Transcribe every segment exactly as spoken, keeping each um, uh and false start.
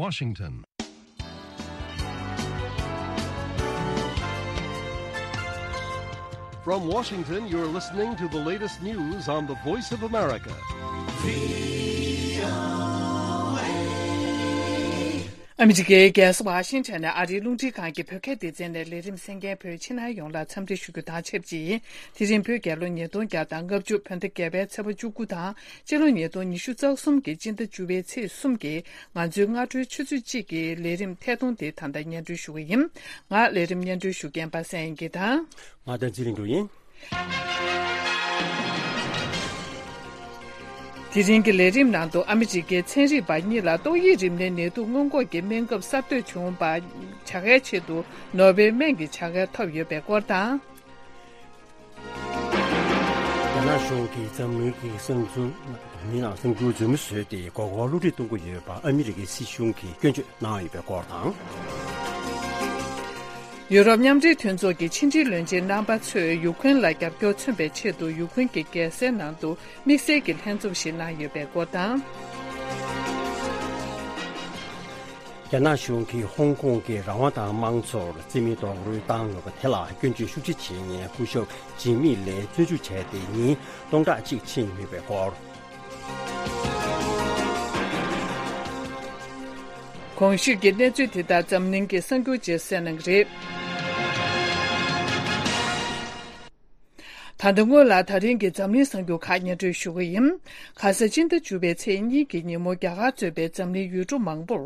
Washington. From Washington, you're listening to the latest news on the Voice of America. ཨ་མི་རི་ཀའི་རྒྱལ་ས་ཝ་ཤིང་ཊོན་ནས་ཨ་རིའི་རླུང་འཕྲིན་ཁང་གི་བོད་སྐད་སྡེ་ཚན་ནས་ལས་རིམ་གསན་མཁན་བོད་ཕྱི་ནང་ཡོངས་ལ་འཚམས་འདྲི་ཞུ་རྒྱུ་དང་ཆབས་ཅིག་དེ་རིང་བོད་རྒྱལ་ལོ་ཉིས་སྟོང་བརྒྱ་དང་ལྔ་བཅུ་བོད་ཟླ་བརྒྱད་པའི་ཚེས་པ་བཅུ་དགུ་དང་། སྤྱི་ལོ་ཉིས་སྟོང་ཉི་ཤུ་རྩ་གསུམ་གྱི་སྤྱི་ཟླ་བཅུ་པའི་ཚེས་གསུམ་གྱི་ང་ཚོའི་སྔ་དྲོའི་ཆུ་ཚོད་གཅིག་གི་ལས་རིམ་ཐད་གཏོང་དེ་ད་ལྟ་སྙན་སྒྲོན་ཞུ་གི་ཡིན། ང་ལས་རིམ་སྙན་སྒྲོན་ཞུ་མཁན་པ་སངས་དབྱངས་སྐྱིད་དང་། ང་བསྟན་འཛིན་ལྷུན་གྲུབ་ཡིན། དེ་རིང་གི་ལས་རིམ་ནང་དུ་ཨ་མི་རི་ཀའི་ཚན་རིག་པ་གཉིས་ལ་ཏོག་དབྱིབས་རིམས་ནད་ནད་དུག་སྔོན་འགོག་གི་སྨན་ཁབ་གསར་གཏོད་བྱུང་བ་བྱ་དགའི་ཆེད་དུ་ནོ་བེལ་སྨན་གྱི་བྱ་དགའ་ཐོབ་ཡོད་པའི་སྐོར་དང་། རྒྱ་ནག་གཞུང་གིས་འཛམ་གླིང་གི་གསང་འཛུལ་མི་ནང་གསང་རྒྱུ་རྫུན་མ་བཟོས་ཏེ་མགོ་སྐོར་བསླུ་བྲིད་གཏོང་གི་ཡོད་པ་ཨ་མི་རི་ཀའི་སྲིད་གཞུང་གིས་སྐྱོན་བརྗོད་གནང་ཡོད་པའི་སྐོར་དང་། ཡུ་རོབ་མཉམ་འབྲེལ་མཐུན་ཚོགས་ཀྱི་ཕྱི་འབྲེལ་བློན་ཆེན་རྣམ་པ་ཚོས་ཡུ་ཁུན་ལ་རྒྱབ་སྐྱོར་མཚོན་པའི་ཆེད་དུ་ཡུ་ཁུན་གྱི་རྒྱལ་སའི་ནང་དུ་དམིགས་བསལ་གྱི་ལྷན་ཚོགས་ཤིག་གནང་ཡོད་པའི་སྐོར་དང་། རྒྱ་ནག་གཞུང་གིས་ཧོང་ཀོང་གི་རང་དབང་དང་དམངས་གཙོར་རྩིས་མེད་རྡོག་རོལ་བཏང་ཡོད་པ་དེ་ལ་སྐྱོན་བརྗོད་ཤུགས་ཆེ་བྱེད་མཁན་སྐུ་ཞབས་ཇི་མི་ལེ་བཙོན་འཇུག་བྱས་ཏེ་ཉིན་སྟོང་ཕྲག་གཅིག་ཕྱིན་ཡོད་པའི་སྐོར། གོང་ཞུས་ཀྱི་གནས་ཚུལ་དེ་དག་འཛམ་གླིང་གི་གསར་འགྱུར་རྗེས་གསན་གནང་གི་རེད། ད་ལྟ་སྔོན་ལ་ད་རིང་གི་འཛམ་གླིང་གསར་འགྱུར་ཁག་སྙན་སྒྲོན་ཞུ་གི་ཡིན། ཁ་ས་སྤྱི་ཟླ་བཅུ་པའི་ཚེས་གཉིས་ཀྱི་ཉིན་མོ་རྒྱ་གར་གཙོས་པའི་འཛམ་གླིང་ཡུལ་གྲུ་མང་པོར་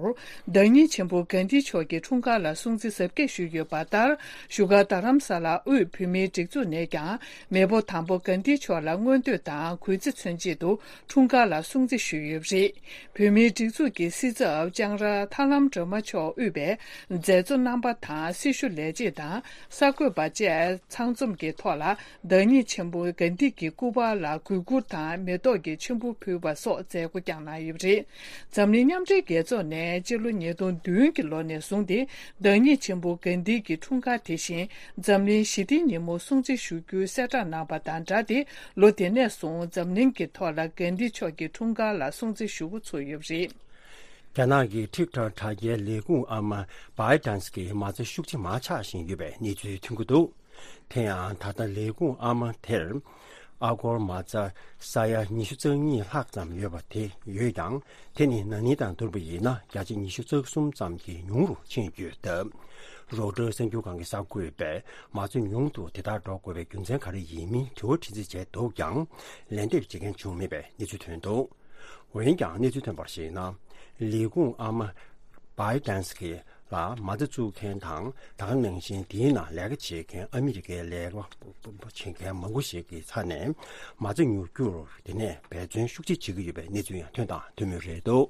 བདག་ཉིད་ཆེན་པོ་གྷན་དྷི་མཆོག་གི་འཁྲུངས་སྐར་ལ་སྲུང་བརྩི་གཟབ་རྒྱས་ཞུས་ཡོད་པ་ལྟར། བཞུགས་སྒར་རྡ་རམ་ས་ལ་དབུས་བོད་མིའི་སྒྲིག་འཛུགས་ནས་ཀྱང་མེས་པོ་དང་པོ་གྷན་དྷི་མཆོག་ལ་མངོན་བསྟོད་དང་གུས་བརྩི་མཚོན་ཆེད་དུ་འཁྲུངས་སྐར་ལ་སྲུང་བརྩི་ཞུས་ཡོད་པ་རེད། བོད་མིའི་སྒྲིག་འཛུགས་ཀྱི་སྲིད་ཚབ་ལྕང་ར་ཐར་ལམ་སྒྲོལ་མ་མཆོག་དབུས་པའི་མཛད་གཙོ་རྣམ་པ་དང་སྲི་ཞུ་ལས་བྱེད་དང་གསར་འགོད་པ་བཅས་ཚང་འཛོམས་ཀྱི་ཐོག་ལ། བདག་ཉིད་ཆེན་པོ་གྷན་དྷི་གི་སྐུ་པར་ལ་གུས་བཀུར་དང་མེ་ཏོག་གི་མཆོད་འབུལ་ཕུལ་བ་སོགས་མཛད་སྒོ་བསྐྱངས་གནང་ཡོད་པ་རེད། འཛམ་གླིང་མཉམ་འབྲེལ་རྒྱལ་ཚོགས་ནས་སྤྱི་ལོ་ཉིས་སྟོང་བདུན་གྱི་ལོ་ནས་བཟུང་སྟེ་བདག་ཉིད་ཆེན་པོ་གྷན་དྷི་གི་འཁྲུངས་སྐར་དེ་བཞིན་འཛམ་གླིང་ཞི་བདེའི་ཉིན་མོ་སྲུང་བརྩི་ཞུ་རྒྱུའི་གསལ་བསྒྲགས་གནང་བ་དང་སྦྲགས་ཏེ། ལོ་དེ་ནས་བཟུང་འཛམ་གླིང་གི་ཐོག་ལ་གྷན་དྷི་མཆོག་གི་འཁྲུངས་སྐར་ལ་སྲུང་བརྩི་ཞུ་འགོ་ཚུགས་ཡོད་པ་རེད། རྒྱ་ནག་གི་ཊིག་ཊོག་དྲ་རྒྱའི་ལས་ཁུངས་ཨ་མ་བྷའི་ཌན་སི་གིས་མ་རྩ་ཤུགས་ཆེ་མར་ཆག་བཞིན་ཡོད་པའི་གནས་ཚུལ་ཐོན་གྱི་འདུག་དེ་ཡང་ད་ལྟ་ལས་ཁུངས་ཨ་མ་དེར་ཨ་སྒོར་མ་རྩ་ས་ཡ་ཉི་ཤུ་རྩ་གཉིས་ལྷག་ཙམ་ཡོད་པ་དེ་ཡོད་ཀྱང་། དེ་ནི་ན་ནིང་དང་བསྡུར་བ་ཡིན་ན་བརྒྱ་ཆ་ཉི་ཤུ་རྩ་གསུམ་ཙམ་གྱིས་ཉུང་རུ་ཕྱིན་ཡོད་སྟབས། རོའི་ཊར་གསར་འགྱུར་ཁང་གི་གསར་འགོད་པས་མ་རྩ་ཉུང་དུ་དེ་ལྟར་འགྲོ་དགོས་པའི་རྒྱུ་མཚན་ག་རེ་ཡིན་མིན་དྲི་བ་དྲི་རྩིས་བྱས་འདུག་ཀྱང་། ལན་འདེབས་བྱེད་མཁན་བྱུང་མེད་པའི་གནས་ཚུལ་ཐོན་འདུག་འོན་ཀྱང་གནས་ཚུལ་ཐོན་པར་གཞིགས་ན། ལས་ཁུངས་ཨ་མ་བྷའི་ཌན་སི་ལ་མ་རྩ་བཙུགས་མཁན་དང་། ད་ག་ནང་བཞིན་དེའི་ནང་ལས་ཀ་བྱེད་མཁན་ཨ་མི་རི་ཀའི་ལས་ཀ་བྱེད་མཁན་མང་པོ་ཞིག་གི་ཚབ་ནས་མ་རྩ་ཉུང་རྒྱུར་དེ་ནས་འབད་བརྩོན་ཤུགས་ཆེ་བྱེད་ཀྱི་ཡོད་པའི་གནས་ཚུལ་ཡང་ཐོན་དང་ཐོན་མུས་རེད་འདུག་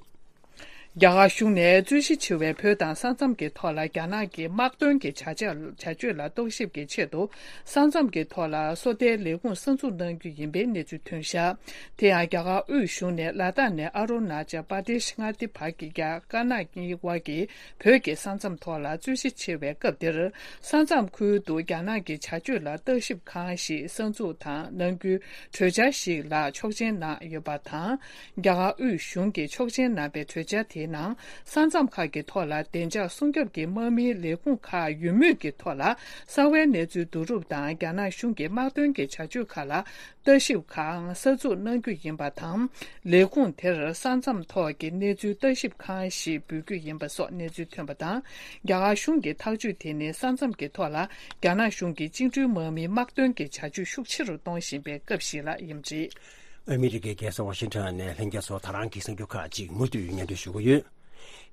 རྒྱ་གར་གཞུང་ནས་རྩོད་གཞི་ཆེ་བའི་བོད་དང་ས་མཚམས་ཀྱི་ཐོག་ལ་རྒྱ་ནག་གི་དམག་དོན་གྱི་བྱ་བྱ་བྱ་སྤྱོད་ལ་རྟོག་ཞིབ་ཀྱི་ཆེད་དུ། ས་མཚམས་ཀྱི་ཐོག་ལ་སོ་ལྟའི་ལས་ཁུངས་གསར་འཛུགས་གནང་རྒྱུ་ཡིན་པའི་གནས་ཚུལ་ཐོན་བཞག་དེ་ཡང་རྒྱ་གར་དབུས་གཞུང་ནས་ལ་དྭགས་ནས་ཨ་རུ་ན་ཅལ་པར་དེ་ཤི་མངའ་སྡེ་བར་གྱི་རྒྱ་དཀར་ནག་གཉིས་དབར་གྱི་བོད་ཀྱི་ས་མཚམས་ཐོག་ལ་རྩོད་གཞི་ཆེ་བའི་སྐབས་འདིར། ས་མཚམས་ཁུལ་དུ་རྒྱ་ནག་གི་བྱ་སྤྱོད་ལ་བརྟག་ཞིབ་ཁང་ཞིག་གསར་འཛུགས་དང་གནང་རྒྱུའི་གྲོས་འཆར་ཞིག་ལ་ཆོག་མཆན་གནང་ཡོད་པ་དང་། རྒྱ་གར་དབུས་གཞུང་གིས་ཆོག་མཆན་གནང་པའི་གྲོས་འཆར་དེའི་ནང་། ས་མཚམས་ཁག་གི་ཐོག་ལ་བདེ་འཇགས་སྲུང་སྐྱོབ་ཀྱི་དམག་མིའི་ལས་ཁུངས་ཁག་ཡོད་མུས་ཀྱི་ཐོག་ལ། གསང་བའི་གནས་ཚུལ་བསྡུ་རུབ་དང་རྒྱ་ནག་གཞུང་གི་དམག་དོན་གྱི་བྱ་སྤྱོད་ཁག་ལ་ལྟ་ཞིབ་ཁང་གསར་འཛུགས་གནང་རྒྱུ་ཡིན་པ་དང་། ལས་ཁུངས་དེར་ས་མཚམས་ཐོག་གི་གནས་ཚུལ་ལྟ་ཞིབ་ཁང་ཞེས་འབོད་རྒྱུ་ཡིན་པ་སོགས་གནས་ཚུལ་ཐོན་པ་དང་། རྒྱ་གར་གཞུང་གི་ཐག་གཅོད་དེ་ནི་ས་མཚམས་ཀྱི་ཐོག་ལ་རྒྱ་ནག་གཞུང་གིས་བཅིངས་འགྲོལ་དམག་མིའི་དམག་དོན་གྱི་བྱ་སྤྱོད་ཤུགས་ཆེ་རུ་གཏོང་བཞིན་པའི་སྐབས་ཤིག་ལ་ཡིན་པ་རེད། ཨ་མི་རི་ཀའི་རྒྱལ་ས་ཝ་ཤིང་ཊོན་ནས་ལྷན་རྒྱས་ཚོ་ད་རང་གི་གསར་འགྱུར་ཁག་ཅིག་མུ་མཐུད་སྙན་སྒྲོན་ཞུ་གི་ཡོད།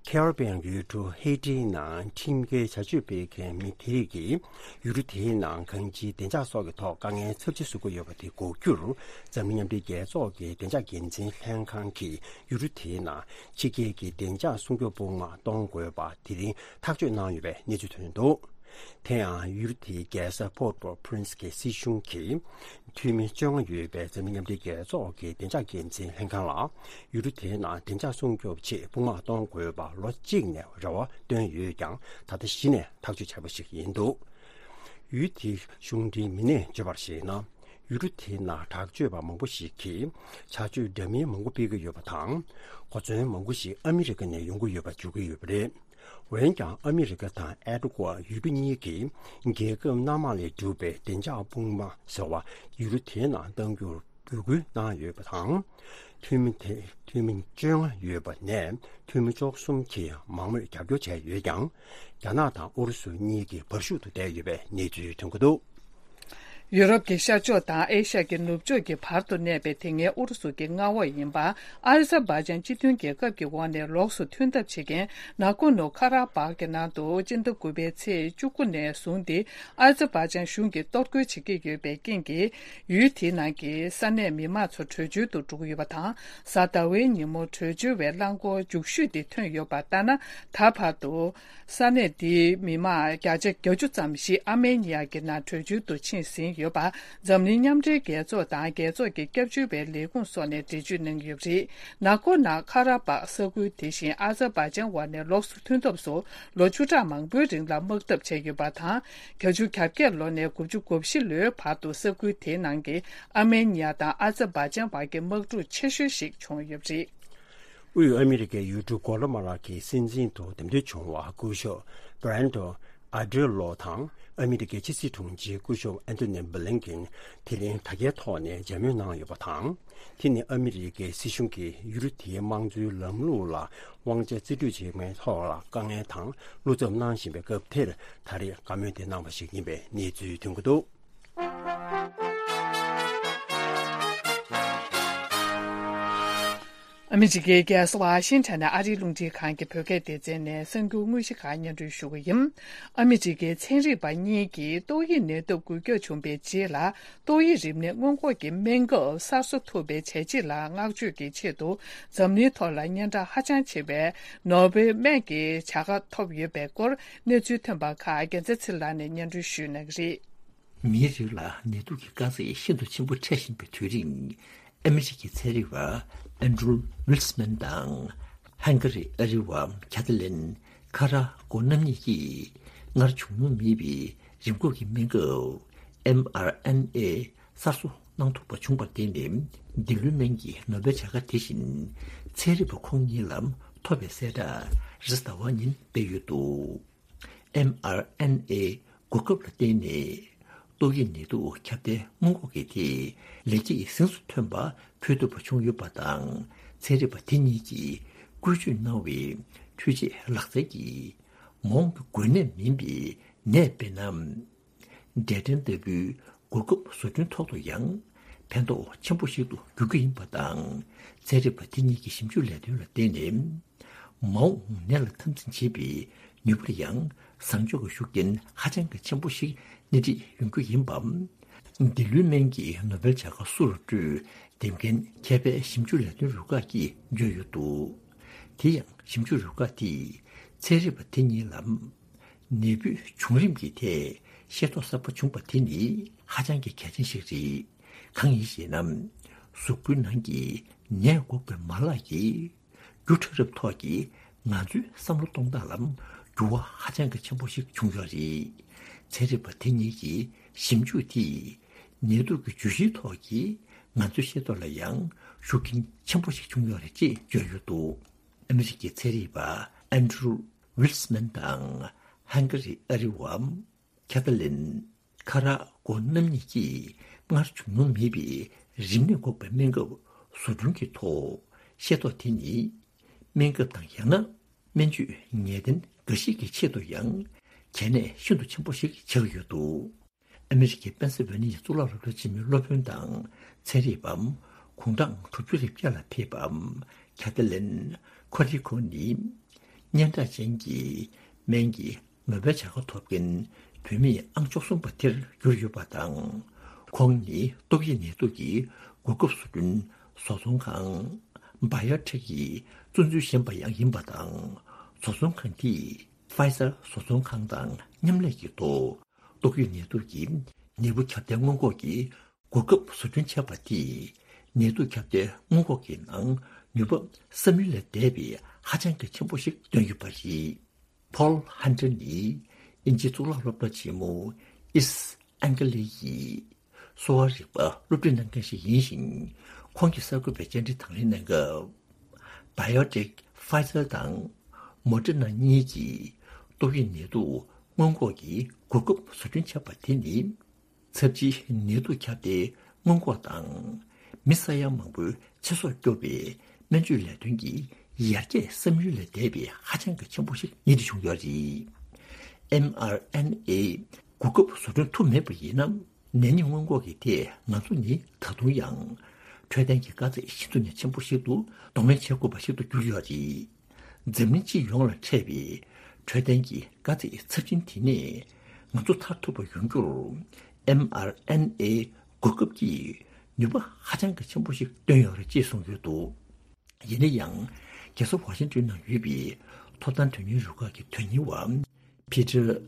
ཁེ་རི་བྷི་ཡན་ཡུལ་གྲུ་ཧེ་ཏིའི་ནང་ཁྲིམས་འགལ་བྱ་སྤྱོད་སྤེལ་མཁན་མི་དེ་རིགས་ཀྱིས་ཡུལ་གྲུ་དེའི་ནང་གང་ཅིའི་བདེ་འཇགས་སོགས་ཀྱི་ཐོག་དཀའ་ངལ་ཚབས་ཆེ་བཟོ་གི་ཡོད་པ་དེ་འགོག་རྒྱུར། འཛམ་གླིང་མཉམ་འབྲེལ་རྒྱལ་ཚོགས་ཀྱི་བདེ་འཇགས་འགན་འཛིན་ལྷན་ཁང་གིས་ཡུལ་གྲུ་དེའི་ནང་ཕྱི་རྒྱལ་གྱི་བདེ་འཇགས་སྲུང་སྐྱོབ་དཔུང་དམག་གཏོང་དགོས་པ་དེ་རིང་ཐག་གཅོད་གནང་ཡོད་པའི་གནས་ཚུལ་ཐོན་འདུག་དེ་ཡང་ཡུལ་དེའི་རྒྱལ་ས་པོར་ཏོ་པྲིན་སི་གི་སྲིད་གཞུང་གིས། འཐུས་མི་བཅོ་ལྔ་ཡོད་པའི་འཛམ་གླིང་མཉམ་འབྲེལ་རྒྱལ་ཚོགས་ཀྱི་བདེ་འཇགས་འགན་འཛིན་ལྷན་ཁང་ལ། ཡུལ་གྲུ་དེའི་ནང་བདེ་འཇགས་སྲུང་སྐྱོབ་ཆེད་དཔུང་དམག་གཏོང་དགོས་པར་ལོ་གཅིག་ནས་རེ་བ་བཏོན་ཡོད་ཀྱང་། ད་ལྟ་གཞི་ནས་ཐག་གཅོད་བྱས་པ་ཞིག་ཡིན་འདུག་ཡུལ་དེའི་གཞུང་འབྲེལ་མི་སྣས་བརྗོད་པར་གཞིགས་ན། ཡུལ་གྲུ་དེའི་ནང་དྲག་སྤྱོད་པ་མང་པོ་ཞིག་གིས་ཇག་སྤྱོད་འདྲ་མིན་མང་པོ་སྤེལ་གྱི་ཡོད་པ་དང་། གོ་མཚོན་མང་པོ་ཞིག་ཨ་མི་རི་ཀ་ནས་ཡོང་གི་ཡོད་པ་བརྗོད་ཀྱི་ཡོད་པ་རེད། འོན་ཀྱང་ཨ་མི་རི་ཀ་དང་ཨེ་ཀྲུ་ཀ་ཡུལ་གྲུ་གཉིས་ཀྱིས་རྒྱལ་ཁབ་སྣ་མང་ལས་གྲུབ་པའི་བདེ་འཇགས་དཔུང་དམག་ཟེར་བ་ཡུལ་གྲུ་དེའི་ནང་གཏང་རྒྱུར་འབོད་སྐུལ་གནང་ཡོད་པ་དང་། འཐུས་མི་དེ་འཐུས་མི་བཅོ་ལྔ་ཡོད་པ་ནས་འཐུས་མི་བཅུ་གསུམ་གྱིས་མང་མོས་རྒྱབ་སྐྱོར་བྱས་ཡོད་ཀྱང་། རྒྱ་ནག་དང་ཨུ་རུ་སུ་གཉིས་ཀྱིས་བར་ཞུགས་ཏུ་བསྡད་ཡོད་པའི་གནས་ཚུལ་ཐོན་གྱི་འདུག། ཡུ་རོབ་ཀྱི་ཤར་ཕྱོགས་དང་ཨེ་ཤ་ཡ་གི་ནུབ་ཕྱོགས་ཀྱི་བར་དུ་གནས་པའི་དེ་སྔའི་ཨུ་རུ་སུ་གྱི་མངའ་འོག་ཡིན་པ་ཨ་ཛར་བྷ་ཇན་སྤྱི་མཐུན་རྒྱལ་ཁབ་ཀྱི་འོག་ནས་ལོགས་སུ་ཐོན་ཐབས་བྱེད་མཁན་ནག་གོ་ནོ་ཁ་ར་བག་གི་ནང་དུ་སྤྱི་ཟླ་དགུ་པའི་ཚེས་བཅུ་དགུ་ནས་བཟུང་སྟེ་ཨ་ཛར་བྷ་ཇན་གཞུང་གིས་གཏོར་རྒོལ་བྱེད་ཀྱི་ཡོད་པའི་རྐྱེན་གྱིས། ཡུལ་དེའི་ནང་གི་ས་གནས་མི་མང་ཚོ་བྲོས་བྱོལ་དུ་འགྲོ་གི་ཡོད་པ་དང་། གཟའ་ཟླ་བའི་ཉིན་མོ་བྲོས་བྱོལ་བའི་རླངས་འཁོར་མཇུག་ཤོས་དེ་ཐོན་ཡོད་པ་ལྟར་ན། ད་བར་དུ་ས་གནས་དེའི་མི་མང་བརྒྱ་ཆ་བརྒྱད་ཅུ་ཙམ་ཞིག་ཨར་མེ་ནི་ཡ་གི་ནང་བྲོས་བྱོལ་དུ་ཕྱིན་ཟིན་ཡོད་པ་འཛམ་གླིང་མཉམ་འབྲེལ་རྒྱལ་ཚོགས་དང་རྒྱལ་ཚོགས་ཀྱི་སྐྱབས་བཅོལ་བའི་ལས་ཁུངས་སོགས་ནས་འགྲེལ་བརྗོད་གནང་ཡོད་པ་རེད། ནག་གོ་ན་ཁ་ར་བག་ས་ཁུལ་དེ་བཞིན་ཨ་ཛར་བྷ་ཇན་འོག་ནས་ལོགས་སུ་ཐོན་ཐབས་སུ་ལོ་བཅུ་ཕྲག་མང་པོའི་རིང་ལ་དམག་འཐབ་བྱས་ཡོད་པ་དང་། བརྒྱད་ཅུ་གྱ་བརྒྱད་ལོ་ནས་དགུ་བཅུ་གོ་བཞི་ལོའི་བར་དུ་ས་ཁུལ་དེའི་ནང་གི་ཨར་མེ་ནི་ཡ་དང་ཨ་ཛར་བྷ་ཇན་བར་གྱི་དམག་འཁྲུག་ཆེ་ཤོས་ཤིག་བྱུང་ཡོད་པ་རེད། དབུས་ཨ་མི་རི་ཀའི་ཡུལ་གྲུ་གོ་ལ་མ་ལ་གི་སྲིད་འཛིན་དུ་འདེམས་ཐོན་བྱུང་བ་སྐུ་ཞབས་བྷི་རན་ཏོ་ཨ་ཌི་རི་ལོ་དང་ཨ་མི་རི་ཀའི་ཕྱི་སྲིད་དྲུང་ཆེ་སྐུ་ཞབས་ཨན་ཐོ་ནི་བྷི་ལིན་ཀིན་དེ་རིང་དྲ་རྒྱའི་ཐོག་ནས་མཇལ་མོལ་གནང་ཡོད་པ་དང་། དེ་ནི་ཨ་མི་རི་ཀའི་སྲིད་གཞུང་གིས་ཡུལ་གྲུ་དེའི་དམངས་གཙོའི་ལམ་ལུགས་ལ་དབང་ཆ་རྩིས་སྤྲོད་བྱེད་མཁན་ཐོག་ལ་དཀའ་ངལ་དང་བློ་འཚབ་གནང་བཞིན་པའི་སྐབས་དེར་ད་རེས་བཀའ་མོལ་དེ་གནང་བ་ཞིག་ཡིན་པའི་གནས་ཚུལ་ཐོན་གྱི་འདུག། ཨ་མི་རི་ཀའི་རྒྱལ་ས་ཝ་ཤིང་ཊོན་ནས་ཨ་རིའི་རླུང་འཕྲིན་ཁང་གི་བོད་སྐད་སྡེ་ཚན་ནས་གསར་འགྱུར་དངོས་གཞི་ཁག་སྙན་སྒྲོན་ཞུ་གི་ཡིན། ཨ་མི་རི་ཀའི་ཚན་རིག་པ་གཉིས་ཀྱིས་ཏོག་དབྱིབས་ནད་དུག་འགོས་ཁྱབ་བྱུང་བའི་རྗེས་ལ། ཏོག་དབྱིབས་རིམས་ནད་སྔོན་འགོག་གི་སྨན་ཁབ་གསར་བཟོ་ཐུབ་པའི་བྱས་རྗེས་ལ་བསྔགས་བརྗོད་ཀྱི་ཆེད་དུ། འཛམ་གླིང་ཐོག་ལ་སྙན་གྲགས་ཧ་ཅང་ཆེ་བའི་ནོ་བེལ་སྨན་གྱི་བྱ་དགའ་ཐོབ་ཡོད་པའི་སྐོར་གནས་ཚུལ་ཐོན་པ་ཁག་རྒྱལ་མཚན་ཚེ་ལགས་ནས་སྙན་སྒྲོན་ཞུ་གནང་གི་རེད། མིའི་རིགས་ལ་ནད་དུག་གི་དཀའ་ཚེགས་ཤིན་ཏུ་ཆེན་པོ་འཕྲད་བཞིན་པའི་དུས་རིང་། ཨ་མི་རི་ཀའི་ཚན་རིག་པ་ཨན་ཌྲུ་ཝིལ་སི་མན་དང་། ཧན་གྷ་རི་ཨ་རི་བ་ཁྱ་ཐ་ལིན་ཁ་ར་ཀོ་རྣམ་གཉིས་ཀྱིས་སྔར་བྱུང་མྱོང་མེད་པའི་རིམས་འགོག་གི་སྨན་ཁབ་ཨེམ་ཨར་ཨེན་ཨེ་གསར་བཟོ་གནང་ཐུབ་པ་བྱུང་བར་བརྟེན་ནས། འདི་ལོའི་སྨན་གྱི་ནོ་བེལ་བྱ་དགའ་དེ་བཞིན་ཚན་རིག་པ་ཁོང་གཉིས་ལ་ཐོབ་པའི་གསལ་བསྒྲགས་རེས་གཟའ་ཟླ་བ་ཉིན་སྤེལ་ཡོད་འདུག། ཨེམ་ཨར་ཨེན་ཨེ་གོ་སྐབས་ལ་བརྟེན་ནས། ཏོག་དབྱིབས་ནད་དུག་ཁྱབ་གདལ་སྔོན་འགོག་གི་ཐད་ལེགས་སྐྱེས་གཟེངས་སུ་ཐོན་པ་ཕུལ་ཐུབ་པ་བྱུང་ཡོད་པ་དང་། ཚན་རིག་པ་དེ་གཉིས་ཀྱིས་བཀོལ་སྤྱོད་གནང་བའི་འཕྲུལ་ཆས་ལག་རྩལ་གྱིས། མ་འོངས་ཀྱི་འགོས་ནད་མིན་པའི་ནད་དཔེར་ན། འབྲས་སྐྲན་ལྟ་བུའི་གོ་སྐབས་བཟོ་སྐྲུན་ཐོག་ཏུ་ཡང་ཕན་ཐོགས་ཆེན་པོ་ཞིག་ཏུ་འགྱུར་གྱི་ཡིན་པ་དང་། ཚན་རིག་པ་དེ་གཉིས་ཀྱི་ཞིབ་འཇུག་ལས་དོན་ལ་བརྟེན་ནས། མ་འོངས་ནད་ལ་འཐབ་འཛིང་བྱེད་པའི་ནུས་པར་ཡང་བཟང་ཕྱོགས་ཀྱི་ཤུགས་རྐྱེན་ཧ་ཅང་གི་ཆེན་པོ་ཞིག་སྣེ་ཁྲིད་ཡོང་རྒྱུ་ཡིན་པ། འདི་ལོའི་སྨན་གྱི་ནོ་བེལ་བྱ་དགའ་སུ་རུ་སྤྲོད་འདེམས་མཁན་མཁས་པའི་ཞིབ་འཇུག་ལས་དོན་རུ་ཁག་གིས་བརྗོད་ཡོད་འདུག། དེ་ཡང་ཞིབ་འཇུག་རུ་ཁག་དེས་ཚན་རིག་པ་དེ་གཉིས་ལ། ནད་འབུའི་བྱུང་རིམ་གྱི་ཐད་ཤེས་རྟོགས་གསར་པ་བྱུང་པ་དེ་ནི་ཧ་ཅང་གི་གལ་ཆེན་ཞིག་རེད། གང་ཡིན་ཞེ་ན། གཟུགས་པོའི་ནང་གི་ནད་འགོག་པའི་མ་ལག་གིས་རྒྱུ་ཕྲ་རབ་ཐོག་གི་ང་ཚོའི་བསམ་བློ་གཏོང་སྟངས་ལ་འགྱུར་བ་ཧ་ཅང་གི་ཆེན་པོ་ཞིག་བྱུང་ཡོད་རེད། ཚན་རིག་པ་དེ་གཉིས་ཀྱི་ཞིབ་འཇུག་དེས་ནད་དུག་གི་བརྗོད་གཞིའི་ཐོག་གི་ང་ཚོའི་ཤེས་རྟོགས་ལ་ཡང་ཤུགས་རྐྱེན་ཆེན་པོ་ཞིག་བྱུང་ཡོད་རེད་ཅེས་བརྗོད་ཡོད་འདུག། ཨ་མི་རི་ཀའི་ཚན་རིག་པ་ཨན་ཌྲུ་ཝིལ་སི་མན་དང་ཧན་གྷ་རི་ཨ་རི་བ་ཁྱ་ཐ་ལིན་ཁ་ར་ཀོ་རྣམ་གཉིས་ཀྱིས་སྔར་བྱུང་མྱོང་མེད་པའི་རིམས་ནད་འགོག་པའི་སྨན་ཁབ་བཟོ་སྐྲུན་གྱི་ཐོག་ཤེས་རྟོགས་དེ་ནི་སྨན་ཁབ་དང་ཡང་ན་སྨན་བཅོས་ངེས་གཏན་འགའ་ཞིག་གི་ཆེད་དུ་ཡང་གལ་གནད་ཤིན་ཏུ་ཆེན་པོ་ཞིག་ཆགས་ཡོད་འདུག། ཨ་མི་རི་ཀའི་པེན་སི་ཝེ་ནི་ཡའི་གཙུག་ལག་སློབ་གྲྭ་ཆེན་མོའི་སློབ་དཔོན་དང་ཚན་རིག་པ་དགུང་གྲངས་དྲུག་ཅུ་རེ་བརྒྱད་ལ་ཕེབས་པ་ཁ་ཐ་ལན་ཁོ་རི་ཁོ་ནི་སྙན་གྲགས་ཅན་གྱི་སྨན་གྱི་ནོ་བེལ་བྱ་དགའ་ཐོབ་མཁན་བུད་མེད་ཨང་བཅུ་གསུམ་པ་དེར་གྱུར་ཡོད་པ་དང་། ཁོང་ནི་ཏོག་དབྱིབས་ནད་དུག་གི་གོ་སྐབས་བཟོ་སྐྲུན་བཟོ་ཚོང་ཁང་བྷ་ཡོ་ཊེག་གི་གཙོ་འཛིན་གཞོན་པ་ཡང་ཡིན་པ་དང་། བཟོ་ཚོང་ཁང་དེས་ཕ་ཡི་ཛར་བཟོ་ཚོང་ཁང་དང་མཉམ་ལས་ཀྱི་ཐོག་ཏོག་དབྱིབས་ནད་དུག་གི་ནད་འབུ་ཁྱབ་གདལ་སྔོན་འགོག་གི་གོ་སྐབས་བཟོ་སྐྲུན་བྱས་པ་དེས་ནད་དུག་ཁྱབ་གདལ་སྔོན་འགོག་གི་ནང་ནུས་པ་བསམ་ཡུལ་ལས་འདས་པའི་ཧ་ཅང་གི་ཆེན་པོ་ཞིག་བཏོན་ཡོད་པ་རེད། ཕོལ་ཧན་ཏྲ་ནི་དབྱིན་ཇིའི་གཙུག་ལག་སློབ་གྲྭ་ཆེན་མོ་ཨིསྟ་ཨན་ཀ་ལི་ཡི་ གསོ་བ་རིག་པ་སློབ་ཁྲིད་གནང་མཁན་ཞིག་ཡིན་ཞིང་། ཁོང་གིས་གསར་འགོད་པའི་བཅར་འདྲི་དང་ལེན་གནང་སྐབས། BioNTech Pfizer་དང་Moderna་གཉིས་ཀྱིས་ཏོག་དབྱིབས་ནད་དུག་སྔོན་འགོག་གི་གོ་སྐབས་བཟོ་སྐྲུན་བྱས་པ་དེ་ནི། ཚབས་ཆེའི་ནད་དུག་ཁྱབ་གདལ་སྔོན་འགོག་དང་། མི་ས་ཡ་མང་པོའི་ཚེ་སྲོག་སྐྱོབ་པའི་སྨན་བཅོས་ལས་དོན་གྱི་ཡར་རྒྱས་བསམ་ཡུལ་ལས་འདས་པའི་ཧ་ཅང་གི་ཆེན་པོ་ཞིག་གཉེར་སྒྲིག་བྱུང་ཡོད་རེད། ཨེམ་ཨར་ཨེན་ཨེ་གོ་སྐབས་བཟོ་སྐྲུན་ཐུབ་མེད་པ་ཡིན་ན། ནད་ཉེན་སྔོན་འགོག་གི་ཐད་ང་ཚོ་ནི་ད་དུང་ཡང་འཕྲོད་བསྟེན་གྱི་དཀའ་ཚེགས་ཤིན་ཏུ་ནས་ཆེན་པོ་ཞིག་ཏུ་གདོང་ལེན་བྱེད་དགོས་པ་ཞིག་ཏུ་གྱུར་ཡོད་རེད། འཛམ་གླིང་སྤྱི་ཡོངས་ལ་འཕྲད་པའི་འཕྲོད་བསྟེན་གྱི་དཀའ་ཚེགས་ཚབས་ཆེན་དེ་ནས་ང་ཚོ་ཐར་ཐུབ་པ་ཡོང་རྒྱུར། ཨེམ་ཨར་ཨེན་ཨེ་གོ་སྐབས་ཀྱིས་ནུས་པ་ཧ་ཅང་གི་ཆེན་པོ་ཞིག་བཏོན་ཡོད་རེད་ཅེས་གསུངས་ཡོད་འདུག་ཡིན་ན་ཡང་། རྒྱལ་ས་ཝ་ཤིང་ཏོན་ནང་ཡོད་པའི་ཐོབ་ཐང་དོན་གཉེར་རུ་ཁག་གི་དོན་གཉེར་བ། Peter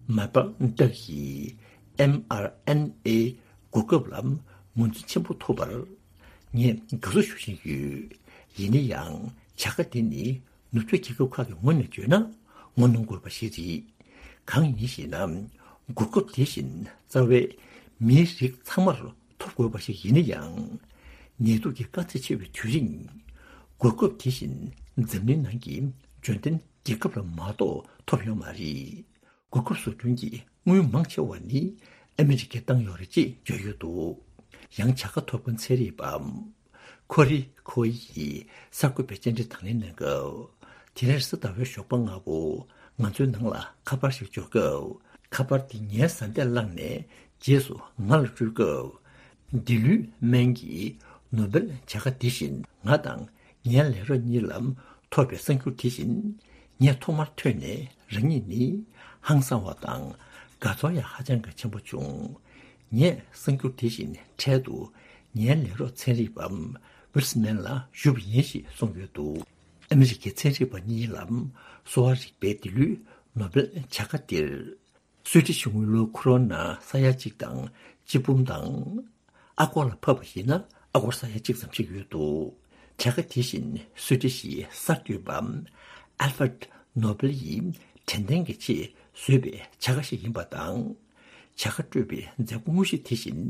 Maybach་ཡིས་ཨེམ་ཨར་ཨེན་ཨེ་གོ་སྐབས་ལ་ངོས་འཛིན་ཆེན་པོ་ཐོབ་པར་ངས་དགའ་བསུ་ཞུ་བཞིན་ཡོད། ཡིན་ན་ཡང་བྱ་དགའ་དེ་ནི་ནུབ་ཕྱོགས་རྒྱལ་ཁབ་ཁག་གི་ངོས་ནས་བརྗོད་ན་ངོ་གནོང་དགོས་པ་ཞིག་རེད། གང་ཡིན་ཞེ་ན། གོ་སྐབས་དེ་བཞིན་རྩ་བའི་མིའི་རིགས་ཚང་མར་ཐོབ་དགོས་པ་ཞིག་ཡིན་ན་ཡང་། ནད་དུག་གི་དཀའ་ཚེགས་ཆེ་བའི་དུས་རིང་གོ་སྐབས་དེ་བཞིན་འཛམ་གླིང་ནང་གི་འབྱོར་ལྡན་རྒྱལ་ཁབ་ལ་མ་གཏོགས་ཐོབ་ཡོད་མ་རེད། གོ་སྐབས་བཟོ་སྐྲུན་གྱི་དངུལ་མང་ཆེ་བ་ནི་ཨ་མི་རི་ཀས་བཏང་ཡོད་རེད་ཅེས་བརྗོད་ཡོད་འདུག་ཡང་བྱ་དགའ་ཐོབ་མཁན་ཚན་རིག་པ་ཁོ་རི་ཁོ་ཡིས་གསར་འགོད་པའི་བཅར་འདྲི་དང་ལེན་གནང་སྐབས། དེ་རིང་རེས་གཟའ་ཟླ་བའི་ཞོགས་པ་སྔ་པོ་ང་ཚོའི་ནང་ལ་ཁ་པར་ཞིག་འབྱོར་སྐབས། ཁ་པར་དེ་ངའི་བཟའ་ཟླས་བླངས་ནས་རྗེས་སུ་ང་ལ་སྤྲོད་སྐབས། འདི་ལོའི་སྨན་གྱི་ནོ་སྦེལ་བྱ་དགའ་དེ་བཞིན་ང་དང་ངའི་ལས་རོགས་གཉིས་ལ་ཐོབ་པའི་གསར་འགྱུར་དེ་བཞིན་ངས་ཐོག་མར་ཐོས་ནས་རང་ཉིད་ནི་ཧང་སང་བ་དང་དགའ་ཚོར་ཡང་ཧ་ཅང་གི་ཆེན་པོ་བྱུང་། ངས་གསར་འགྱུར་དེ་བཞིན་འཕྲལ་དུ་ངའི་ལས་རོགས་ཚན་རིག་པ་ཝིལ་སི་མན་ལ་ཞུས་པ་ཡིན་ཞེས་གསུངས་ཡོད་འདུག་ཨ་མི་རི་ཀའི་ཚན་རིག་པ་གཉིས་ལ་གསོ་བ་རིག་པའི་འདི་ལོའི་ནོ་སྦེལ་བྱ་དགའ་སྟེར། སུའེ་ཏི་གཞུང་གི་ལོ་ཁོ་རང་ན་ས་ཡ་གཅིག་དང་ཆིག་འབུམ་དང་། ཨ་སྒོར་ལ་ཕབ་པ་ཡིན་ན་ཨ་སྒོར་ས་ཡ་གཅིག་ཙམ་ཞིག་ཡོད་འདུག་བྱ་དགའ་དེ་བཞིན་སུའེ་ཏི་གཞིས་གསར་འགོད་པ་ཨལ་ཧྥར་ནོ་སྦེལ་ཡིས་དྲན་རྟེན་གྱི་ཆེད་བཟོས་པའི་བྱ་དགའ་ཞིག་ཡིན་པ་དང་། བྱ་དགའ་སྤྲོད་པའི་མཛད་སྒོ་དངོས་གཞི་དེ་བཞིན་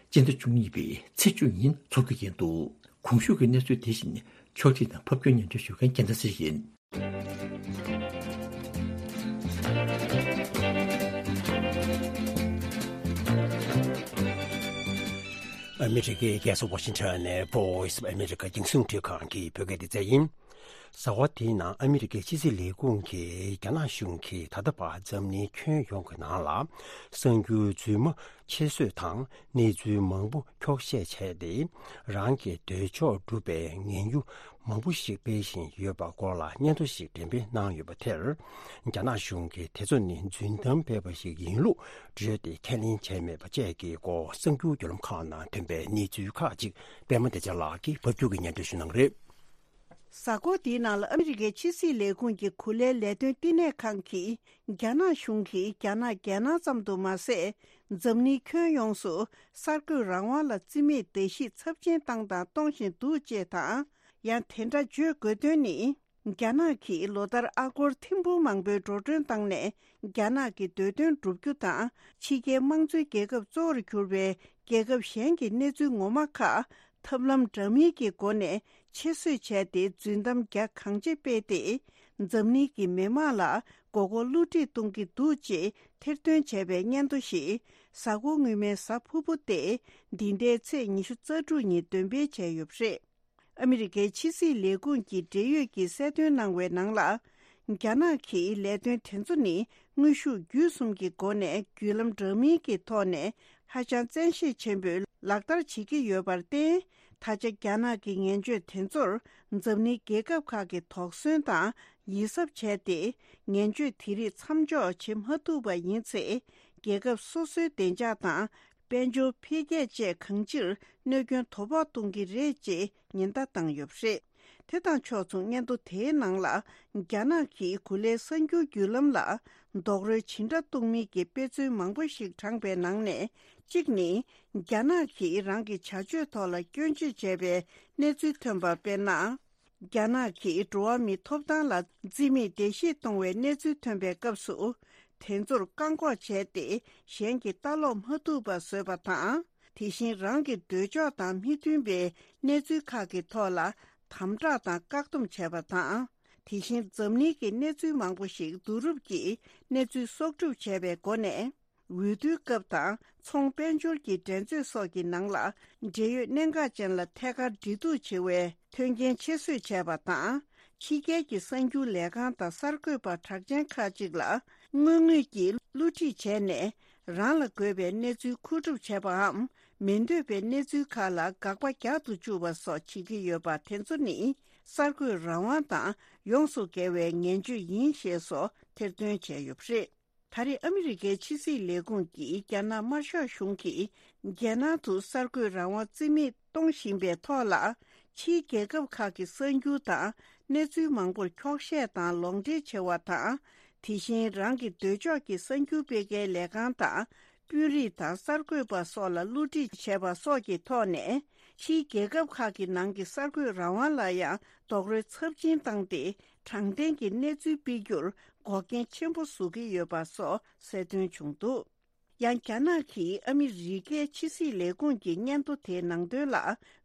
སྤྱི་ཟླ་བཅུ་གཉིས་པའི་ཚེས་བཅུ་ཉིན་འཚོགས་རྒྱུ་ཡིན་འདུག་གོང་ཞུས་ཀྱི་གནས་ཚུལ་དེ་བཞིན་ཕྱོགས་སྒྲིག་དང་ཕབ་སྒྱུར་སྙན་སྒྲོན་ཞུ་མཁན་རྒྱལ་མཚན་ཚེ་རིང་ཡིན། ཨ་མི་རི་ཀའི་རྒྱལ་ས་ཝ་ཤིང་ཊོན་ནས་Voice of America་རྒྱང་སྲིང་རླུང་འཕྲིན་ཁང་གི་བོད་སྐད་སྡེ་ཚན་ཡིན། གཟའ་འཁོར་འདིའི་ནང་ཨ་མི་རི་ཀའི་ཕྱི་སྲིད་ལས་ཁུངས་ཀྱིས་རྒྱ་ནག་གཞུང་གིས་ད་ལྟ་བར་འཛམ་གླིང་ཁྱོན་ཡོངས་ཀྱི་ནང་ལ་གསར་འགྱུར་རྫུན་མ་ཁྱད་གསོད་དང་གནས་ཚུལ་མང་པོ་འཁྱོག་བཤད་བྱས་ཏེ། རང་གི་འདོད་ཕྱོགས་སྒྲུབ་པའི་ངན་གཡོ་མང་པོ་ཞིག་སྤེལ་བཞིན་ཡོད་པ་སྐོར་ལ་སྙན་ཐོ་ཞིག་འགྲེམས་སྤེལ་གནང་ཡོད་པ་དེར། རྒྱ་ནག་གཞུང་གིས་དེ་ཚོ་ནི་རྫུན་གཏམ་སྤེལ་བ་ཞིག་ཡིན་ལུགས་བརྗོད་དེ་ཁས་ལེན་བྱས་མེད་པ་བཅས་ཀྱི་སྐོར་གསར་འགྱུར་བརྒྱུད་ལམ་ཁག་ནང་ཐོན་པའི་གནས་ཚུལ་ཁག་ཅིག་པད་མ་བདེ་ཆེན་ལགས་ཀྱིས་ཕབ་སྒྱུར་གྱིས་སྙན་སྒྲོན་ཞུ་གནང་གི་རེད། གཟའ་འཁོར་འདིའི་ནང་ལ་ཨ་མི་རི་ཀའི་ཕྱི་སྲིད་ལས་ཁུངས་ཀྱི་གོ་ལའི་ལས་དོན་བསྟི་གནས་ཁང་གིས། རྒྱ་ནག་གཞུང་གིས་རྒྱ་ནག་རྒྱལ་ནང་ཙམ་དུ་མ་ཟད། འཛམ་གླིང་ཁྱོན་ཡོངས་སུ་གསར་འགོད་རང་དབང་ལ་བརྩི་མེད་བརྡལ་བཤིག་ཚབས་ཆེན་བཏང་དང་གཏོང་བཞིན་འདུག་ཅེས་དང་། ཡང་དེ་འདྲ་བརྗོད་དགོས་དོན་ནི། རྒྱ་ནག་གིས་ལོ་ལྟར་ཨ་སྒོར་ཐེར་འབུམ་མང་པོའི་འགྲོ་གྲོན་བཏང་ནས། རྒྱ་ནག་གི་འདོད་དོན་བསྒྲུབ་རྒྱུ་དང་། ཕྱི་རྒྱལ་དམངས་གཙོའི་རྒྱལ་ཁབ་གཙོ་བོར་གྱུར་པའི་རྒྱལ་ཁབ་གཞན་གྱི་གནས་ཚུལ་ངོ་མ་ཁག་ཐབས་ལམ་འདྲ་མིན་གྱི་སྒོ་ནས་ཕྱིར་བཟོས་བྱས་ཏེ། རྫུན་གཏམ་རྒྱ་གང་ཆེ་སྤེལ་ཏེ། འཛམ་གླིང་གི་མི་དམངས་ལ་མགོ་སྐོར་བསླུ་བྲིད་གཏོང་གི་འདུག་ཅེས་ཐེར་འདོན་བྱས་པའི་སྙན་ཐོ་ཞིག་གཟའ་འཁོར་སྔོན་མའི་གཟའ་ཕུར་བུ་སྟེ། འདི་ཟླའི་ཚེས་ཉི་ཤུ་རྩ་དྲུག་ཉིན་འདོན་སྤེལ་བྱས་ཡོད་པ་རེད། ཨ་མི་རི་ཀའི་ཕྱི་སྲིད་ལས་ཁུངས་ཀྱི་འབྲེལ་ཡོད་ཀྱིས་གསལ་སྟོན་གནང་བའི་ནང་ལ། རྒྱ་ནག་གིས་ལས་དོན་དེ་ཚོ་ནི་དངོས་ཤུགས་བརྒྱུད་གསུམ་གྱི་སྒོ་ནས་བརྒྱུད་ལམ་འདྲ་མིན་གྱི་ཐོག་ནས་ཧ་ཅང་བཙན་ཤེད་ཆེན་པོས་ལག་བསྟར་བྱེད་ཀྱི་ཡོད་པར་བརྟེན། ད་ཆ་རྒྱ་ནག་གི་ངན་བྱུས་དེ་ཚོར་འཛམ་གླིང་རྒྱལ་ཁབ་ཁག་གིས་དོགས་ཟོན་དང་ཡིད་གཟབ་བྱས་ཏེ། ངན་བྱུས་དེ་རིགས་མཚམས་འཇོག་བྱེད་མ་ཐུབ་པ་ཡིན་ཚེ། རྒྱལ་ཁབ་སོ་སོའི་བདེ་འཇགས་དང་། དཔལ་འབྱོར་འཕེལ་རྒྱས་བཅས་གང་ཅིར་གནོད་སྐྱོན་དོ་ཕོག་གཏོང་གི་རེད་ཅེས་ཉེན་བརྡ་བཏང་ཡོད་པ་རེད། དེ་དང་ཕྱོགས་མཚུངས་སྙན་ཐོ་དེའི་ནང་ལ། རྒྱ་ནག་གིས་གོ་ལའི་གསར་འགྱུར་བརྒྱུད་ལམ་ལ་རྡོག་རོལ་ཇི་འདྲ་གཏོང་མིན་གྱི་དཔེ་མཚོན་མང་པོ་ཞིག་དྲངས་པའི་ནང་ནས། གཅིག་ནི། རྒྱ་ནག་གིས་རང་གི་བྱ་སྤྱོད་ཐོག་ལ་སྐྱོན་བརྗོད་བྱས་པའི་གནས་ཚུལ་ཐོན་པ། དཔེར་ན། རྒྱ་ནག་གིས་འགྲོ་བ་མིའི་ཐོབ་ཐང་ལ་བརྩི་མེད་བརྡལ་བཤིག་གཏོང་བའི་གནས་ཚུལ་ཐོན་པའི་སྐབས་སུ། དེ་ཚོར་བཀག་འགོག་བྱས་ཏེ། གཞན་གྱིས་ལྟ་ཀློག་མ་ཐུབ་པ་བཟོས་པ་དང་། དེ་བཞིན་རང་གི་འདོད་ཕྱོགས་དང་མི་མཐུན་པའི་གནས་ཚུལ་ཁག་གི་ཐོག་ལ་དམ་དྲག་དང་བཀག་སྡོམ་བྱས་པ་དང་། དེ་བཞིན་འཛམ་གླིང་གི་གནས་ཚུལ་མང་པོ་ཞིག་བསྡུ་རུབ་ཀྱིས་གནས་ཚུལ་གསོག་སྒྲུབ་བྱས་པའི་སྒོ་ནས། འོས་བསྡུའི་སྐབས་དང་ཚོང་དཔལ་འབྱོར་གྱི་འགྲན་རྩོད་སོགས་ཀྱི་ནང་ལ་འབྲེལ་ཡོད་གནད་འགག་ཅན་ལ་ཐད་ཀར་འབྲེལ་གཏུག་བྱེད་པའི་མཐུན་རྐྱེན་ཆེད་བཟོས་བྱས་པ་དང་། ཕྱི་རྒྱལ་གྱི་གསར་འགྱུར་ལས་ཁང་དང་གསར་འགོད་པ་གྲགས་ཅན་ཁག་ཅིག་ལ་དངོས་དངོས་ཀྱིས་བསླུ་བྲིད་བྱས་ནས། རང་ལ་དགོས་པའི་གནས་ཚུལ་མཁོ་སྒྲུབ་བྱས་པའམ། མི་འདོད་པའི་གནས་ཚུལ་ཁག་ལ་དགག་པ་རྒྱག་ཏུ་བཅུག་པ་སོགས་བྱེད་ཀྱི་ཡོད་པ་དེ་ཚོ་ནི་གསར་འགོད་རང་དབང་དང་ཡོངས་སུ་འགལ་བའི་ངན་སྤྱོད་ཡིན་ཞེས་སོགས་ཐེར་འདོན་བྱས་ཡོད་པ་རེད། ད་རེས་ཨ་མི་རི་ཀའི་ཕྱི་སྲིད་ལས་ཁུངས་ཀྱིས་རྒྱ་ནག་དམར་ཤོག་གཞུང་གིས་རྒྱལ་ནང་དུ་གསར་འགོད་རང་དབང་རྩིས་མེད་གཏོང་བཞིན་པའི་ཐོག་ལ། ཕྱིའི་རྒྱལ་ཁབ་ཁག་གི་གསར་འགྱུར་དང་གནས་ཚུལ་མང་པོར་འཁྱོག་བཤད་དང་ལོག་འགྲེལ་བྱེད་པ་དང་། དེ་བཞིན་རང་གི་འདོད་ཕྱོགས་ཀྱི་གསར་འགྱུར་སྤེལ་མཁན་ལས་ཁང་དང་། དཔོན་རིགས་དང་གསར་འགོད་པ་སོགས་ལ་བསླུ་བྲིད་བྱས་པ་སོགས་ཀྱི་ཐོག་ནས། ཕྱིའི་རྒྱལ་ཁབ་ཁག་གི་ནང་གི་གསར་འགོད་རང་དབང་ལ་ཡང་རྡོག་རོལ་ཚབས་ཆེན་བཏང་སྟེ། དྲང་བདེན་གྱི་གནས་ཚུལ་སྤེལ་རྒྱུར་འགོག་རྐྱེན་ཆེན་པོ་བཟོ་གི་ཡོད་པ་སོགས་གསལ་སྟོན་བྱུང་འདུག་ཡང་རྒྱ་ནག་གིས་ཨ་མི་རི་ཀའི་ཕྱི་སྲིད་ལས་ཁུངས་ཀྱི་སྙན་ཐོ་དེའི་ནང་དོན་ལ་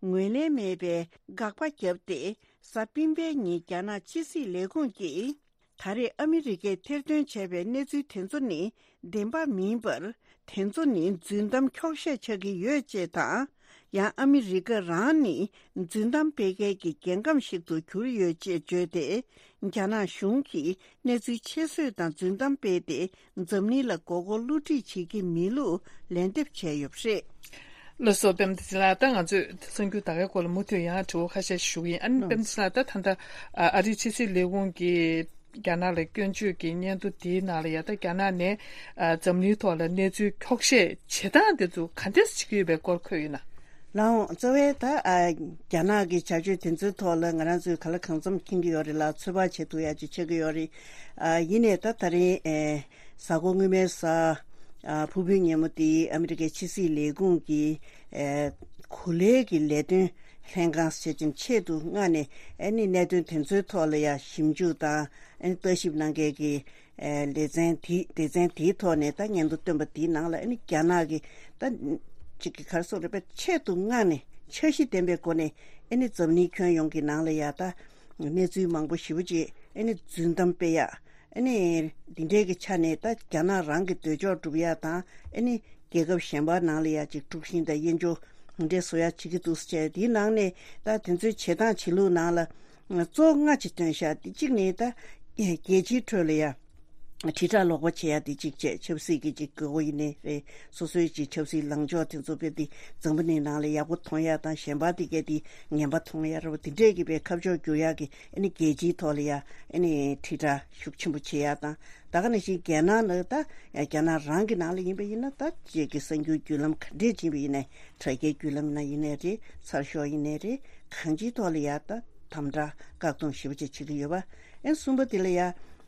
ངོས་ལེན་མེད་པའི་དགག་པ་བརྒྱབ་སྟེ། གཟའ་སྤེན་པའི་ཉིན་རྒྱ་ནག་ཕྱི་སྲིད་ལས་ཁུངས་ཀྱིས། ད་རེས་ཨ་མི་རི་ཀས་ཐེར་འདོན་བྱས་པའི་གནས་ཚུལ་དེ་ཚོ་ནི་བདེན་པ་མིན་པར། དེ་ཚོ་ནི་རྫུན་གཏམ་འཁྱོག་བཤད་ཆགས་ཀྱི་ཡོད་ཅེས་དང་། ཡང་ཨ་མི་རི་ཀ་རང་ནི་རྫུན་གཏམ་སྤེལ་མཁན་གྱི་རྒྱལ་ཁམས་ཤིག་ཏུ་གྱུར་ཡོད་ཅེས་བརྗོད་དེ། རྒྱ་ནག་གཞུང་གིས་གནས་ཚུལ་ཕྱིར་བཟོས་དང་རྫུན་གཏམ་སྤེལ་ཏེ། འཛམ་གླིང་ལ་མགོ་སྐོར་བསླུ་བྲིད་བྱེད་ཀྱི་མེད་ལུགས་ལན་འདེབས་བྱས་ཡོད་པ་རེད། ལགས་སོ། པད་མ་བདེ་ཆེན་ལགས། ད་ང་ཚོས་གསར་འགྱུར་ད་གའི་སྐོར་ལ་མུ་མཐུད་ཡང་དྲི་བ་ཁ་ཤས་ཞུ་གི་ཡིན། ཨ་ནི་པད་མ་བདེ་ཆེན་ལགས། ད་ད་ལྟ་ཨ་རིའི་ཕྱི་སྲིད་ལས་ཁུངས་ཀྱིས་རྒྱ་ནག་ལ་སྐྱོན་བརྗོད་ཀྱི་སྙན་ཐོ་དེའི་ནང་ལ་ཡ། ད་རྒྱ་ནག་ནས་ཨ་འཛམ་གླིང་ཐོག་ལ་གནས་ཚུལ་འཁྱོག་བཤད་བྱེད་སྟངས་དེ་ཚོ་ག་འདྲས་བྱེད་ཀྱི་ཡོད་པའི་སྐོར་འཁོད་ཡོད་ན། ལགས་འོང་། རྩ་བའི་ད་ཨ་རྒྱ་ནག་གི་བྱ་སྤྱོད་དེ་ཚོའི་ཐོག་ལ་ང་རང་ཚོས་ག་ལ་གང་འཚམ་མཁྱེན་གྱི་ཡོད་རེད་ལ། ཚོད་དཔག་བྱེད་ཐུབ་ཡ་ཅིག་ཆགས་ཀྱི་ཡོད་རེད། ཨ་ཡིན་ནའི་ད་ད་རིང་ཨེ་གཟའ་འཁོར་སྔོན་མའི་གཟའ་ཨ་ཕུར་བུའི་ཉིན་མོ་དེ་ཨ་མི་རི་ཀའི་ཕྱི་སྲིད་ལས་ཁུངས་ཀྱི་ཨེ་གོ་ལའི་གི་ལས་དོན་ལྷན་ཁང་ཞེས་ཀྱང་ཆེད་དུ་མངགས་ནས། ཨ་ནི་གནད་དོན་དེ་ཚོའི་ཐོག་ལ་ཡ་ཞིབ་འཇུག་དང་། ཨ་ནི་ལྟ་ཞིབ་གནང་མཁན་གྱི་ཨེ་སྡེ་ཚན་དེ་སྡེ་ཚན་དེའི་ཐོག་ནས་ད་སྙན་ཐོ་བཏོན་པ་དེའི་ནང་ལ། ཨ་ནི་རྒྱ་ནག་གི་ད་ཅིག་གི་ག་རེ་ཟེར་དགོས་རེད་པས། ཆེད་དུ་མངགས་ནས་འཆར་གཞི་ལྡན་པའི་སྒོ་ནས། ཨ་ནི་འཛམ་གླིང་ཁྱོན་ཡོངས་ཀྱི་ནང་ལ་ཡ་ད་གནས་ཚུལ་མང་པོ་ཞེ་པོ་ཅིག་ཨ་ནི་རྫུན་གཏམ་སྤེལ་ཡ། ཨ་ནི་འདི་འདྲའི་གི་ཆ་ནས་ད་རྒྱ་ནག་རང་གི་འདོད་ཕྱོགས་སྒྲུབ་ཡ་དང་། ཨ་ནི་རྒྱལ་ཁབ་གཞན་པ་ནང་ལ་ཡ་ཅིག་དཀྲུག་ཤིང་དང་དབྱེན་སྦྱོར་འདི་འདྲ་བཟོ་ཡ་བྱེད་ཀྱི་འདུག་ཟེར་བྱས། དེའི་ནང་ནས་ད་དེ་ཚོའི་བྱེད་སྟངས་བྱེད་ལུགས་ནང་ལ་གཙོ་བོ་ལྔ་ཅིག་བཏོན་བཞག་དེ་གཅིག་ནི་ད་རྒྱལ་སྤྱིའི་ཁྲོད་ལ་ཡ་དྲིལ་བསྒྲགས་ལོག་པ་བྱེད་ཡ་དེ་གཅིག་བྱས། ཆབ་སྲིད་ཀྱི་ཅིག་དགོས་མཁོ་ཡིན་ནའི་རེད། སོ་སོའི་ཅིག་ཆབ་སྲིད་ལངས་ཕྱོགས་དེ་ཚོ་དཔེ་དེ་འཛམ་བུ་གླིང་ནང་ལ་ཡག་པོ་མཐོང་ཡ་དང་། གཞན་པ་དེ་གས་དེ་ངན་པ་མཐོང་ཡ་ར་བ་དེ་འདྲས་ཀྱི་དཔེ་ཁ་ཕྱོགས་བསྒྱུར་ཡ་གི། ཨ་ནི་རྒྱལ་སྤྱིའི་ཐོག་ལ་ཡ་ཨ་ནི་དྲིལ་བསྒྲགས་ཤུགས་ཆེན་པོ་བྱེད་ཡ་དང་། ད་ག་ནང་བཞིན་རྒྱ་ནག་ནང་ད་རྒྱ་ནག་རང་གི་ནང་ལ་ཡིན་པ་ཡིན་ན། ད་ཅིག་གི་གསར་འགྱུར་བརྒྱུད་ལམ་ག་འདྲས་ཕྱིན་པ་ཡིན་ནའི། དྲ་རྒྱའི་བརྒྱུད་ལམ་ནང་ཡིན་ནའི་རེད། ཚགས་ཤོག་ཡིན་ནའི་རེད། གང་ཅིའི་ཐོག་ལ་ཡ་ད་དམ་དྲག་བཀག་སྡོམ་ཞེ་པོ་ཅིག་བྱེད་ཀྱི་ཡོད་པ། ཨ་ནི་གསུམ་པ་དེ་ལ་ཡ་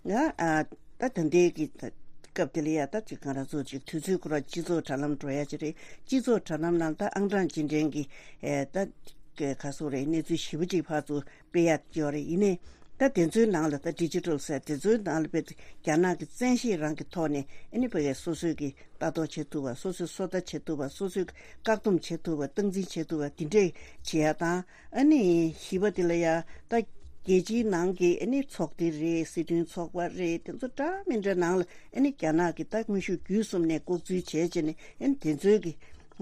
ང་ཨ་ད་ད་ལྟའི་གི་སྐབས་དེ་ལ་ཡ་ད་ཅིག་ང་རང་ཚོ་ཅིག་དུས་ཚོད་ཁོ་རང་སྤྱི་ཚོགས་དྲ་ལམ་འགྲོ་ཡ་ཅིག་རེད། སྤྱི་ཚོགས་དྲ་ལམ་ནང་ད་ཨང་གྲངས་ཅི་འདྲའི་གི་ཨེ་ད་ག་ཟེར་དགོས་རེད། གནས་ཚུལ་ཞེ་པོ་ཅིག་ཕར་ཚུར་སྤེལ་ཡ་ཡོད་རེད། ཡིན་ནའི་ད་དེ་ཚོའི་ནང་ལ་ད་ཌི་ཇི་ཊལ་ཟེར་དེ་ཚོའི་ནང་ལ་དཔེ་རྒྱ་ནག་གི་བཙན་ཤེད་རང་གི་ཐོག་ནས། ཨ་ནི་ཕ་གིའི་སོ་སོའི་གི་ལྟ་རྟོག་བྱེད་ཐུབ་པ། སོ་སོའི་སོ་ལྟ་བྱེད་ཐུབ་པ། སོ་སོའི་བཀག་སྡོམ་བྱེད་ཐུབ་པ། སྟངས་འཛིན་བྱེད་ཐུབ་པ་དེ་འདྲས་བྱེད་ཡ་དང་། ཨ་ནི་བཞི་པ་དེ་ལ་ཡ་ད་རྒྱལ་སྤྱིའི་ནང་གི་ཨ་ནི་ཚོགས་སྡེ་རེད། སྲིད་དོན་ཚོགས་པ་རེད། དེ་ཚོ་འདྲ་མི་འདྲ་ནང་ལ་ཨ་ནི་རྒྱ་ནག་གི་ད་དངོས་ཤུགས་བརྒྱུད་གསུམ་ནས་ལྐོག་འཛུལ་བྱས་བྱས་ནས། ཨ་ནི་དེ་ཚོའི་གི་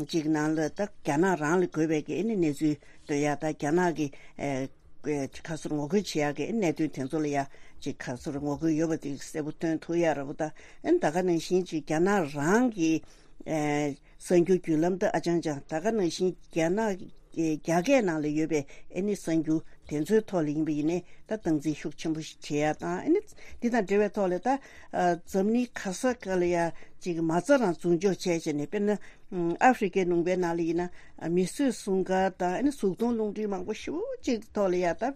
ཅིག་ནང་ལ་ད་རྒྱ་ནག་རང་ལ་དགོས་པའི་གི་ཨ་ནི་གནས་ཚུལ་སྟོན་ཡ། ད་རྒྱ་ནག་གི་ཨེ་ཁ་སོར་ངོ་རྒོལ་བྱེད་ཡ་གི་གནད་དོན་དེ་ཚོ་ལ་ཡ་ཅིག་ཁ་སོར་ངོ་རྒོལ་ཡོད་པ་དེ་གསལ་པོ་སྟོན་ཐུབ་ཡ་ར་བོ། ད་ཨ་ནི་ད་ག་ནང་བཞིན་ཅིག་རྒྱ་ནག་རང་གི་ཨེ་གསར་འགྱུར་བརྒྱུད་ལམ་དེ་ཨ་ཅང་ཅང་། ད་ག་ནང་བཞིན་རྒྱ་ནག་གི་རྒྱ་སྐད་ནང་ལ་ཡོད་པའི་ཨ་ནི་གསར་འགྱུར་དེ་ཚོའི་ཐོག་ལ་ཡིན་པ་ཡིན་ནའི་ད་སྟངས་འཛིན་ཤུགས་ཆེན་པོ་ཞིག་བྱེད་ཡ་དང་། ཨ་ནི་འདི་དང་འབྲེལ་བའི་ཐོག་ལ་ད་ཨ་འཛམ་གླིང་ག་ས་ག་ལ་ཡ་ཅིག་མ་རྩ་རང་འཛུགས་འཇོག་བྱས་བྱས་ནས། དཔེར་ན་ཨ་ཧྥེ་རི་ཀའི་ལུང་པའི་ནང་ལ་ཡིན་ན་མིས་བཟོས་སྲུང་སྐར་དང་། ཨ་ནི་གཟུགས་མཐོང་རླུང་འཕྲིན་མང་པོ་ཞེ་པོ་ཅིག་ཐོག་ལ་ཡ་ད་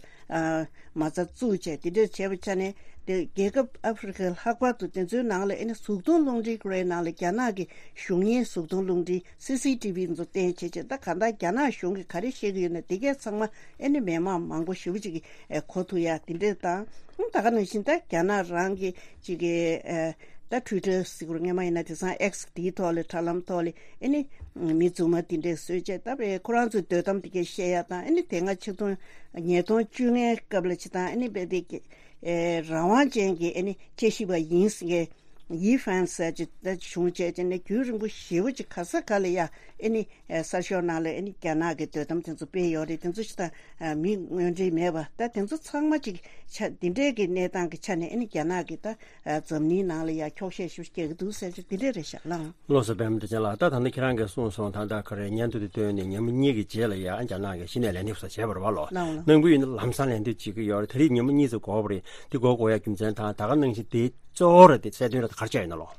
མ་རྩ་བཙུགས་བྱས། དེ་འདྲ་བྱས་པ་ཆ་ནས་དེ་རྒྱལ་ཁབ་ཨ་ཧྥེ་རི་ཀ་ལྷག་པར་དུ་དེ་ཚོའི་ནང་ལ་ཨ་ནི་གཟུགས་མཐོང་རླུང་འཕྲིན་ཁོ་རའི་ནང་ལ་རྒྱ་ནག་གི་གཞུང་གཉེར་གཟུགས་མཐོང་རླུང་འཕྲིན་སི་སི་ཊི་ཝི་ཚོ་བསྟན་བྱས་བྱས། ད་གང་ལྟར་རྒྱ་ནག་གཞུང་གིས་ག་རེ་བཤད་ཀྱི་ཡོད་ན་དེ་གས་ཚང་མ་ཨ་ནི་མི་མང་མང་པོ་ཞེ་པོ་ཅིག་གིས་གོ་ཐུབ་ཡ་དེ་འདྲ་དང་། ད་ག་ནང་བཞིན་ད་རྒྱ་ནག་རང་གི་ཅིག་གི་ཨ། ད་ཊུའི་ཊར་ཟེར་དགོས་རེད། སྔོན་མ་ཡིན་ན་དེང་སང་ཨེགས་དེའི་ཐོག་ལ་དྲ་ལམ་ཐོག་ལ་ཨེ་ནི་མི་རྫུན་མ་དེ་འདྲས་བཟོས་བྱས། ད་བས་ཁོ་རང་ཚོའི་འདོད་གཏམ་དེ་གས་བཤད་ཡ་དང་། ཨེ་ནི་དེ་སྔ་ཆིག་སྟོང་ཉིས་སྟོང་བཅོ་ལྔའི་སྐབས་ལ་ཅིག་དང་། ཨེ་ནི་བས་དེ་གས་ཨེ་རང་དབང་ཅན་གྱི་ཨེ་ནི་བཅའ་ཤེས་པ་ཡིན་ཟེར་མཁན་ཡི་ཧྥན་ཟེར་ཅིག་ད་བྱུང་བྱས་ཅིག་ནས་རྒྱུན་རིང་པོ་ཞེ་པོ་ཅིག་ག་ས་ག་ལ་ཡ་ཨེ་ནི་ཨེ་གསར་ཤོག་ནང་ལ་ཨེ་ནི་རྒྱ་ནག་གི་འདོད་གཏམ་དེ་ཚོ་སྤེལ་ཡོད་རེད། དེ་ཚོ་ཅིག་དང་ཨ་མི་དངོས་འབྲེལ་མེད་པ། ད་དེ་ཚོ་ཚང་མ་ཅིག་ཆ་འདི་འདྲའི་གི་གནས་སྟངས་ཀྱི་ཆ་ནས་ཨེ་ནི་རྒྱ་ནག་གི་ད་ཨ་འཛམ་གླིང་ནང་ལ་ཡ་འཁྱོག་བཤད་ཞིག་རྒྱག་གི་འདུག་ཟེར་ཅིག་འདི་འདྲ་རེད་ཤག་ལགས། ལགས་སོ། པད་མ་བདེ་ཆེན་ལགས། ད་ད་ནི་ཁྱེད་རང་གིས་གསུངས་སོང་། ད་ལྟ་ག་རེ་སྙན་ཐོ་དེ་བཏོན་ནས་ཉི་མ་གཉིས་ཀྱི་རྗེས་ལ་ཡ་རྒྱ་ནག་གིས་གཞི་ནས་ལན་འདེབས་ས་བྱས་པ་རེད་བ་ལོ། ལགས་ལགས། གནང་གི་ཡོད་ན་ལམ་སང་ལན་འདེབས་བྱེད་ཀྱི་ཡོད་རེད། ད་རེས་ཉི་མ་གཉིས་ཙམ་འགོར་བ་རེད། འདི་འགོར་དགོས་ཡ་རྒྱུ་མཚན་དང་ད་ག་ནང་བཞིན་དེ་གཙོ་བོ་རེད། དེ་གསལ་སྟོན་རེད། ད་ག་རེ་བྱས་ཡོད་ན་ལོ།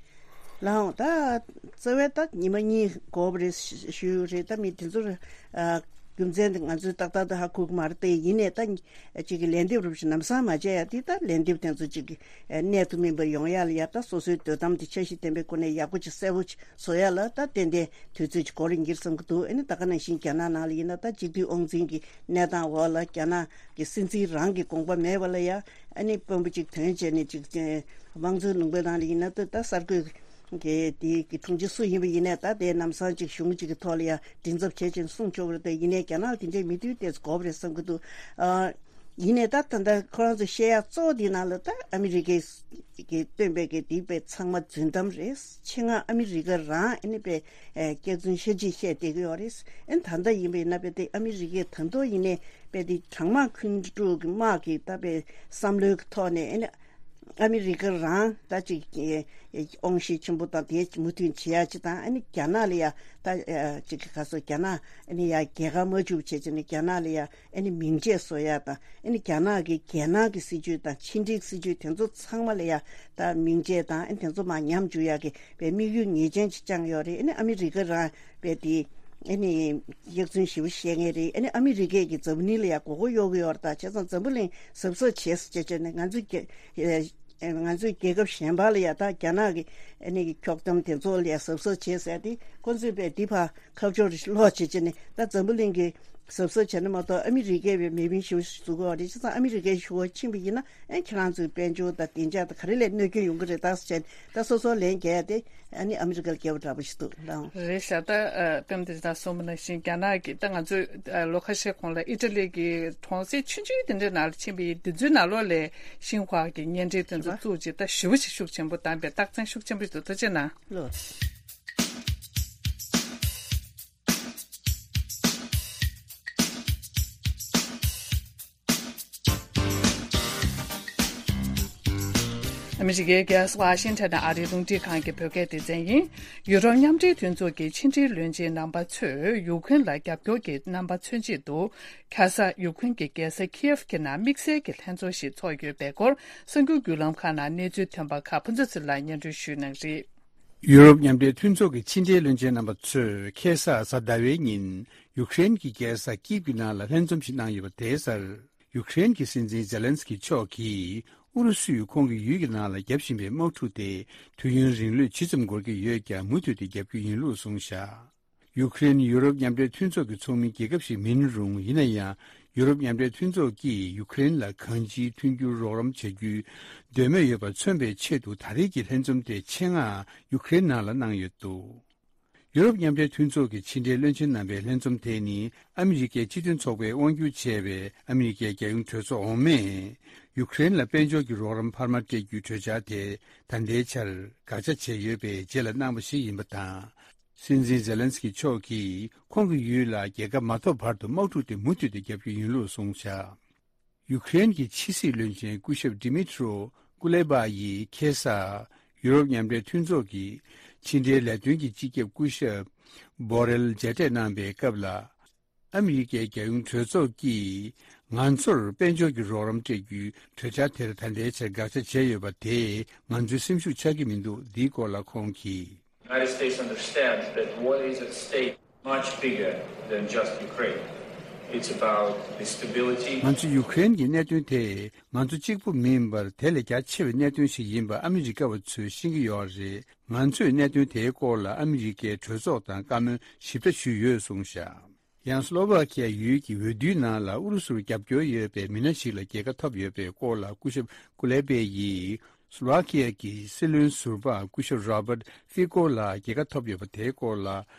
ལགས་འོང་། ད་རྩ་བའི་ད་ཉི་མ་གཉིས་འགོར་བ་རེད་ཞུས་རེད། ད་མི་དེ་ཚོར་ཨ་རྒྱུ་མཚན་དེ་ང་ཚོས་ཏག་ཏག་ཏུ་ཧ་གོ་གི་མ་རེད་དེ། ཡིན་ནའི་ད་ཅིག་གི་ལན་འདེབས་རུབ་ཞིག་ལམ་སང་མ་བྱས་ཡ་དེ། ད་ལན་འདེབས་དེ་ཚོ་ཅིག་གི་གནད་དུ་སྨིན་པ་ཡོང་ཡ་ལ་ཡ། ད་སོ་སོའི་འདོད་གཏམ་དེ་འཆར་གཞི་ལྡན་པའི་སྒོ་ནས་ཡག་པོ་ཅིག་གསལ་པོ་ཅིག་བཟོ་ཡ་ལ་ད་ཏན་ཏན་དུས་ཚོད་ཅིག་འགོར་ཡིན་གྱི་རེད་བསམ་གྱི་འདུག། ཨ་ནི་ད་ག་ནང་བཞིན་རྒྱ་ནག་ནང་ལ་ཡིན་ན་ད་སྤྱི་འཐུས་དབང་འཛིན་གྱི་གནས་སྟངས་འོག་ལ་རྒྱ་ནག་གི་སྲིད་འཛིན་རང་གི་དགོངས་པ་མེད་པ་ལ་ཡ། ཨ་ནི་དཔོན་པོ་གཅིག་ཐོན་བྱས་ནས་གཅིག་དམངས་གཙོའི་ལུང་པའི་ནང་ལ་ཡིན་ན་ད་ད་གསར་འགོད་གི་དེ་གི་དྲུང་ཆེ་སུ་ཡིན་པ་ཡིན་ནའི་ད་དེ་ལམ་སང་གཅིག་གཞུང་གཅིག་གི་ཐོག་ལ་ཡ་མགྲིན་ཚབ་བྱས་བྱས་གསུང་ཆོག་གི་རེད་དེ། ཡིན་ནའི་རྒྱ་ནག་ལ་དེ་འདྲའི་མི་མཐུན་ཏོག་ཙམ་དགོས་པ་རེད་བསམ་གྱི་འདུག། ཨ། ཡིན་ནའི་ད་ད་ལྟ་ཁོ་རང་ཚོ་བཤད་ཡ་གཙོ་བོ་དེའི་ནང་ལ་ད་ཨ་མི་རི་ཀའི་གི་བཏོན་པའི་གི་དེ་དཔེ་ཚང་མ་རྫུན་གཏམ་རེད། ཆེད་མངགས་ཨ་མི་རི་ཀ་རང་ཨ་ནི་དཔེ་ཨེ་སྐྱག་རྫུན་ཤ་གཅིག་བཤད་བསྡད་ཀྱི་ཡོད་རེད། ཨ་ནི་ད་ལྟ་ཡིན་པ་ཡིན་ན་དཔེ་དེ་ཨ་མི་རི་ཀས་ད་དུང་ཡིན་ནའི་དཔེ་དེ་གྲང་དམག་འཁོན་འགྲོ་གི་དམག་གི་ད་དཔེ་བསམ་བློའི་གི་ཐོག་ནས་ཨ་ནི་ཨ་མི་རི་ཀ་རང་ད་ཅིག་ཨེ་ཨེ་དབང་ཤེད་ཆེན་པོ་དང་དེ་མོས་མཐུན་བྱེད་ཡ་ཅིག་དང་། ཨ་ནི་རྒྱ་ནག་ལ་ཡ་ད་ཨེ་ཅིག་ག་སོ་རྒྱ་ནག་ཨ་ནི་ཡ་རྒྱལ་ཁ་མ་འཇུག་བྱས་བྱས་ནས་རྒྱ་ནག་ལ་ཡ་ཨ་ནི་མིང་ཆད་བཟོ་ཡ་དང་། ཨ་ནི་རྒྱ་ནག་གི་རྒྱལ་ནང་གི་སྲིད་ཇུས་དང་ཕྱི་འབྲེལ་སྲིད་ཇུས་དེ་ཚོ་ཚང་མ་ལ་ཡ་ད་མིང་ཆད་དང་། ཨ་ནི་དེ་ཚོ་མར་ཉམས་འཇུག་ཡ་གི་དཔེ་དམིགས་ཡུལ་ངེས་ཅན་ཅིག་བཅངས་ཡོད་རེད། ཨ་ནི་ཨ་མི་རི་ཀ་རང་དཔེ་དེ་ཨ་ནི་གཡག་རྫུན་ཞེ་པོ་བཤད་མཁན་རེད། ཨ་ནི་ཨ་མི་རི་ཀས་ཀྱི་འཛམ་བུ་གླིང་ལ་ཡ་མགོ་སྐོར་གཡོག་གི་ཡོད་རེད། ད་བྱས་ཙང་འཛམ་བུ་གླིང་གཟབ་གཟབ་བྱས་ཟེར་བྱས་བྱས་ནས་ང་ཚོའི་རྒྱལ་ཨེ་ང་ཚོའི་རྒྱལ་ཁབ་གཞན་པ་ལ་ཡ་ད་རྒྱ་ནག་གི་ཨ་ནི་གི་འཁྱོག་གཏམ་དེ་ཚོ་ལ་ཡ་གཟབ་གཟབ་བྱས་ཟེར་ཏེ། ཁོ་ཚོས་དཔེ་འདི་ཕར་ཁ་ཕྱོགས་རེ་ལོག་བྱེད་བྱེད་ནས་ད་འཛམ་བུ་གླིང་གི་གཟབ་གཟབ་བྱས་ན་མ་གཏོགས་ཨ་མི་རི་ཀས་དཔེ་མེ་འཕེན་ཞུ་བཟོ་གི་ཡོད་རེད། བྱས་ཙང་ཨ་མི་རི་ཀའི་ཞུ་བ་ཕྱིན་པ་ཡིན་ན་ཨ་ཁྱེད་རང་ཚོའི་དཔལ་འབྱོར་དང་བདེ་འཇགས་དང་ག་རེ་ལས་གནོད་སྐྱོན་ཡོང་གི་རེད་ད་ཟེར་བྱས་ནས། ད་སོ་སོ་ལན་རྒྱག་ཡ་དེ་ཨ་ནི་ཨ་མི་རི་ཀར་རྒྱབ་འདྲ་པོ་ཞིག་འདུག་ལགས། རེད་ཤག། ད་ཨ་དཔེ་མི་སྲིད་ད་གསུངས་པ་ནང་བཞིན་རྒྱ་ནག་གིས་ད་ང་ཚོས་ཨ་ལོ་ཁ་ཤས་གོང་ལ་ཨི་ཊ་ལི་གི་གྲོང་གསེབ་ཆུང་ཆུང་དེ་འདྲའི་ནང་ལ་ཕྱིན་པ་ཡིན། དེ་ཚོའི་ནང་ལོགས་ལ་ཤིན་ཧྭ་གི་བརྙན་འཕྲིན་དེ་ཚོ་བཙུགས་རྗེས་ད་ཞེ་པོ་ཞིག་ཤུགས་ཆེན་པོ་བཏང་པའི་རྟགས་མཚན་ཤུགས་ཆེན་པོ་ཞིག་འདུག། ཐུགས་རྗེ་གནང་། ལགས། ཨ་མི་རི་ཀའི་རྒྱལ་ས་ཝ་ཤིང་ཊོན་ནས་ཨ་རིའི་རླུང་འཕྲིན་ཁང་གི་བོད་སྐད་སྡེ་ཚན་ཡིན། ཡུ་རོབ་མཉམ་འབྲེལ་མཐུན་ཚོགས་ཀྱི་ཕྱི་འབྲེལ་བློན་ཆེན་རྣམ་པ་ཚོས་ཡུཀ་རེན་ལ་རྒྱབ་སྐྱོར་གྱི་རྣམ་པ་མཚོན་ཆེད་དུ། ཁ་སང་ཡུཀ་རེན་གྱི་རྒྱལ་ས་ཁིའེབ་ཀྱི་ནང་དམིགས་བསལ་གྱི་ལྷན་ཚོགས་ཤིག་ཚོགས་ཡོད་པའི་སྐོར་གསར་འགྱུར་བརྒྱུད་ལམ་ཁག་ནང་གནས་ཚུལ་ཐོན་པ་ཁག་ཕུན་ཚོགས་ཚེ་རིང་ལགས་སྙན་སྒྲོན་ཞུ་གནང་གི་རེད། ཡུ་རོབ་མཉམ་འབྲེལ་མཐུན་ཚོགས་ཀྱི་ཕྱི་འབྲེལ་བློན་ཆེན་རྣམ་པ་ཚོས་ཁ་སང་གཟའ་ཟླ་བའི་ཉིན་ཡུཀ་རེན་གྱི་རྒྱལ་ས་ཀིབ་ཀྱི་ནང་ལ་ལྷན་འཛོམས་ཤིག་གནང་ཡོད་པ་དེའི་སར། ཡུཀ་རེན་གྱི་སྲིད་འཛིན་ཛེ་ལན་སི་ཀི་མཆོག་གིས་ཨུ་རུ་སུས་ཁོང་གི་ཡུལ་གྱི་ནང་ལ་བརྒྱབ་བཞིན་པའི་དམག་འཁྲུག་དེ་དུས་ཡུན་རིང་ལོས་ཇི་ཙམ་འགོར་གྱི་ཡོད་ཀྱང་མུ་མཐུད་དེ་རྒྱབ་རྒྱུ་ཡིན་ལུགས་གསུངས་བཞག། ཡུཀ་རེན་ཡུ་རོབ་མཉམ་འབྲེལ་མཐུན་ཚོགས་ཀྱི་ཚོགས་མི་རྒྱལ་ཁབ་ཞིག་མིན་རུང་། ཡིན་ན་ཡང་ཡུ་རོབ་མཉམ་འབྲེལ་མཐུན་ཚོགས་ཀྱིས་ཡུཀ་རེན་ལ་གང་ཅིའི་མཐུན་འགྱུར་རོགས་རམ་བྱ་རྒྱུའི་འདོད་མོས་ཡོད་པ་མཚོན་པའི་ཆེད་དུ་ད་རེས་ཀྱི་ལྷན་འཛོམས་དེ་ཆེད་མངགས་ཡུཀ་རེན་ནང་ལ་གནང་ཡོད་འདུག། ཡུ་རོབ་མཉམ་འབྲེལ་མཐུན་ཚོགས་ཀྱི་ཕྱི་འབྲེལ་བློན་ཆེན་རྣམ་པའི་ལྷན་འཛོམས་དེ་ནི་ཨ་མི་རི་ཀའི་སྤྱི་མཐུན་ཚོགས་པས་དབང་སྒྱུར་བྱས་པའི་ཨ་མི་རི་ཀའི་རྒྱལ་ཡོངས་གྲོས་ཚོགས་འོག་མས་ཡུཀ་རེན་ལ་དཔལ་འབྱོར་གྱི་རོགས་རམ་འཕར་མ་སྤྲད་རྒྱུའི་གྲོས་འཆར་དེ་ད་ལྟའི་ཆར་དགག་བྱ་བྱས་ཡོད་པའི་རྗེས་ལ་གནང་བ་ཞིག་ཡིན་པ་དང་། སྲིད་འཛིན་ཛེ་ལན་སི་ཀི་མཆོག་གིས་ཁོང་གི་ཡུལ་ལ་རྒྱལ་ཁ་མ་ཐོབ་བར་དུ་དམག་འཁྲུག་དེ་མུ་མཐུད་དེ་བརྒྱབ་རྒྱུ་ཡིན་ལུགས་གསུངས་བཞག། ཡུཀ་རེན་གྱི་ཕྱི་སྲིད་བློན་ཆེན་སྐུ་ཞབས་ཌི་མི་ཊྲོ་ཀུ་ལེ་པ་ཡིས་ཁ་སང་ཡུ་རོབ་མཉམ་འབྲེལ་མཐུན་ཚོགས་ཀྱི་ཕྱི་འབྲེལ་ལས་དོན་གྱི་སྤྱི་ཁྱབ་སྐུ་ཞབས་བྷོ་རེལ་མཇལ་འཕྲད་གནང་པའི་སྐབས་ལ། ཨ་མི་རི་ཀའི་རྒྱལ་ཡོངས་གྲོས་ཚོགས་ཀྱིས་ང་ཚོར་དཔལ་འབྱོར་གྱི་རོགས་རམ་སྤྲད་རྒྱུའི་གྲོས་འཆར་དེར་ད་ལྟའི་ཆར་དགག་བྱ་བྱས་ཡོད་པ་དེས་ང་ཚོའི་སེམས་ཤུགས་ཆག་གི་མི་འདུག། འདིའི་སྐོར་ལ་ཁོང་གིས། United States understands that what is at stake much bigger than just Ukraine. It's about the stability. ང་ཚོ་ཡུ་ཀེ་རེན་གྱི་གནད་དོན་དེ་ང་ཚོ་གཅིག་པུ་མིན་པར་དེ་ལས་རྒྱ་ཆེ་བའི་གནད་དོན་ཞིག་ཡིན་པ་ཨ་མི་རི་ཀ་བ་ཚོས་ཤེས་ཀྱི་ཡོད་རེད། ང་ཚོས་གནད་དོན་དེའི་སྐོར་ལ་ཨ་མི་རི་ཀའི་གྲོས་ཚོགས་དང་བཀའ་མོལ་ཞིབ་ཕྲ་ཞུས་ཡོད་གསུངས་བཞག། ཡང་སློ་ཝ་ཁི་ཡ་ཡུལ་གྱི་འོས་བསྡུའི་ནང་ལ་ཨུ་རུ་སུར་རྒྱབ་སྐྱོར་ཡོད་པའི་མི་སྣ་ཞིག་ལ་རྒྱལ་ཁ་ཐོབ་ཡོད་པའི་སྐོར་ལ་སྐུ་ཞབས་ཀུ་ལེ་པེ་ཡིས། སུ་ལོ་ཝ་ཁི་ཡ་གི་སྲིད་བློན་ཟུར་པ་སྐུ་ཞབས་Robert Fico ལགས་རྒྱལ་ཁ་ཐོབ་ཡོད་པ་དེའི་སྐོར་ལ།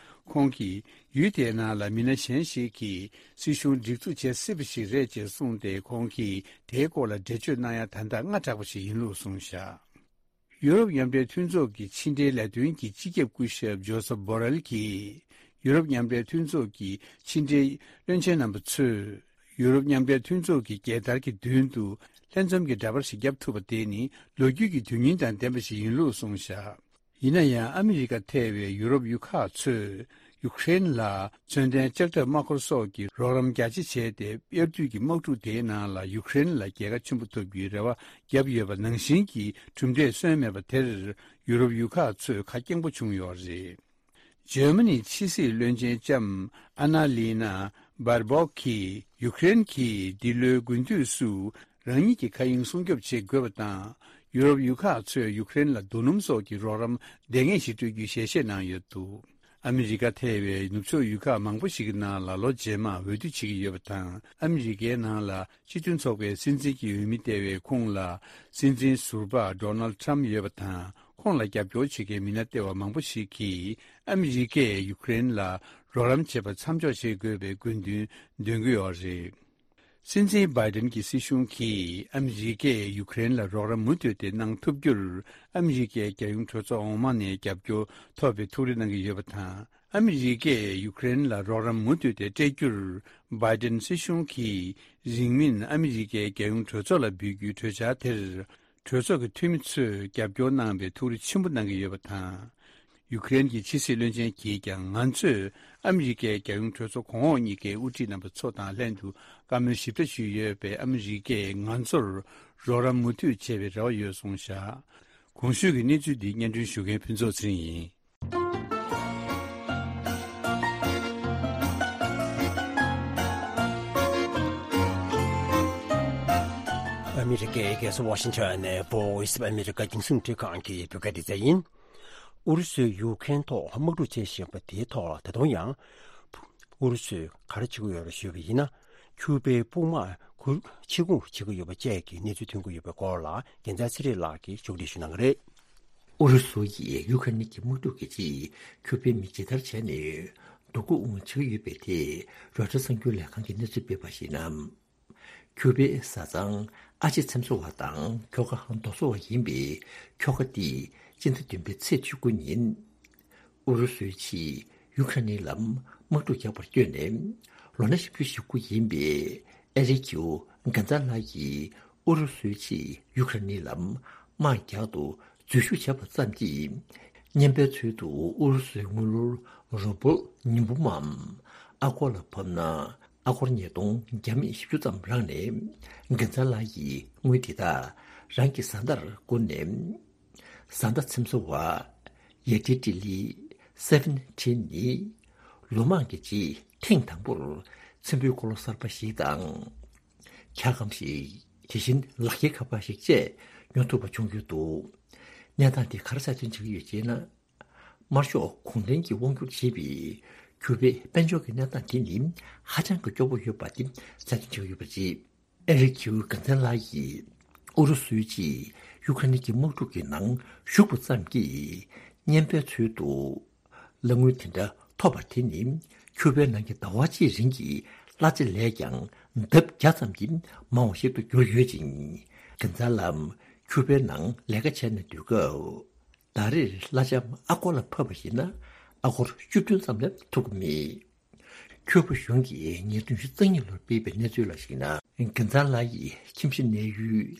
ཁོང་གིས་ཡུལ་དེའི་ནང་ལ་མི་སྣ་གཞན་ཞིག་གིས་སྲིད་གཞུང་སྒྲིག་འཛུགས་བྱེད་སྲིད་པ་ཞིག་རེད་ཅེས་གསུངས་ཏེ། ཁོང་གིས་དེའི་སྐོར་ལ་འགྲེལ་བརྗོད་གནང་ཡ་ད་ལྟ་སྔ་དྲགས་པ་ཞིག་ཡིན་ལུགས་གསུངས་བཞག་ཡུ་རོབ་མཉམ་འབྲེལ་མཐུན་ཚོགས་ཀྱི་ཕྱི་འབྲེལ་ལས་དོན་གྱི་སྤྱི་ཁྱབ་སྐུ་ཞབས་ཇོ་སབ་བྷོ་རེལ་གྱིས། ཡུ་རོབ་མཉམ་འབྲེལ་མཐུན་ཚོགས་ཀྱི་ཕྱི་འབྲེལ་བློན་ཆེན་རྣམ་པ་ཚོས། ཡུ་རོབ་མཉམ་འབྲེལ་མཐུན་ཚོགས་ཀྱི་རྒྱལ་དར་གྱི་མདུན་དུ་ལྷན་འཛོམས་ཀྱི་འདྲ་པར་ཞིག་བརྒྱབ་ཐུབ་པ་དེ་ནི་ལོ་རྒྱུས་ཀྱི་དོན་སྙིང་དང་ལྡན་པ་ཞིག་ཡིན་ལུགས་གསུངས་བཞག་ཡིན་ན་ཡང་ཨ་མི་རི་ཀ་ཐེ་བའི་ཡུ་རོབ་ཡུལ་ཁག་ཚོས་ཡུ་ཀེ་རེན་ལ་མཚོན་ལྡན་ལྕགས་ཁྲབ་དམག་འཁོར་སོགས་ཀྱི་རོགས་རམ་རྒྱ་ཆེ་བྱས་ཏེ། དབྱར་དུས་ཀྱི་དམག་འཁྲུག་དེའི་ནང་ལ་ཡུ་ཀེ་རེན་ལ་རྒྱལ་ཁ་ཆེན་པོ་ཐོབ་རྒྱུའི་རེ་བ་བརྒྱབ་ཡོད་པ་ནང་བཞིན་གྱི་གྲུབ་འབྲས་སོན་མེད་པ་དེར་ཡུ་རོབ་ཡུལ་ཁག་ཚོས་ཁ་སྐྱེངས་པོ་བྱུང་ཡོད་རེད། འཇར་མ་ནིའི་ཕྱི་སྲིད་བློན་ཆེན་ལྕམ་ཨ་ན་ལི་ན་བྷར་བོག་གིས་ཡུ་ཀེ་རེན་གྱིས་འདི་ལོའི་དགུན་དུས་སུ་རང་ཉིད་ཀྱི་མཁའ་དབྱིངས་སྲུང་སྐྱོབ་བྱེད་དགོས་པ་དང་། ཡུ་རོབ་ཡུལ་ཁག་ཚོས་ཡུ་ཀེ་རེན་ལ་རྡོ་སྣུམ་སོགས་ཀྱི་རོགས་རམ་ལྡང་ངེས་ཤིག་སྤྲོད་རྒྱུའི་ཞལ་བཞེས་གནང་ཡོད་འདུག་ཨ་མི་རི་ཀ་ཐེ་བའི་ནུབ་ཕྱོགས་ཡུལ་ཁག་མང་པོ་ཞིག་གི་ནང་ལ་ལོ་རྗེས་མར་འོས་བསྡུ་བྱེད་ཀྱི་ཡོད་པ་དང་། ཨ་མི་རི་ཀའི་ནང་ལ་སྤྱི་མཐུན་ཚོགས་པའི་སྲིད་འཛིན་གྱི་འོས་མི་སྟེར་བའི་ཁོངས་ལ་སྲིད་འཛིན་ཟུར་པ་ཌོ་ནལ་ཌི་ཊརམ་ཕི་ཡོད་པ་དང་། ཁོང་ལ་རྒྱབ་སྐྱོར་བྱེད་མཁན་མི་སྣ་ལྟེ་བ་མང་པོ་ཞིག་གིས་ཨ་མི་རི་ཀས་ཡུ་ཀེ་རེན་ལ་རོགས་རམ་བྱེད་པ་མཚམས་འཇོག་བྱེད་དགོས་པའི་དགོས་འདུན་འདོན་གྱི་ཡོད་རེད། སྲིད་འཛིན་བྷའི་ཌེན་གྱི་སྲིད་གཞུང་གིས་ཨ་མི་རི་ཀས་ཡུ་ཀེ་རེན་ལ་རོགས་རམ་མུ་མཐུད་དེ་གནང་ཐུབ་རྒྱུར། ཨ་མི་རི་ཀའི་རྒྱལ་ཡོངས་གྲོས་ཚོགས་འོག་མ་ནས་རྒྱབ་སྐྱོར་ཐོབ་པའི་ཐུགས་རེ་གནང་གི་ཡོད་པ་དང་། ཨ་མི་རི་ཀས་ཡུ་ཀེ་རེན་ལ་རོགས་རམ་མུ་མཐུད་དེ་སྤྲད་རྒྱུར། བྷའི་ཌེན་སྲིད་གཞུང་གིས་རིང་མིན་ཨ་མི་རི་ཀའི་རྒྱལ་ཡོངས་གྲོས་ཚོགས་ལ་འབུལ་རྒྱུའི་གྲོས་འཆར་དེར། གྲོས་ཚོགས་ཀྱི་འཐུས་མི་ཚོས་རྒྱབ་སྐྱོར་གནང་བའི་ཐུགས་རེ་ཆེན་པོ་གནང་གི་ཡོད་པ་དང་། ཡུ་ཀེ་རེན་གྱི་ཕྱི་སྲིད་བློན་ཆེན་གྱིས་ཀྱང་། ང་ཚོས་ཨ་མི་རི་ཀའི་རྒྱལ་ཡོངས་གྲོས་ཚོགས་གོང་འོག་གཉིས་ཀའི་དབུ་ཁྲིད་རྣམ་པ་ཚོ་དང་ལྷན་དུ་བཀའ་མོལ་ཞིབ་ཕྲ་ཞུས་ཡོད་པས། ཨ་མི་རི་ཀས་ང་ཚོར་རོགས་རམ་མུ་མཐུད་བྱེད་པའི་རེ་བ་ཡོད་གསུངས་བཞག་གོང་ཞུས་ཀྱི་གནས་ཚུལ་འདི་སྙན་སྒྲོན་ཞུ་མཁན་ཕུན་ཚོགས་ཚེ་རིང་ཡིན། ཨ་མི་རི་ཀའི་རྒྱལ་ས་ཝ་ཤིང་ཊོན་ནས་Voice of America རྒྱང་སྲིང་འཕྲིན་ཁང་གི་བོད་སྐད་སྡེ་ཚན་ཡིན། ཨུ་རུ་སུས་ཡུ་ཀེ་རེན་ཐོག་དམག་འཁྲུག་བྱེད་བཞིན་པ་དེའི་ཐོག་ལ། ད་དུང་ཡང་ཨུ་རུ་སུས་ག་རེ་བྱེད་ཀྱི་ཡོད་རེད་ཞུས་པ་ཡིན་ན། ཁྱུ་པའི་དཔུང་དམག་ཁུལ་ཕྱིར་འགོང་བྱེད་ཀྱི་ཡོད་པ་བཅས་ཀྱི་གནས་ཚུལ་ཐོན་གྱི་ཡོད་པའི་སྐོར་ལ། རྒྱལ་མཚན་ཚེ་རིང་ལགས་ཀྱིས་ཕྱོགས་སྒྲིག་ཞུ་གནང་གི་རེད། ཨུ་རུ་སུ་ཡིས་ཡུ་ཀེ་རེན་གྱི་དམག་འཁྲུག་གི་རྗེས། ཁྱུ་པའི་མི་ཇི་ལྟར་བྱས་ནས་སྡུག་སྒུག་བྱེད་ཀྱི་ཡོད་པའི་ཐད། རོའི་ཊར་གསར་འགྱུར་ལས་ཁང་གིས་གནས་ཚུལ་སྤེལ་བར་གཞིགས་ན། ཁྱུ་པའི་བཟའ་ཚང་ཨ་ཆེ་ཚེམ་བཟོ་བ་དང་ཁྱོ་ག་རྡོ་བཟོ་བ་ཡིན་པའི་ཁྱོ་ག་འདིས་སྤྱི་ཟླ་བདུན་པའི་ཚེས་བཅུ་དགུ་ཉིན། ཨུ་རུ་སུའི་ཕྱིས་ཡུ་ཀེ་རེན་ལ་དམག་འཁྲུག་རྒྱག་པར་བསྐྱོད་ནས། ལོ་ན་བཞི་བཅུ་ཞེ་དགུ་ཡིན་པའི་ཨེ་རི་ཁིའུ་གྷན་ཛ་ལ་ཡིས་ཨུ་རུ་སུའི་ཕྱིས་ཡུ་ཀེ་རེན་ལ་དམག་རྒྱག་ཏུ་འཛུལ་ཞུགས་བྱས་པ་ཙམ་གྱིས། བརྙན་པའི་ཚུལ་དུ་ཨུ་རུ་སུའི་དངུལ་ལོར་རུ་བོལ་ཉི་འབུམ་མམ་ཨ་སྒོར་ལ་ཕབ་ན། ཨ་སྒོར་ཉིས་སྟོང་བརྒྱ་མེད་བཞི་བཅུ་ཙམ་རག་ནས། གྷན་ཛ་ལ་ཡིས་དངུལ་དེ་དག་རང་གི་བཟའ་ཟླར་བསྐུར་ནས། བཟའ་ཟླ་ཚེམ་བཟོ་བ་ཡེ་ཏི་ཏི་ལི་སེ་ཝན་ཊི་ནི་ལོ་མང་གི་རྗེས་ཐེངས་དང་པོར་ཚེམ་བུའི་འཁོར་ལོ་གསར་པ་ཞིག་དང་། འཁྱག་སྒམ་ཞིག་དེ་བཞིན་ལག་འཁྱེར་ཁ་པར་ཞིག་བཅས་ཉོ་ཐུབ་པ་བྱུང་ཡོད་འདུག་གནས་སྟངས་དེ་ག་རེ་གསལ་སྟོན་བྱེད་ཀྱི་ཡོད་ཅེ་ན། དམར་ཤོག་གུང་ཁྲན་གྱིས་དབང་བསྒྱུར་བྱས་པའི་ཁྱུ་པའི་དཔལ་འབྱོར་གྱི་གནས་སྟངས་དེ་ནི་ཧ་ཅང་གི་སྐྱོ་པོ་ཡོད་པ་དེ་གསལ་སྟོན་བྱེད་ཀྱི་ཡོད་པ་རེད། ཨེ་རི་ཁིའུ་གྷན་ཛ་ལ་ཡིས་ཨུ་རུ་སུའི་ཕྱིས་ཡུ་ཀེ་རེན་གྱི་དམག་འཁྲུག་གི་ནང་ཞུགས་པ་ཙམ་གྱིས། བརྙན་པའི་ཚུལ་དུ་གླ་དངུལ་དེ་འདྲ་ཐོབ་པ་དེ་ནི་ཁྱུ་པའི་ནང་གི་ཟླ་བ་གཅིག་རིང་གི་གླ་ཆ་ལས་ཀྱང་ལྡབ་བརྒྱ་ཙམ་གྱིས་མང་བ་ཞིག་ཏུ་གྱུར་ཡོད་ཅིང་། གྷན་ཛ་ལ་ཁྱུ་པའི་ནང་ལས་ཀ་བྱས་ནས་སྡོད་སྐབས། ཟླ་རེར་གླ་ཆ་ཨ་སྒོར་ལ་ཕབ་པ་ཡིན་ན་ཨ་སྒོར་བཅུ་བདུན་ཙམ་ལས་ཐོབ་ཀྱི་མེད། ཁྱུ་པ་གཞུང་གིས་ཉིས་སྟོང་ཉི་ཤུ་རྩ་གཉིས་ལོར་སྤེལ་བའི་གནས་ཚུལ་ལ་གཞིགས་ན། གྷན་ཛ་ལ་ཡི་ཁྱིམ་གཞིས་གནས་ཡུལ་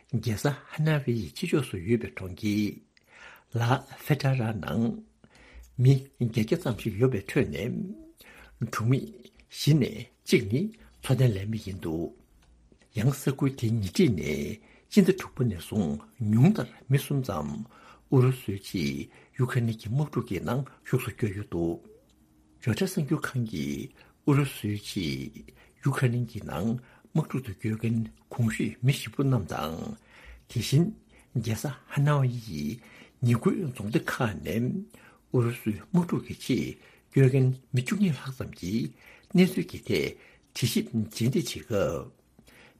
རྒྱལ་ས་ཧ་ན་ཝེ་ཡི་ཕྱི་ཕྱོགས་སུ་ཡོད་པའི་གྲོང་ཁྱེར་ལ་ཧྥེ་ཏྲ་ར་ནང་མི་བརྒྱད་བརྒྱ་ཙམ་ཞིག་ཡོད་པའི་ཁྲོད་ནས། གྲོང་མི་བཞི་ནས་གཅིག་ནི་འཚོ་རྟེན་ལས་མི་ཡིན་འདུག་ཡང་ས་ཁུལ་དེའི་ཉེ་འཁྲིས་ནས་སྤྱི་ཟླ་དྲུག་པ་ནས་བཟུང་ཉུང་མཐར་མི་གསུམ་ཙམ་ཨུ་རུ་སུའི་ཕྱིས་ཡུ་ཀེ་རེན་གྱི་དམག་འཁྲུག་གི་ནང་ཞུགས་སུ་བསྐྱོད་ཡོད་འདུག་རོའི་ཊར་གསར་འགྱུར་ཁང་གིས་ཨུ་རུ་སུའི་ཕྱིས་ཡུ་ཀེ་རེན་གྱི་ནང་དམག་འཁྲུག་ཏུ་བསྐྱོད་མཁན་གོང་ཞུས་མི་བཞི་པོ་རྣམས་དང་། དེ་བཞིན་རྒྱལ་ས་ཧ་ན་ཝི་ཡི་ཉེ་ཁུལ་རྫོང་སྡེ་ཁག་ནས་ཨུ་རུ་སུའི་དམག་འཁྲུག་གི་ཆེད་བསྐྱོད་མཁན་མི་བཅུ་གཉིས་ལྷག་ཙམ་གྱིས་གནས་ཚུལ་གྱི་ཐད་དྲི་ཞིབ་རྗེས་འདེད་བྱེད་སྐབས།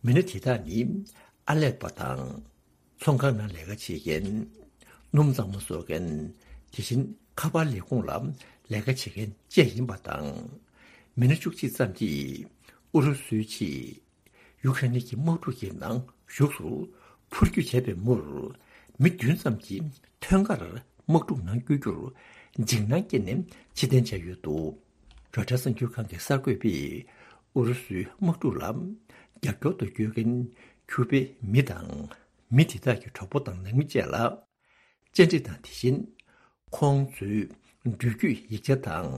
མི་སྣ་དེ་དག་ནི་ཨ་ལེ་པོ་དང་། ཚོང་ཁང་ནང་ལས་ཀ་བྱེད་མཁན། སྣུམ་གཙང་མ་བཟོ་མཁན། དེ་བཞིན་ཁ་པར་ལས་ཁུངས་ལ་ལས་ཀ་བྱེད་མཁན་བཅས་ཡིན་པ་དང་། མི་སྣ་བཅུ་གཅིག་ཙམ་གྱིས་ཨུ་རུ་སུའི་ཆེད་ཡུ་ཁ་རེན་གྱི་དམག་འཁྲུག་གི་ནང་ཞུགས་སུ་འཕུར་སྐྱོད་བྱས་པའི་མུར། མི་བདུན་ཙམ་གྱིས་ཐོན་ཁར་དམག་འཁྲུག་ནང་བསྐྱོད་རྒྱུར་འཇིགས་སྣང་སྐྱེས་ནས་ཕྱིར་འཐེན་བྱས་ཡོད་འདུག་རོའི་ཊར་གསར་འགྱུར་ཁང་གི་གསར་འགོད་པས་ཨུ་རུ་སུའི་དམག་འཁྲུག་ལ་རྒྱབ་སྐྱོར་དུ་བསྐྱོད་མཁན་ཁྱུ་པའི་མི་དང་མི་དེ་དག་གི་གྲོགས་པོ་དང་ནང་མི་བཅས་ལ། བཅར་འདྲི་དང་དེ་བཞིན་ཁོང་ཚོའི་འགྲུལ་སྐྱོད་ཡིག་ཆ་དང་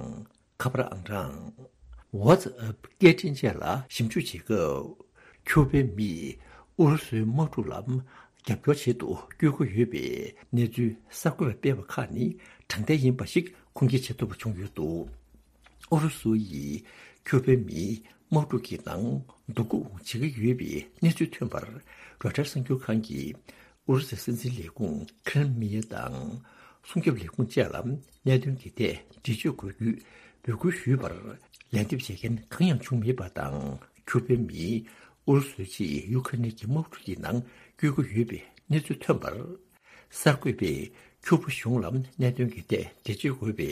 ཁ་པར་ཨང་གྲངས། WhatsApp་སྐད་འཕྲིན་བཅས་ལ་ཞིབ་འཇུག་བྱེད་སྐབས། ཁྱུ་པའི་མིས་ཨུ་རུ་སུའི་དམག་འཁྲུག་ལ་རྒྱབ་སྐྱོར་བྱེད་དུ་བསྐྱོད་ཀྱི་ཡོད་པའི་གནས་ཚུལ་གསར་འགོད་པས་སྤེལ་བ་ཁག་ནི་དྲང་བདེན་ཡིན་པ་ཞིག་ཁུངས་སྐྱེལ་བྱེད་ཐུབ་པ་བྱུང་ཡོད་འདུག་ཨུ་རུ་སུ་ཡིས་ཁྱུ་པའི་མིའི་དམག་འཁྲུག་གི་ནང་སྡུག་སྐུལ་བྱེད་ཀྱི་ཡོད་པའི་གནས་ཚུལ་ཐོན་པར་རོའི་ཊར་གསར་འགྱུར་ཁང་གིས་ཨུ་རུ་སུའི་སྲིད་འཛིན་ལས་ཁུངས་ཁྲེམ་ལིན་དང་སྲུང་སྐྱོབ་ལས་ཁུངས་བཅས་ལ་གནད་དོན་གྱི་ཐད་འགྲེལ་བརྗོད་དགོས་རྒྱུའི་འབོད་སྐུལ་ཞུས་པར་ལན་འདེབས་བྱེད་མཁན་གང་ཡང་བྱུང་མེད་པ་དང་། ཁྱུ་པའི་མིས་ཨུ་རུ་སུའི་ཆེད་ཡུ་ཁ་རེན་གྱི་དམག་འཁྲུག་གི་ནང་བསྐྱོད་ཀྱི་ཡོད་པའི་གནས་ཚུལ་ཐོན་པར། གསར་འགོད་པས་ཁྱུ་པ་གཞུང་ལ་གནད་དོན་གྱི་ཐད་འགྲེལ་བརྗོད་དགོས་པའི་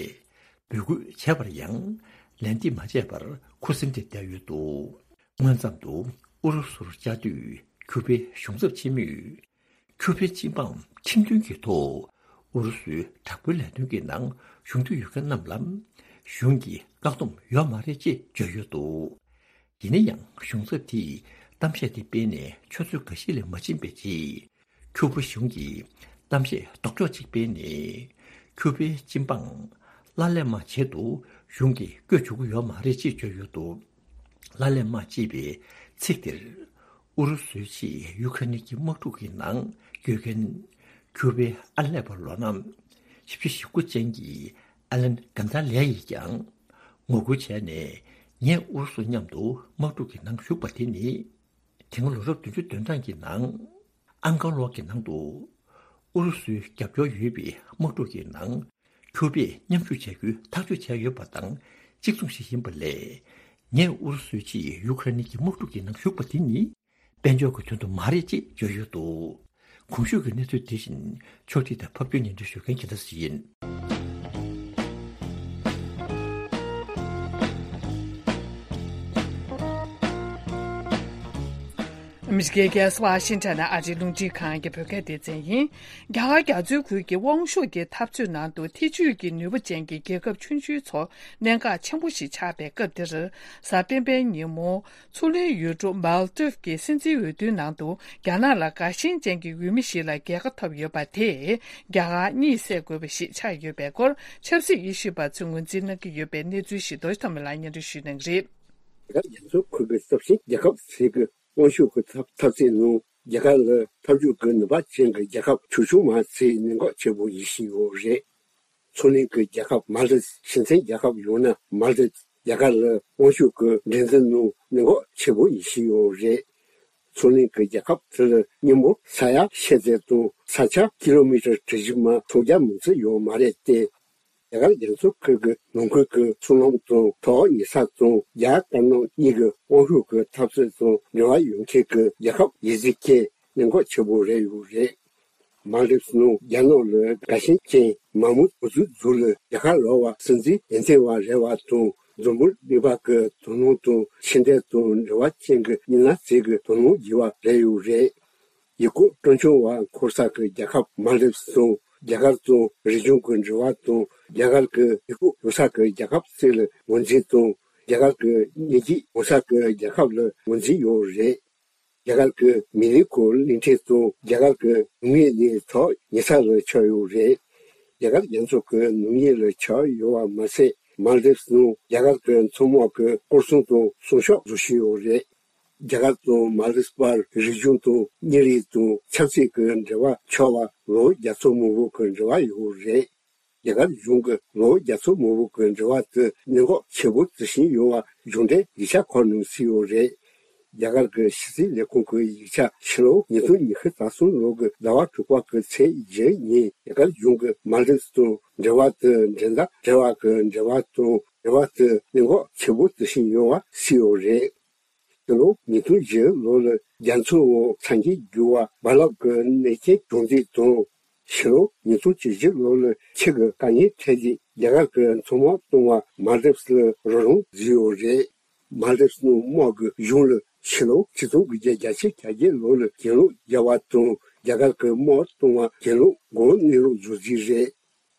འབོད་སྐུལ་བྱས་པར་ཡང་ལན་འདེབས་མ་བྱས་པར་ཁུ་སིམ་དུ་བསྡད་ཡོད་འདུག་སྔོན་ཙམ་དུ་ཨུ་རུ་སུར་བཅའ་སྡོད་ཁྱུ་པའི་གཞུང་ཚབ་ཆེན་མོས། ཁྱུ་པའི་སྤྱི་འབངས་ཁྲིམས་མཐུན་གྱི་ཐོག་ཨུ་རུ་སུའི་དྲག་པོའི་ལས་དོན་གྱི་ནང་ཞུགས་འདོད་ཡོད་མཁན་རྣམས་ལ་གཞུང་གིས་བཀག་སྡོམ་ཡོད་མ་རེད་ཅེས་བརྗོད་ཡོད་འདུག་ཡིན་ན་ཡང་གཞུང་ཚབ་དེས་གཏམ་བཤད་དེ་སྤེལ་ནས་ཆུ་ཚོད་འགའ་ཤས་ལས་མ་ཕྱིན་པའི་རྗེས། ཁྱུ་པ་གཞུང་གིས་གཏམ་བཤད་ལྡོག་ཕྱོགས་ཅིག་སྤེལ་ནས། ཁྱུ་པའི་སྤྱི་འབངས་ལ་ལས་མ་བྱེད་དུ་གཞུང་གིས་བསྐོས་བཅུག་གི་ཡོད་མ་རེད་ཅེས་བརྗོད་ཡོད་འདུག་ལ་ལས་མ་ཅེས་པའི་ཚིག་དེར། ཨུ་རུ་སུའི་ཆེད་ཡུ་ཁ་རེན་གྱི་དམག་འཁྲུག་གི་ནང་བསྐྱོད་མཁན་ཁྱུ་པའི་ཨར་ལས་པ་ལོ་ན་བཞི་བཅུ་ཞེ་དགུ་ཅན་གྱི་ཨ་ལན་གན་ད་ལེ་ཡིས་ཀྱང་ངོ་རྒོལ་བྱས་ནས། ངས་ཨུ་རུ་སུ་མཉམ་དུ་དམག་འཁྲུག་གི་ནང་ཞུགས་པ་དེ་ནི། དེ་སྔ་ལོ་རབས་བདུན་ཅུ་དོན་གྲངས་ཀྱི་ནང་། ཨང་ཀར་ལོག་གི་ནང་དུ་ཨུ་རུ་སུའི་རྒྱབ་སྐྱོར་ཡོད་པའི་དམག་འཁྲུག་གི་ནང་ཁྱུ་པས་མཉམ་ཞུགས་བྱ་རྒྱུའི་ཐག་གཅོད་བྱས་ཡོད་པ་དང་གཅིག་མཚུངས་ཤིག་ཡིན་པ་ལས། ངས་ཨུ་རུ་སུའི་ཆེད་ཡུ་ཁ་རེན་གྱི་དམག་འཁྲུག་གི་ནང་ཞུགས་པ་དེ་ནི་དཔལ་འབྱོར་གྱི་དོན་དུ་མ་རེད་ཅེས་བརྗོད་ཡོད་འདུག་གོང་ཞུས་ཀྱི་གནས་ཚུལ་དེ་བཞིན་ཕྱོགས་སྒྲིག་དང་ཕབ་སྒྱུར་སྙན་སྒྲོན་ཞུ་མཁན་རྒྱལ་མཚན་ཡིན། ཨ་མི་རི་ཀའི་རྒྱལ་ས་ཝ་ཤིང་ཊོན་ནས་ཨ་རིའི་རླུང་འཕྲིན་ཁང་གི་བོད་སྐད་སྡེ་ཚན་ཡིན། རྒྱ་གར་རྒྱ་མཚོའི་ཁུལ་གྱི་དབང་ཤུགས་ཀྱི་འཐབ་རྩོད་ནང་དུ་ཐེ་ཇུས་ཀྱི་ནུས་པ་ཅན་གྱི་རྒྱལ་ཁབ་ཆུང་ཆུང་ཚོ་གནད་འགག་ཆེན་པོ་ཞིག་ཆགས་པའི་སྐབས་འདིར། གཟའ་སྤེན་པའི་ཉིན་མོ། མཚོ་གླིང་ཡུལ་གྲུ་མཱལ་ཏིབ་ཀྱི་སྲིད་འཛིན་འོས་བསྡུའི་ནང་དུ་རྒྱ་ནག་ལ་དགའ་ཞེན་ཅན་གྱི་འོས་མི་ཞིག་ལ་རྒྱལ་ཁ་ཐོབ་ཡོད་པ་དེས་རྒྱ་གར་གཉིད་སད་དགོས་པ་ཞིག་ཆགས་ཡོད་པའི་སྐོར་ཆབ་སྲིད་དབྱེ་ཞིབ་པ་ཚོས་ངོས་འཛིན་གནང་གི་ཡོད་པའི་གནས་ཚུལ་ཞིག་རྡོ་རྗེ་ཐོགས་མེད་ལགས་སྙན་སྒྲོན་ཞུ་གནང་གི་རེད། རྒྱ་གར་རྒྱ་མཚོའི་ཁུལ་གྱི་སྟོབས་ཆེན་རྒྱལ་ཁབ་ཚོས་ཀྱི་དབང་ཤུགས་ཀྱི་འཐབ་འཐབ་རྩོད་ནང་རྒྱ་གར་ལ་འཐབ་ཇུས་ཀྱི་ནུས་པ་ཅན་གྱི་རྒྱལ་ཁབ་ཆུང་ཆུང་མ་ཚོས་གནད་འགག་ཆེ་པོ་ཡིད་བཞིན་ཡོད་རེད། མཚོ་གླིང་གི་རྒྱལ་ཁབ་མཱལ་ཏིབ། ཞེ་ཚན་རྒྱལ་ཁབ་ཡང་ན་མཱལ་ཏིབ། རྒྱ་གར་ལ་དབང་ཤུགས་ཀྱི་འགྲན་བསྡུར་ནང་གནད་འགག་ཆེ་པོ་ཡིད་བཞིན་ཡོད་རེད། མཚོ་གླིང་གི་རྒྱལ་ཁབ་དེ་ལ་སྔོན་མ་ས་ཡ་ཤེལ་ཙེ་དང་ས་ཆ་ཀི་ལོ་མི་ཊར་གྲུ་བཞི་མ་ཁྲི་བརྒྱ་མང་ཙམ་ཡོད་མ་རེད་དེ། རྒྱ་གར་རྒྱ་མཚོ་ཁུལ་གྱི་ནང་ཁུལ་གྱི་མཚོ་ལམ་དང་ཐོག་ཉེ་ས་དང་རྒྱ་དཀར་ནག་གཉིས་ཀྱི་དབང་ཤུགས་ཀྱི་འཐབ་རྩོད་དང་འབྲེལ་བ་ཡོད་མཁན་གྱི་རྒྱལ་ཁབ་ཡིན་ཚུལ་གྱི་གནད་འགག་ཆེ་པོ་རེད་ཡོད་རེད། མཱལ་ཏིབ་ནང་རྒྱ་ནག་ལ་དགའ་ཞེན་ཅན་མང་མོས་འོས་བསྡུ་ཟུར་ལ་རྒྱ་གར་ལོག་པ་སྲིད་འཛིན་འོས་འདེམས་པ་རེད་བ་དང་འཛམ་བུ་གླིང་པ་གི་དོ་སྣང་དང་ཕྱི་འབྲེལ་དང་འབྲེལ་བ་ཅན་གྱི་མི་སྣ་ཚོས་གི་དོ་སྣང་བགྱིས་པ་རེད་ཡོད་རེད། ཡུལ་སྐོར་སྤྲོ་འཆམ་པ་འཁོར་ས་གི་རྒྱལ་ཁབ་མཱལ་ཏིབ་དང་རྒྱ་གར་དང་རི་ལྗོངས་ཀྱི་འབྲེལ་བ་དང་རྒྱ་གར་གྱི་ཡུལ་སྐོར་ཡོང་ས་གི་རྒྱལ་ཁབ་ཚོ་ལ་ངོས་འཛིན་དང་རྒྱ་གར་གྱི་ཉེ་སྐྱིད་ཡོང་ས་གི་རྒྱལ་ཁབ་ལ་ངོས་འཛིན་ཡོད་རེད། རྒྱ་གར་གྱི་མི་རིགས་ཁོ་གླིང་ཕྲན་དང་རྒྱ་གར་གྱི་ནུས་ངན་ནི་ཐོག་ཉེ་ས་ལ་ཆགས་ཡོད་རེད། རྒྱ་གར་རྒྱ་མཚོ་གི་ནུས་ངན་ལ་ཆགས་ཡོད་པ་མ་ཟད་མཱལ་ཏིབ་ནང་རྒྱ་གར་གྱི་མཚོ་དམག་གི་སྐོར་སྲུང་དང་སྲུང་སྐྱོབ་བཟོ་བཞིན་ཡོད་རེད། རྒྱ་གར་དང་མཱལ་ཏིབ་བར་རིག་གཞུང་དང་མི་རིགས་དང་ཆབ་སྲིད་ཀྱི་འབྲེལ་བ་ཆགས་པ་ལོ་བརྒྱ་ཚོ་མང་པོ་གི་འབྲེལ་བ་ཡོད་རེད། རྒྱ་གར་གཞུང་གི་ལོ་བརྒྱ་ཚོ་མང་པོ་གི་འབྲེལ་བ་དེ་གནད་འགག་ཆེ་པོ་བརྩི་བཞིན་ཡོད་པ་གཞུང་འབྲེལ་ཡིག་ཆ་ཁག་ནང་གསལ་ཡོད་རེད། རྒྱ་གར་གྱི་ཕྱི་སྲིད་ལས་ཁུངས་ཀྱི་ཡིག་ཆ་ཕྱི་ལོ་ཉིས་སྟོང་ཉི་ཤུ་རྩ་གསུམ་ལོ་གི་ཟླ་བ་དྲུག་པ་གི་ཚེས་བརྒྱད་ཉིན་རྒྱ་གར་གཞུང་གིས་མཱལ་ཏིབ་དང་འབྲེལ་བ་དེ་འགྲན་ཟླ་བྲལ་བ་གི་འབྲེལ་བ་དང་འབྲེལ་བ་དེ་གནད་འགག་ཆེ་པོ་བརྩི་བཞིན་ཡོད་པ་གསལ་ཡོད་རེད། ཕྱི་ལོ་ཉིས་སྟོང་བཞི་ལོ་ལ་རྒྱ་མཚོའི་འོག་ཚ་འཁྱིལ་རྒྱུ་བ་རྦ་རླབས་ཀྱི་གནོད་སྐྱོན་བྱུང་རྟིང་དང་། ཕྱི་ལོ་ཉིས་སྟོང་བཅུ་བཞི་ལོ་ལ་ཆུ་གི་དཀའ་ངལ་འཕྲད་རྗེས་རྒྱ་གར་གྱི་མཚོ་དམག་བཏང་བ་མཱལ་དིབས་ལ་རོགས་རམ་བཟོས་ཡོད་རེད། མཱལ་དིབས་ནང་དམག་གི་གཞུང་ལ་ཕྱི་ལོ་ཆིག་སྟོང་དགུ་བརྒྱ་བརྒྱད་ཅུ་གྱ་བརྒྱད་ལོ་ལ་གྱེན་ལོག་བརྒྱབ་པ་དང་རྒྱ་གར་གྱི་དམག་བཏང་བ་གྱེན་ལོག་སྒོ་གནས་ལུགས་བཟོ་རྩིས་རེད།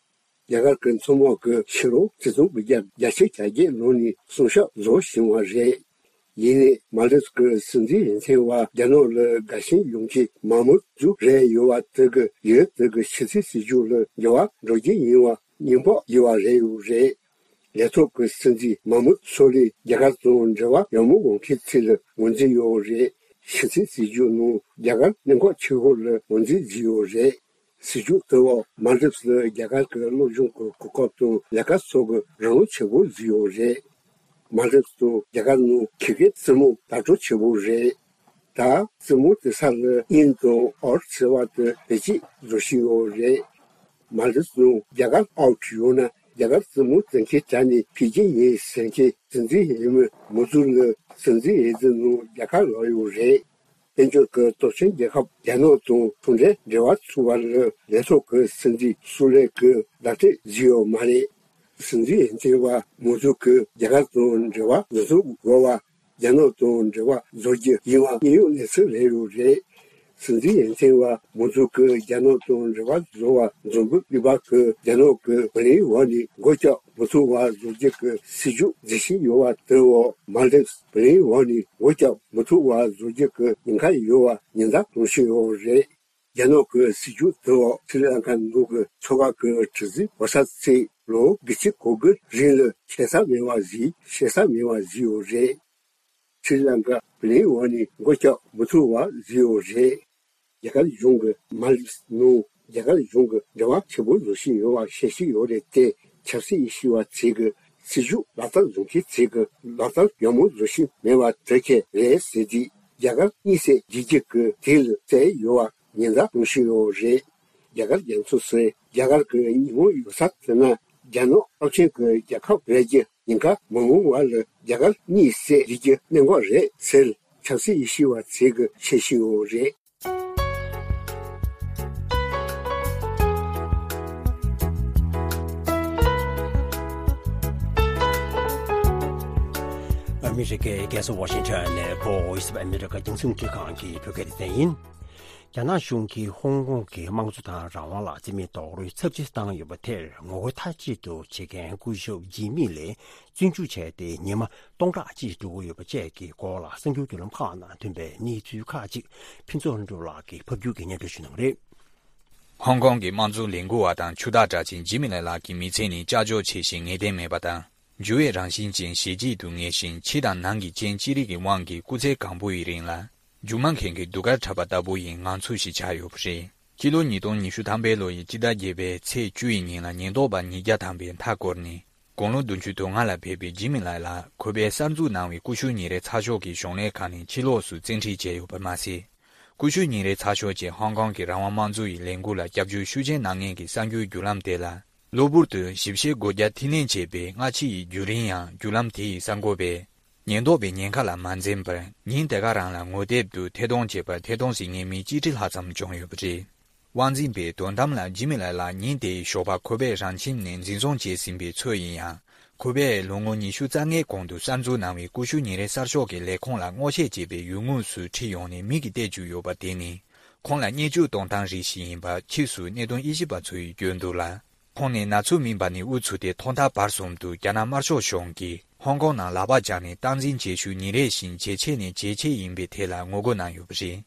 རྒྱ་གར་གྱི་མཚོ་དམག་གིས་ཕྱི་ལོ་ཆིག་སྟོང་དགུ་བརྒྱ་བརྒྱད་ཅུ་གྱ་བརྒྱད་ལོ་ནས་བསྲུང་བྱ་བཟོ་བཞིན་པ་རེད། ཡིན་ནའི་མཱལ་དིབས་ཀྱི་སྲིད་འཛིན་འོས་འཕེན་པ་རྒྱ་ནག་ལ་དགའ་ཞེན་ཡོང་མཁན་མང་མོས་ཅིག་རེད་ཡོད་པ་དེ་གིས་ཡུལ་དེ་གི་ཕྱི་སྲིད་སྲིད་ཇུས་ལ་འགྱུར་བ་འགྲོ་རྒྱུ་ཡིན་པ་སྙན་པོ་ཡོད་པ་རེད་ཡོད་རེད། ལས་ཐོག་གི་སྲིད་འཛིན་མང་མོས་སོ་ལས་རྒྱ་གར་དང་འབྲེལ་བ་ཡག་མོ་ཡོང་མཁན་ཚོ་ལ་ངོས་འཛིན་ཡོད་རེད། ཕྱི་སྲིད་སྲིད་ཇུས་ནང་རྒྱ་གར་གནད་འགག་ཆེ་ཤོས་ལ་ངོས་འཛིན་བྱས་ཡོད་རེད། སྲིད་ཇུས་དེ་འོག་མཱལ་དིབས་ལ་རྒྱ་གར་གྱི་སློབ་སྦྱོང་གི་གོ་སྐབས་དང་ལས་ཀ་སོགས་ཀྱི་རོགས་རམ་ཆེན་པོ་བཟོས་ཡོད་རེད། མཱལ་དིབས་དང་རྒྱ་གར་ནང་ཁེ་གེ་རྩེད་མོ་ལྟ་གྲུབ་ཆེན་པོ་རེད། ད་རྩེད་མོ་དེ་ས་ལ་དབྱིན་དང་ཨོར་ཟེར་བ་དེ་བེད་སྤྱོད་བཟོ་བཞིན་ཡོད་རེད། མཱལ་དིབས་ནང་རྒྱ་གར་ཨའུ་ཊི་ཡོང་ན་རྒྱ་གར་རྩེད་མོ་རྩེ་མཁན་དྲག་ནས་ཕེབས་ཀྱི་ཡིན་ཟེར་མཁན་སྲིད་འཛིན་འོས་མི་མུ་ཛུར་ལ་སྲིད་འཛིན་འོས་བསྡུ་ནང་རྒྱལ་ཁ་ལོག་ཡོད་རེད། དཔལ་འབྱོར་གྱི་སྟོབས་ཆེན་རྒྱལ་ཁབ་རྒྱ་ནག་དང་ཚོང་འབྲེལ་འབྲེལ་བ་བཙུགས་པ་ལ་ལས་ཐོག་གི་སྲིད་འཛིན་སུ་ལེག་གིས་ལག་འཁྲིད་བཟོས་ཡོད་མ་རེད། སྲིད་འཛིན་འོས་འཕེན་པ་མུ་ཛུར་གྱིས་རྒྱ་གར་དང་འབྲེལ་བ་འཛིན་བཟུང་དགོས་པ། རྒྱ་ནག་དང་འབྲེལ་བ་བཟོ་རྒྱུ་ཡིན་པ་དངོས་ཡོད་གནས་ཚུལ་རེད་ཡོད་རེད། སྲིད་འཛིན་འོས་འཕེན་པ་མུ་ཛུར་གྱིས་རྒྱ་ནག་དང་འབྲེལ་བ་བཟོ་བར་འཛུམ་བུ་གླུ་བ་གིས་རྒྱ་ནག་གི་བུ་ལོན་འོག་ནས་སྒོ་རྒྱག་མི་ཐུབ་པ་བཟོ་རྒྱུ་གི་སྲིད་ཇུས་འཛིན་བཞིན་ཡོད་པ་དེ་འོག་མཱལ་དིབས་བུ་ལོན་འོག་ནས་སྒོ་རྒྱག་མི་ཐུབ་པ་བཟོ་རྒྱུ་གི་ཉེན་ཁ་ཡོད་པ་ཉེན་བརྡ་གཏོང་བཞིན་ཡོད་རེད། རྒྱ་ནག་གི་སྲིད་ཇུས་དེ་འོག་སི་རི་ལང་ཀ་ནང་གི་ཚོ་ཁག་གི་གྲུ་གཟིངས་བོད་ས་ཚོས་ལོ་དགུ་བཅུ་གོ་དགུ་རིང་ལ་ཁྱད་མཚར་མེད་པ་ཞིག་ཤེས་ས་མེད་པ་ཞིག་ཡོད་རེད། སི་རི་ལང་ཀ་བུ་ལོན་འོག་ནས་སྒོ་རྒྱག་མི་ཐུབ་པ་བཟོས་ཡོད་རེད། རྒྱ་གར་གཞུང་གིས་མཱལ་དིབས་ནང་རྒྱ་གར་གཞུང་གི་འབྲེལ་བ་ཆེན་པོ་བཟོ་བཞིན་ཡོད་པ་ཤེས་བཞིན་ཡོད་རེད་དེ། ཆབ་སྲིད་ཡིད་ཆེས་པ་ཚོས་ཀྱི་སྲིད་ཇུས་ལག་བསྟར་བཟོ་མཁན་ཚོས་ཀྱི་ལག་བསྟར་ཡག་མོ་བཟོ་བཞིན་མེད་པ་དེ་གས་རེད་ཟེར་དུས། རྒྱ་གར་གཉིད་སད་བྱེད་རྒྱུ་གི་དུས་ལ་བསླེབས་ཡོད་པ་ཉེན་བརྡ་གཏོང་བཞིན་ཡོད་རེད། རྒྱ་གར་རྒྱ་མཚོ་ཟེར་རྒྱ་གར་གྱི་ཉིན་མོ་ཡོད་ས་དེ་ན་རྒྱ་ནག་རླབས་ཆེན་གྱི་རྒྱལ་ཁབ་རེད་རྒྱུ་ཉེན་ཁ་མི་འོང་བ་ལ་རྒྱ་གར་གཉིད་སད་བྱེད་རྒྱུ་གནད་འགག་རེད་ཟེར་ཆབ་སྲིད་ཡིད་ཆེས་པ་ཚོས་ཀྱི་བཤད་བཞིན་ཡོད་རེད། ཨ་མི་རི་ཀའི་རྒྱལ་ས་ཝ་ཤིང་ཊོན་ནས་Voice of America རྒྱང་སྲིང་རླུང་འཕྲིན་ཁང་གི་བོད་སྐད་སྡེ་ཚན་ཡིན། རྒྱ་ནག་གཞུང་གིས་ཧོང་ཀོང་གི་དམངས་གཙོ་དང་རང་དབང་ལ་རྩིས་མེད་རྡོག་རོལ་ཚབས་ཆེ་བཏང་ཡོད་པ་དེར་ངོ་རྒོལ་མཐའ་གཅིག་ཏུ་བྱེད་མཁན་སྐུ་ཞབས་ཇི་མི་ལེ་བཙོན་འཇུག་བྱས་ཏེ་ཉི་མ་སྟོང་ཕྲག་གཅིག་འགྲོ་གི་ཡོད་པ་བཅས་ཀྱི་སྐོར་ལ་གསར་འགྱུར་བརྒྱུད་ལམ་ཁག་ནང་ཐོན་པའི་གནས་ཚུལ་ཁག་ཅིག་ཕུན་ཚོགས་ལྷུན་གྲུབ་ལགས་ཀྱིས་ཕབ་སྒྱུར་གྱིས་སྙན་སྒྲོན་ཞུ་གནང་གི་རེད། ཧོང་ཀོང་གི་དམངས་གཙོ་ལས་འགུལ་བ་དང་ཕྱུག་བདག་གྲགས་ཅན་ཇི་མི་ལེ་ལགས་ཀྱི་མི་ཚེ་ནི་ཀྱག་ཀྱོག་ཆེ་ཞིང་ངེས་གཏན་མེད་པ་དང་། འགྱུར་བའི་རང་བཞིན་ཅན་ཞེ་གཅིག་ཏུ་ངེས་ཤིང་། ཕྱི་དང་ནང་གི་རྐྱེན་ཅི་རིགས་ཀྱི་དབང་གིས་སྐུ་ཚེ་གང་པོ་ཡི་རིང་ལ་མཇུག་མ་མཁན་གྱི་གདུགས་དཀར་འཁྲབ་པ་ལྟ་བུ་ཡི་ངང་ཚུལ་ཞིག་ཆགས་ཡོད་པ་རེད། སྤྱི་ལོ་ཉིས་སྟོང་ཉི་ཤུ་ཐམ་པའི་ལོ་ཡི་སྤྱི་ཟླ་བརྒྱད་པའི་ཚེས་བཅུ་ཡི་ཉིན་ལ་ཉེན་རྟོག་པ་ཉིས་བརྒྱ་ཐམ་པས་མཐའ་བསྐོར་ནས། དགུང་ལོ་བདུན་ཅུ་དོན་ལྔ་ལ་ཕེབས་པའི་ཇི་མི་ལེ་ལགས་ཁོ་པས་གསར་འཛུགས་གནང་བའི་ཀུ་ཤུ་ཉིན་རེའི་ཚགས་ཤོག་གི་གཞུང་ལས་ཁང་ནས་ཕྱི་ལོགས་སུ་བཙན་ཁྲིད་བྱས་ཡོད་པ་མ་ཟད། ཀུ་ཤུ་ཉིན་རེའི་ཚགས་ཤོག་བཅས་ཧོང་ཀོང་གི་རང་དབང་དམངས་གཙོ་ཡི་ལས་འགུལ་ལ་སྐྱབས་བཅོལ་ཤུགས་ཆེན་གནང་མཁན་གྱི་གསར་འགྱུར་བརྒྱུད་ལམ་དེ་ལ། གློ་བུར་དུ་ཞིབ་བཤེར་སྒོ་བརྒྱབ་འཐུས་ལེན་བྱས་པའི་སྔ་ཕྱི་ཡི་བརྒྱུད་རིམ་ཡང་བརྒྱུད་ལམ་དེ་ཡི་གསར་འགོད་པས་ཉེན་རྟོག་པའི་ཉེན་ཁ་ལ་མ་འཛེམས་པར་ཉིན་དེ་ག་རང་ལ་ངོ་དེབ་ཏུ་ཐད་གཏོང་བྱས་པར་ཐད་གཏོང་ཟིན་མཁན་མི་གཅིག་ཁྲི་ལྷག་ཙམ་བྱུང་ཡོད་པ་རེད། དབང་འཛིན་པས་དོན་དམ་ལ་ཇི་མི་ལེ་ལགས་ཉིན་དེའི་ཞོགས་པ་ཁོ་པའི་རང་ཁྱིམ་ནས་འཛིན་བཟུང་བྱས་ཟིན་པའི་ཚོད་ཡིན་ཡང་། ཁོ་པས་ལོ་ངོ་ཉི་ཤུ་རྩ་ལྔའི་གོང་དུ་གསར་འཛུགས་གནང་བའི་ཀུ་ཤུ་ཉིན་རེའི་གསར་ཤོག་གི་ལས་ཁུངས་ལ་སྔོག་བཤེར་བྱེད་པའི་ཡུལ་དངོས་སུ་ཁྲིད་ཡོང་ནས་མི་གིས་བལྟས་བཅུག་ཡོད་པ་དེ་ནི། ཁོང་ལ་བརྙས་བཅོས་གཏོང་སྟངས་རིགས་ཤིག་ཡིན་པ་ཕྱིས་སུ་གནད་དོན་དབྱེ་ཞིབ་པ་ཚོ་ཡིས་བརྗོད་འདུག་ལ། ཁོང་ནི་ན་ཚོད་སྨིན་པ་ནས་དབུ་ཚུགས་ཏེ་ཐོག་མཐའ་བར་གསུམ་དུ་རྒྱ་ནག་དམར་ཤོག་གཞུང་གིས་ཧོང་ཀོང་ནང་ལག་པ་བརྐྱངས་ནས་སྟངས་འཛིན་བྱེད་ཤུགས་ཉིན་རེ་བཞིན་ཇེ་ཆེ་ནས་ཇེ་ཆེ་ཡིན་པའི་ཐད་ལ་ངོ་རྒོལ་གནང་ཡོད་པ་རེད།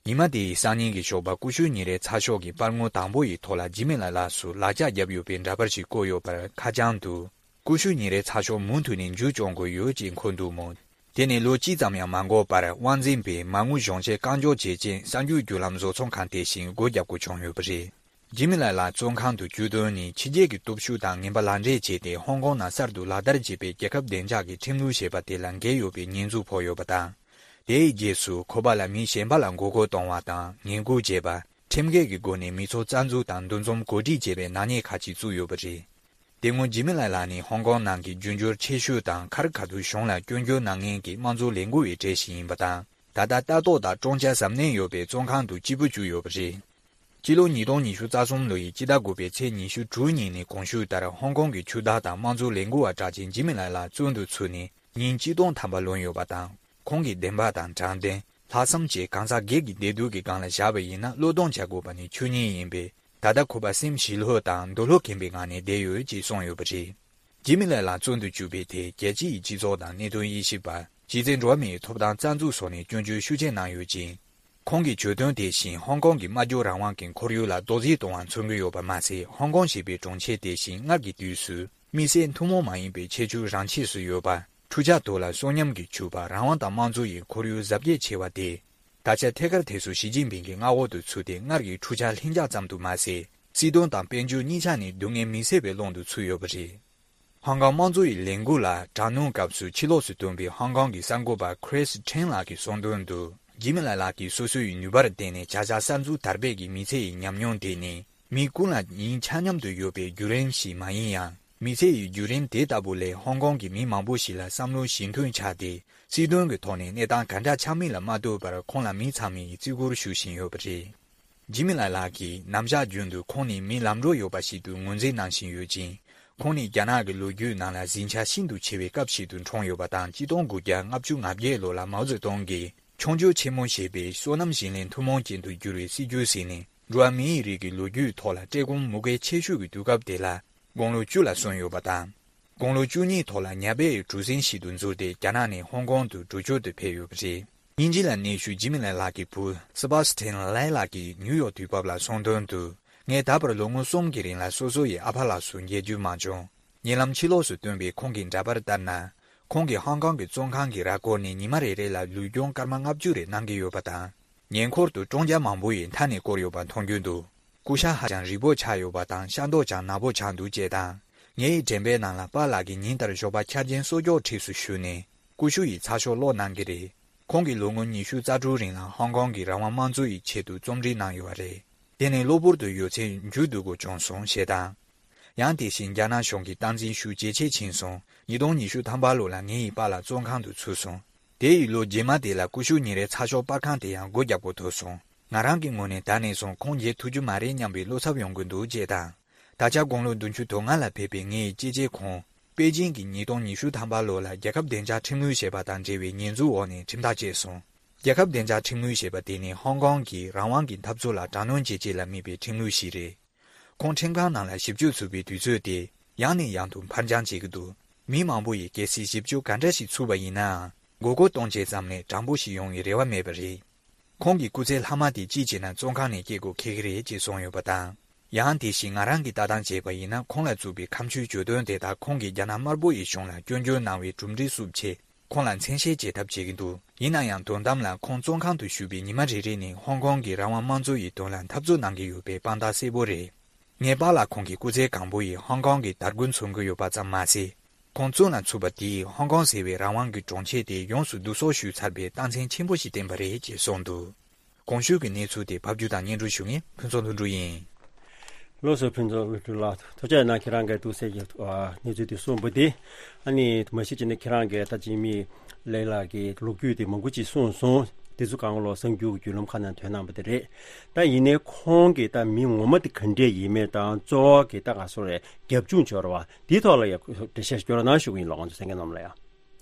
ཉི་མ་དེའི་སང་ཉིན་གྱི་ཞོགས་པ་ཀུ་ཤུ་ཉིན་རེའི་ཚགས་ཤོག་གི་པར་ངོས་དང་པོ་ཡི་ཐོག་ལ་ཇི་མི་ལེ་ལགས་སུ་ལག་ལྕགས་བརྒྱབ་ཡོད་པའི་འདྲ་པར་ཞིག་བཀོད་ཡོད་པར་ཁ་བྱང་དུ། ཀུ་ཤུ་ཉིན་རེའི་ཚགས་ཤོག་མུ་མཐུད་ནས་མཇུག་སྐྱོང་དགོས་ཡོད་ཅེས་འཁོད་འདུག་མོད། དེ་ནི་ལོ་གཅིག་ཙམ་ཡང་མ་འགོར་བར་དབང་འཛིན་པས་མ་དངུལ་གཞུང་བཞེས་རྐང་འཇོག་བྱེད་ཆེད་གསར་འགྱུར་བརྒྱུད་ལམ་བཟོ་ཚོང་ཁང་དེ་བཞིན་སྒོ་རྒྱག་དགོས་བྱུང་ཡོད་པ་རེད། ཇི་མི་ལེ་ལགས་བཙོན་ཁང་དུ་བཅུག་དོན་ནི་ཕྱི་རྒྱལ་གྱི་སྟོབས་ཤུགས་དང་ངན་པ་ལག་འབྲེལ་བྱས་ཏེ་ཧོང་ཀོང་ནང་གསར་དུ་ལག་བསྟར་བྱས་པའི་རྒྱལ་ཁབ་བདེ་འཇགས་ཀྱི་ཁྲིམས་ལུགས་ཞེས་པ་དེ་ལ་འགལ་ཡོད་པའི་ཉེས་འཛུགས་ཕོག་ཡོད་པ་དང་། དེའི་རྗེས་སུ་ཁོ་པ་ལ་མི་གཞན་པ་ལ་མགོ་སྐོར་གཏོང་བ་དང་ངན་སྐུལ་བྱས་པ། ཁྲིམས་འགལ་གྱི་སྒོ་ནས་མི་ཚོགས་རྩ་འཛུགས་དང་འདུ་འཛོམས་གོ་སྒྲིག་བྱས་པའི་ནག་ཉེས་ཁག་ཅིག་བཙུགས་ཡོད་པ་རེད། དེ་སྔོན་འཇིགས་མེད་ལགས་ལགས་ནི་ཧོང་ཀོང་ནང་གི་རྒྱུ་འབྱོར་ཆེ་ཤོས་དང་ཁ་རི་ཁ་ཐུག་གཞུང་ལ་སྐྱོན་བརྗོད་གནང་མཁན་གྱི་དམངས་གཙོ་ལས་འགུལ་བའི་གྲས་ཤིག་ཡིན་པ་དང་། ད་ལྟ་ལྟ་རྟོག་དང་བཀྲོང་བྱ་གཟབ་ནན་ཡོད་པའི་བཙོན་ཁང་དུ་སྐྱིད་པོ་བཅུག་ཡོད་པ་རེད། སྤྱི་ལོ་ཉིས་སྟོང་ཉི་ཤུ་རྩ་གསུམ་ལོ་ཡི་སྤྱི་ཟླ་དགུ་པའི་ཚེས་ཉི་ཤུ་དྲུག་ཉིན་ནས་གོང་ཞུས་ལྟར་ཧོང་ཀོང་གི་ཆུ་བདག་དང་དམངས་གཙོ་ལས་འགུལ་བ་གྲགས་ཅན་འཇིགས་མེད་ལགས་ལགས་བཙོན་དུ་ཚུད་ནས་ཉིན་གཅིག་སྟོང་ཐམ་པ་ལོན་ཡོད་པ་དང་། ཁོང་གི་བདེན་པ་དང་དྲང་བདེན། ལྷག་བསམ་བཅས་གང་ཟག་སྒེར་གྱི་བདེ་སྡུག་གི་སྒང་ལ་བཞག་པ་ཡིན་ན་བློས་གཏོང་བྱ་དགོས་པ་ནི་ཆོས་ཉིད་ཡིན་པས། ད་ལྟ་ཁོ་པ་སེམས་ཞི་ལྷོད་དང་འདོད་བློ་ཁེངས་པའི་ངང་ནས་བསྡད་ཡོད་ཅེས་གསུངས་ཡོད་པ་རེད། འཇིགས་མེད་ལགས་ལ་བཙོན་དུ་བཅུག་པའི་ཐད་རྒྱལ་སྤྱི་ཡི་སྤྱི་ཚོགས་དང་གནད་དོན་དབྱེ་ཞིབ་པ། གཞི་རྩའི་འགྲོ་བ་མིའི་ཐོབ་ཐང་རྩ་འཛུགས་སོགས་ནས་སྐྱོན་བརྗོད་ཤུགས་ཆེ་གནང་ཡོད་ཅིང་། ཁོང་གི་བརྗོད་དོན་དེ་བཞིན་ཧོང་ཀོང་གི་སྨྲ་བརྗོད་རང་དབང་གི་ཁོར་ཡུག་ལ་རྡོག་རྫིས་གཏོང་བར་མཚོན་གྱི་ཡོད་པ་མ་ཟད། ཧོང་ཀོང་ཞེས་པའི་གྲོང་ཁྱེར་དེ་བཞིན་སྔར་གྱི་དུས་སུ་དམིགས་བསལ་ཐུན་མོང་མ་ཡིན་པའི་ཁྱད་ཆོས་རང་ཆས་སུ་ཡོད་པ། འཕྲུལ་ཆས་ཐོག་ལ་གསོན་ཉམས་ཀྱིས་ཕྱུག་པ་རང་དབང་དང་དམངས་གཙོ་ཡི་ཁོར་ཡུག་གཟབ་རྒྱས་ཆེ་བ་དེ། ད་ཆ་ཐད་ཀར་དེ་ཚོ་ཞི་ཅིན་ཕིང་གི་མངའ་འོག་ཏུ་ཚུད་དེ། སྔར་གྱི་འཕྲུལ་ཆས་ལྷིང་འཇགས་ཙམ་དུ་མ་ཟད། སྲིད་དོན་དང་དཔལ་འབྱོར་གཉིས་ཆ་ནས་སྡུག་བསྔལ་མི་སེལ་བའི་ཀློང་དུ་ཚུད་ཡོད་པ་རེད། ཧོང་ཀོང་དམངས་གཙོ་ཡི་ལས་འགུལ་ལ་དྲག་གནོན་སྐབས་སུ་ཕྱི་ལོགས་སུ་བཏོན་པའི་ཧོང་ཀོང་གི་གསར་འགོད་པ་Chris Chan ལགས་ཀྱིས་གསུངས་དོན་དུ། འཇིགས་མེད་ལགས་ལགས་ཀྱིས་སོ་སོའི་ནུས་པར་བརྟེན་ནས་བྱ་གཞག་གསར་འཛུགས་དར་སྤེལ་གྱི་མི་ཚེ་ཡི་ཉམས་མྱོང་དེ་ནི། མི་ཀུན་ལ་ཡིན་ཆ་མཉམ་དུ་ཡོད་པའི་བརྒྱུད་རིམ་ཞིག་མ་ཡིན་ཡང་། མི་ཚེ་ཡི་བརྒྱུད་རིམ་དེ་ལྟ་བུ་ལས་ཧོང་ཀོང་གི་མི་མང་པོ་ཞིག་ལ་བསམ་བློ་ཞེ་མཐུན་ཆགས་ཏེ། སྲིད་དོན་གྱི་ཐོག་ནས་གནས་སྟངས་ག་འདྲ་ཆགས་མིན་ལ་མ་ལྟོས་པར་ཁོང་ལ་མི་ཚང་མས་བརྩི་བཀུར་ཞུ་བཞིན་ཡོད་པ་རེད། འཇིགས་མེད་ལགས་ལགས་ཀྱིས་ནམ་ཞག་རྒྱུན་དུ་ཁོང་ནི་མི་ལམ་འགྲོ་ཡོད་པ་ཞིག་ཏུ་ངོས་འཛིན་གནང་བཞིན་ཡོད་ཅིང་། ཁོང་ནི་རྒྱ་ནག་གི་ལོ་རྒྱུས་ནང་ལ་འཛིན་ཆ་ཤིན་ཏུ་ཆེ་བའི་སྐབས་ཤིག་ཏུ་འཁྲུངས་ཡོད་པ་དང་། ཆིག་སྟོང་དགུ་བརྒྱ་ལྔ་བཅུ་ང་བརྒྱད་ལོ་ལ་མའོ་ཙེ་ཏུང་གིས་ཆོས་འབྱོར་ཆེན་མོ་ཞེས་པའི་བསོད་ནམས་བཞིན་ལས་ཐུན་མོང་ཅན་དུ་གྱུར་བའི་སྲིད་བྱུས་ཟིན་ནས། འགྲོ་བ་མིའི་རིགས་ཀྱི་ལོ་རྒྱུས་ཐོག་ལ་བཀྲེས་སྐོམ་མུ་གེ་ཆེ་ཤོས་ཀྱི་དུས་སྐབས་དེ་ལ་དགུང་ལོ་བཅུ་ལ་སོན་ཡོད་པ་དང་། དགུང་ལོ་བཅུ་གཉིས་ཐོག་ལ་ཉ་པའི་གྲུ་གཟིངས་ཤིག་ཏུ་འཛུལ་ཏེ་རྒྱ་ནག་ནས་ཧོང་ཀོང་དུ་འགྲུལ་སྐྱོད་དུ་ཕེབས་ཡོད་པ་རེད། དབྱིན་ཇི་ལ་གནས་བཞུགས་འཇིགས་མེད་ལགས་ལགས་ཀྱི་བུ་སི་བྷ་སི་ཐན་ལའེ་ལགས་ཀྱིས་ནིའུ་ཡོག་དུས་བབ་ལ་གསུངས་དོན་དུ། ངས་ད་བར་ལོ་ངོ་གསུམ་གྱི་རིང་ལ་སོ་སོ་ཡི་ཨ་ཕ་ལགས་སུ་མཇལ་རྒྱུ་མ་བྱུང་། ཉེ་ལམ་ཕྱི་ལོགས་སུ་བཏོན་པའི་ཁོང་གི་འདྲ་པར་ལྟར་ན། ཁོང་གིས་ཧོང་ཀོང་གི་བཙོན་ཁང་གི་ར་སྐོར་ནས་ཉི་མ་རེ་རེ་ལ་ལུས་སྦྱོང་སྐར་མ་ལྔ་བཅུ་རེ་གནང་གི་ཡོད་པ་དང་། ཉེ་འཁོར་དུ་བཀྲོང་རྒྱ་མང་པོ་ཡིས་མཐའ་ནས་བསྐོར་ཡོད་པ་མཐོང་རྒྱུ་འདུག། ཀུ་ཤ་ཧ་ཅང་རིད་པོ་ཆགས་ཡོད་པ་དང་། ཤ་མདོག་ཀྱང་ནག་པོ་ཆགས་འདུག་ཅེས་དང་། ངའི་དྲན་པའི་ནང་ལ་པཱ་ལགས་ཀྱིས་ཉིན་ལྟར་ཞོགས་པ་འཁྱར་ཅན་གསོལ་ཇོག་འཁྲིས་སུ་བཞུགས་ནས། ཀུ་ཤུ་ཡི་ཚགས་ཤོག་ཀློག་གནང་གི་རེད། ཁོང་གིས་ལོ་ངོ་ཉི་ཤུ་རྩ་དྲུག་རིང་ལ་ཧོང་ཀོང་གི་རང་དབང་དམངས་གཙོ་ཡི་ཆེད་དུ་རྩོམ་སྒྲིག་གནང་ཡོད་པ་རེད། དེ་ནི་གློ་བུར་དུ་ཡོད་ཚད་མཇུག་བསྡུ་དགོས་བྱུང་སོང་ཞེས་དང་། ཡང་དེ་བཞིན་རྒྱ་ནག་གཞུང་གི་སྟངས་འཛིན་ཤུགས་ཇེ་ཆེ་ཕྱིན་སོང་། ཉིས་སྟོང་ཉི་ཤུ་ཐམ་པ་ལོ་ལ་ངེད་ཡི་པཱ་ལགས་བཙོན་ཁང་དུ་ཚུད་སོང་། དེ་ཡི་ལོ་རྗེས་མ་དེ་ལ་ཀུ་ཤུ་ཉིན་རེའི་ཚགས་ཤོག་པར་ཁང་དེ་ཡང་སྒོ་རྒྱག་དགོས་ཐུག་སོང་། ང་རང་གི་ངོས་ནས་ད་ནས་བཟུང་ཁོང་མཇལ་ཐུབ་རྒྱུ་མ་རེད་སྙམ་པའི་བློ་འཚབ་ཡོང་གི་འདུག་ཅེས་དང་། ད་ཆ་དགུང་ལོ་བདུན་ཅུ་དོན་ལྔ་ལ་ཕེབས་པའི་ངེད་ཡི་གཅེས་གཅེས་ཁོང་། པེ་ཅིང་གི་ཉིས་སྟོང་ཉི་ཤུ་ཐམ་པ་ལོ་ལ་རྒྱལ་ཁབ་བདེ་འཇགས་ཁྲིམས་ལུགས་ཞེས་པ་དང་འབྲེལ་བའི་ཉེས་འཛུགས་འོག་ནས་ཁྲིམས་ཐག་བཅད་སོང་། རྒྱལ་ཁབ་བདེ་འཇགས་ཁྲིམས་ལུགས་ཞེས་པ་དེ་ནི་ཧོང་ཀོང་གི་རང་དབང་གི་འཐབ་རྩོད་ལ་དྲག་གནོན་བྱེད་ཆེད་ལ་དམིགས་པའི་ཁྲིམས་ལུགས་ཤིག་རེད། ཁོང་ཁྲིམས་ཁང་ནང་ལ་ཞིབ་དཔྱོད་ཚུགས་པའི་དུས་ཚོད་དེ་ཡང་ནས་ཡང་དུ་འཕར་འགྱངས་བྱེད་ཀྱི་འདུག། མི་མང་པོ་ཡིས་གལ་སྲིད་ཞིབ་དཔྱོད་ག་འདྲ་ཞིག་ཚུགས་པ་ཡིན་ནའང་། མགོ་སྐོར་གཏོང་བྱེད་ཙམ་ལས་དྲང་པོ་ཞིག་ཡོང་བའི་རེ་བ་མེད་པ་རེད། ཁོང་གི་སྐུ་ཚེ་ལྷག་མ་དེ་གཅིག་བྱས་ན་བཙོན་ཁང་ནས་སྐྱེལ་དགོས་འཁེལ་གྱི་རེད་ཅེས་གསུངས་ཡོད་པ་དང་། ཡང་དེ་བཞིན་ང་རང་གིས་ལྟ་སྟངས་བྱས་པ་ཡིན་ན། ཁོང་ལ་བཙུགས་པའི་ཁ་མཆུའི་བརྗོད་དོན་དེ་དག་ཁོང་གིས་རྒྱ་ནག་དམར་པོ་ཡི་གཞུང་ལ་སྐྱོན་བརྗོད་གནང་བའི་གྲུབ་འབྲས་སུ་ཕྱེ། ཁོང་ལ་མཚན་ཤས་བྱེད་ཐབས་བྱེད་ཀྱི་འདུག། ཡིན་ན་ཡང་དོན་དམ་ལ་ཁོང་བཙོན་ཁང་དུ་བཞུགས་པའི་ཉི་མ་རེ་རེ་ནི་ཧོང་ཀོང་གི་རང་དབང་དམངས་གཙོ་ཡི་དོན་ལ་འཐབ་རྩོད་གནང་གི་ཡོད་པའི་དཔང་རྟགས་གསལ་པོ་རེད། ངའི་པཱ་ལགས་ཁོང་གི་སྐུ་ཚེ་གང་པོ་ཡི་ཧོང་ཀོང་གི་དར་རྒུད་མཚོན་གྱི་ཡོད་པ་ཙམ་མ་ཟད། ཁོང་བཙོན་ལ་ཚུད་པ་དེས་ཧོང་ཀོང་ཟེར་བའི་རང་དབང་གི་གྲོང་ཁྱེར་དེ་ཡོངས་སུ་བསྡུ་གསོག་ཞུས་ཚར་བའི་རྟགས་མཚན་ཆེན་པོ་ཞིག་བསྟན་པ་རེད་ཅེས་གསུངས་འདུག། གོང་ཞུས་ཀྱི་གནས་ཚུལ་དེ་ཕབ་སྒྱུར་དང་སྙན་སྒྲོན་ཞུ་མཁན་ཕུན་ཚོགས་ལྷུན་གྲུབ་ཡིན། ལགས་སོ། ཕུན་ཚོགས་ལྷུན་གྲུབ་ལགས། ཐུགས་རྗེ་གནང་། ཁྱེད་རང་གིས་ཐུགས་སེམས་ཀྱི་གནས་ཚུལ་དེ་གསུངས་པ་དེ། ཨ་ནི་མ་གཞི་བྱས་ན་ཁྱེད་རང་གིས་ད་འཇིགས་མེད་ལགས་ལགས་ཀྱི་ལོ་རྒྱུས་དེ་མང་པོ་ཅིག་གསུངས་སོང་། དེ་ཚོ་གང་ག་ལོ་གསར་འགྱུར་གྱི་བརྒྱུད་ལམ་ཁག་ནང་ཐོན་གནང་པ་དེ་རེད། ད་ཡིན་ནའི་ཁོང་གི་ད་མི་ངོ་མ་དེ་ག་འདྲས་ཡིན་མིན་དང་། གཙོ་བོ་གི་ད་ག་སོ་རེད། རྒྱབ་ལྗོངས་སྦྱོར་བ་དེའི་ཐོག་ལ་ཡང་འགྲེལ་བཤད་ཤོད་རོགས་གནང་ཞུ་གི་ཡིན་ལགས། ང་ཚོ་གསན་མཁན་རྣམས་ལ་ཡང་།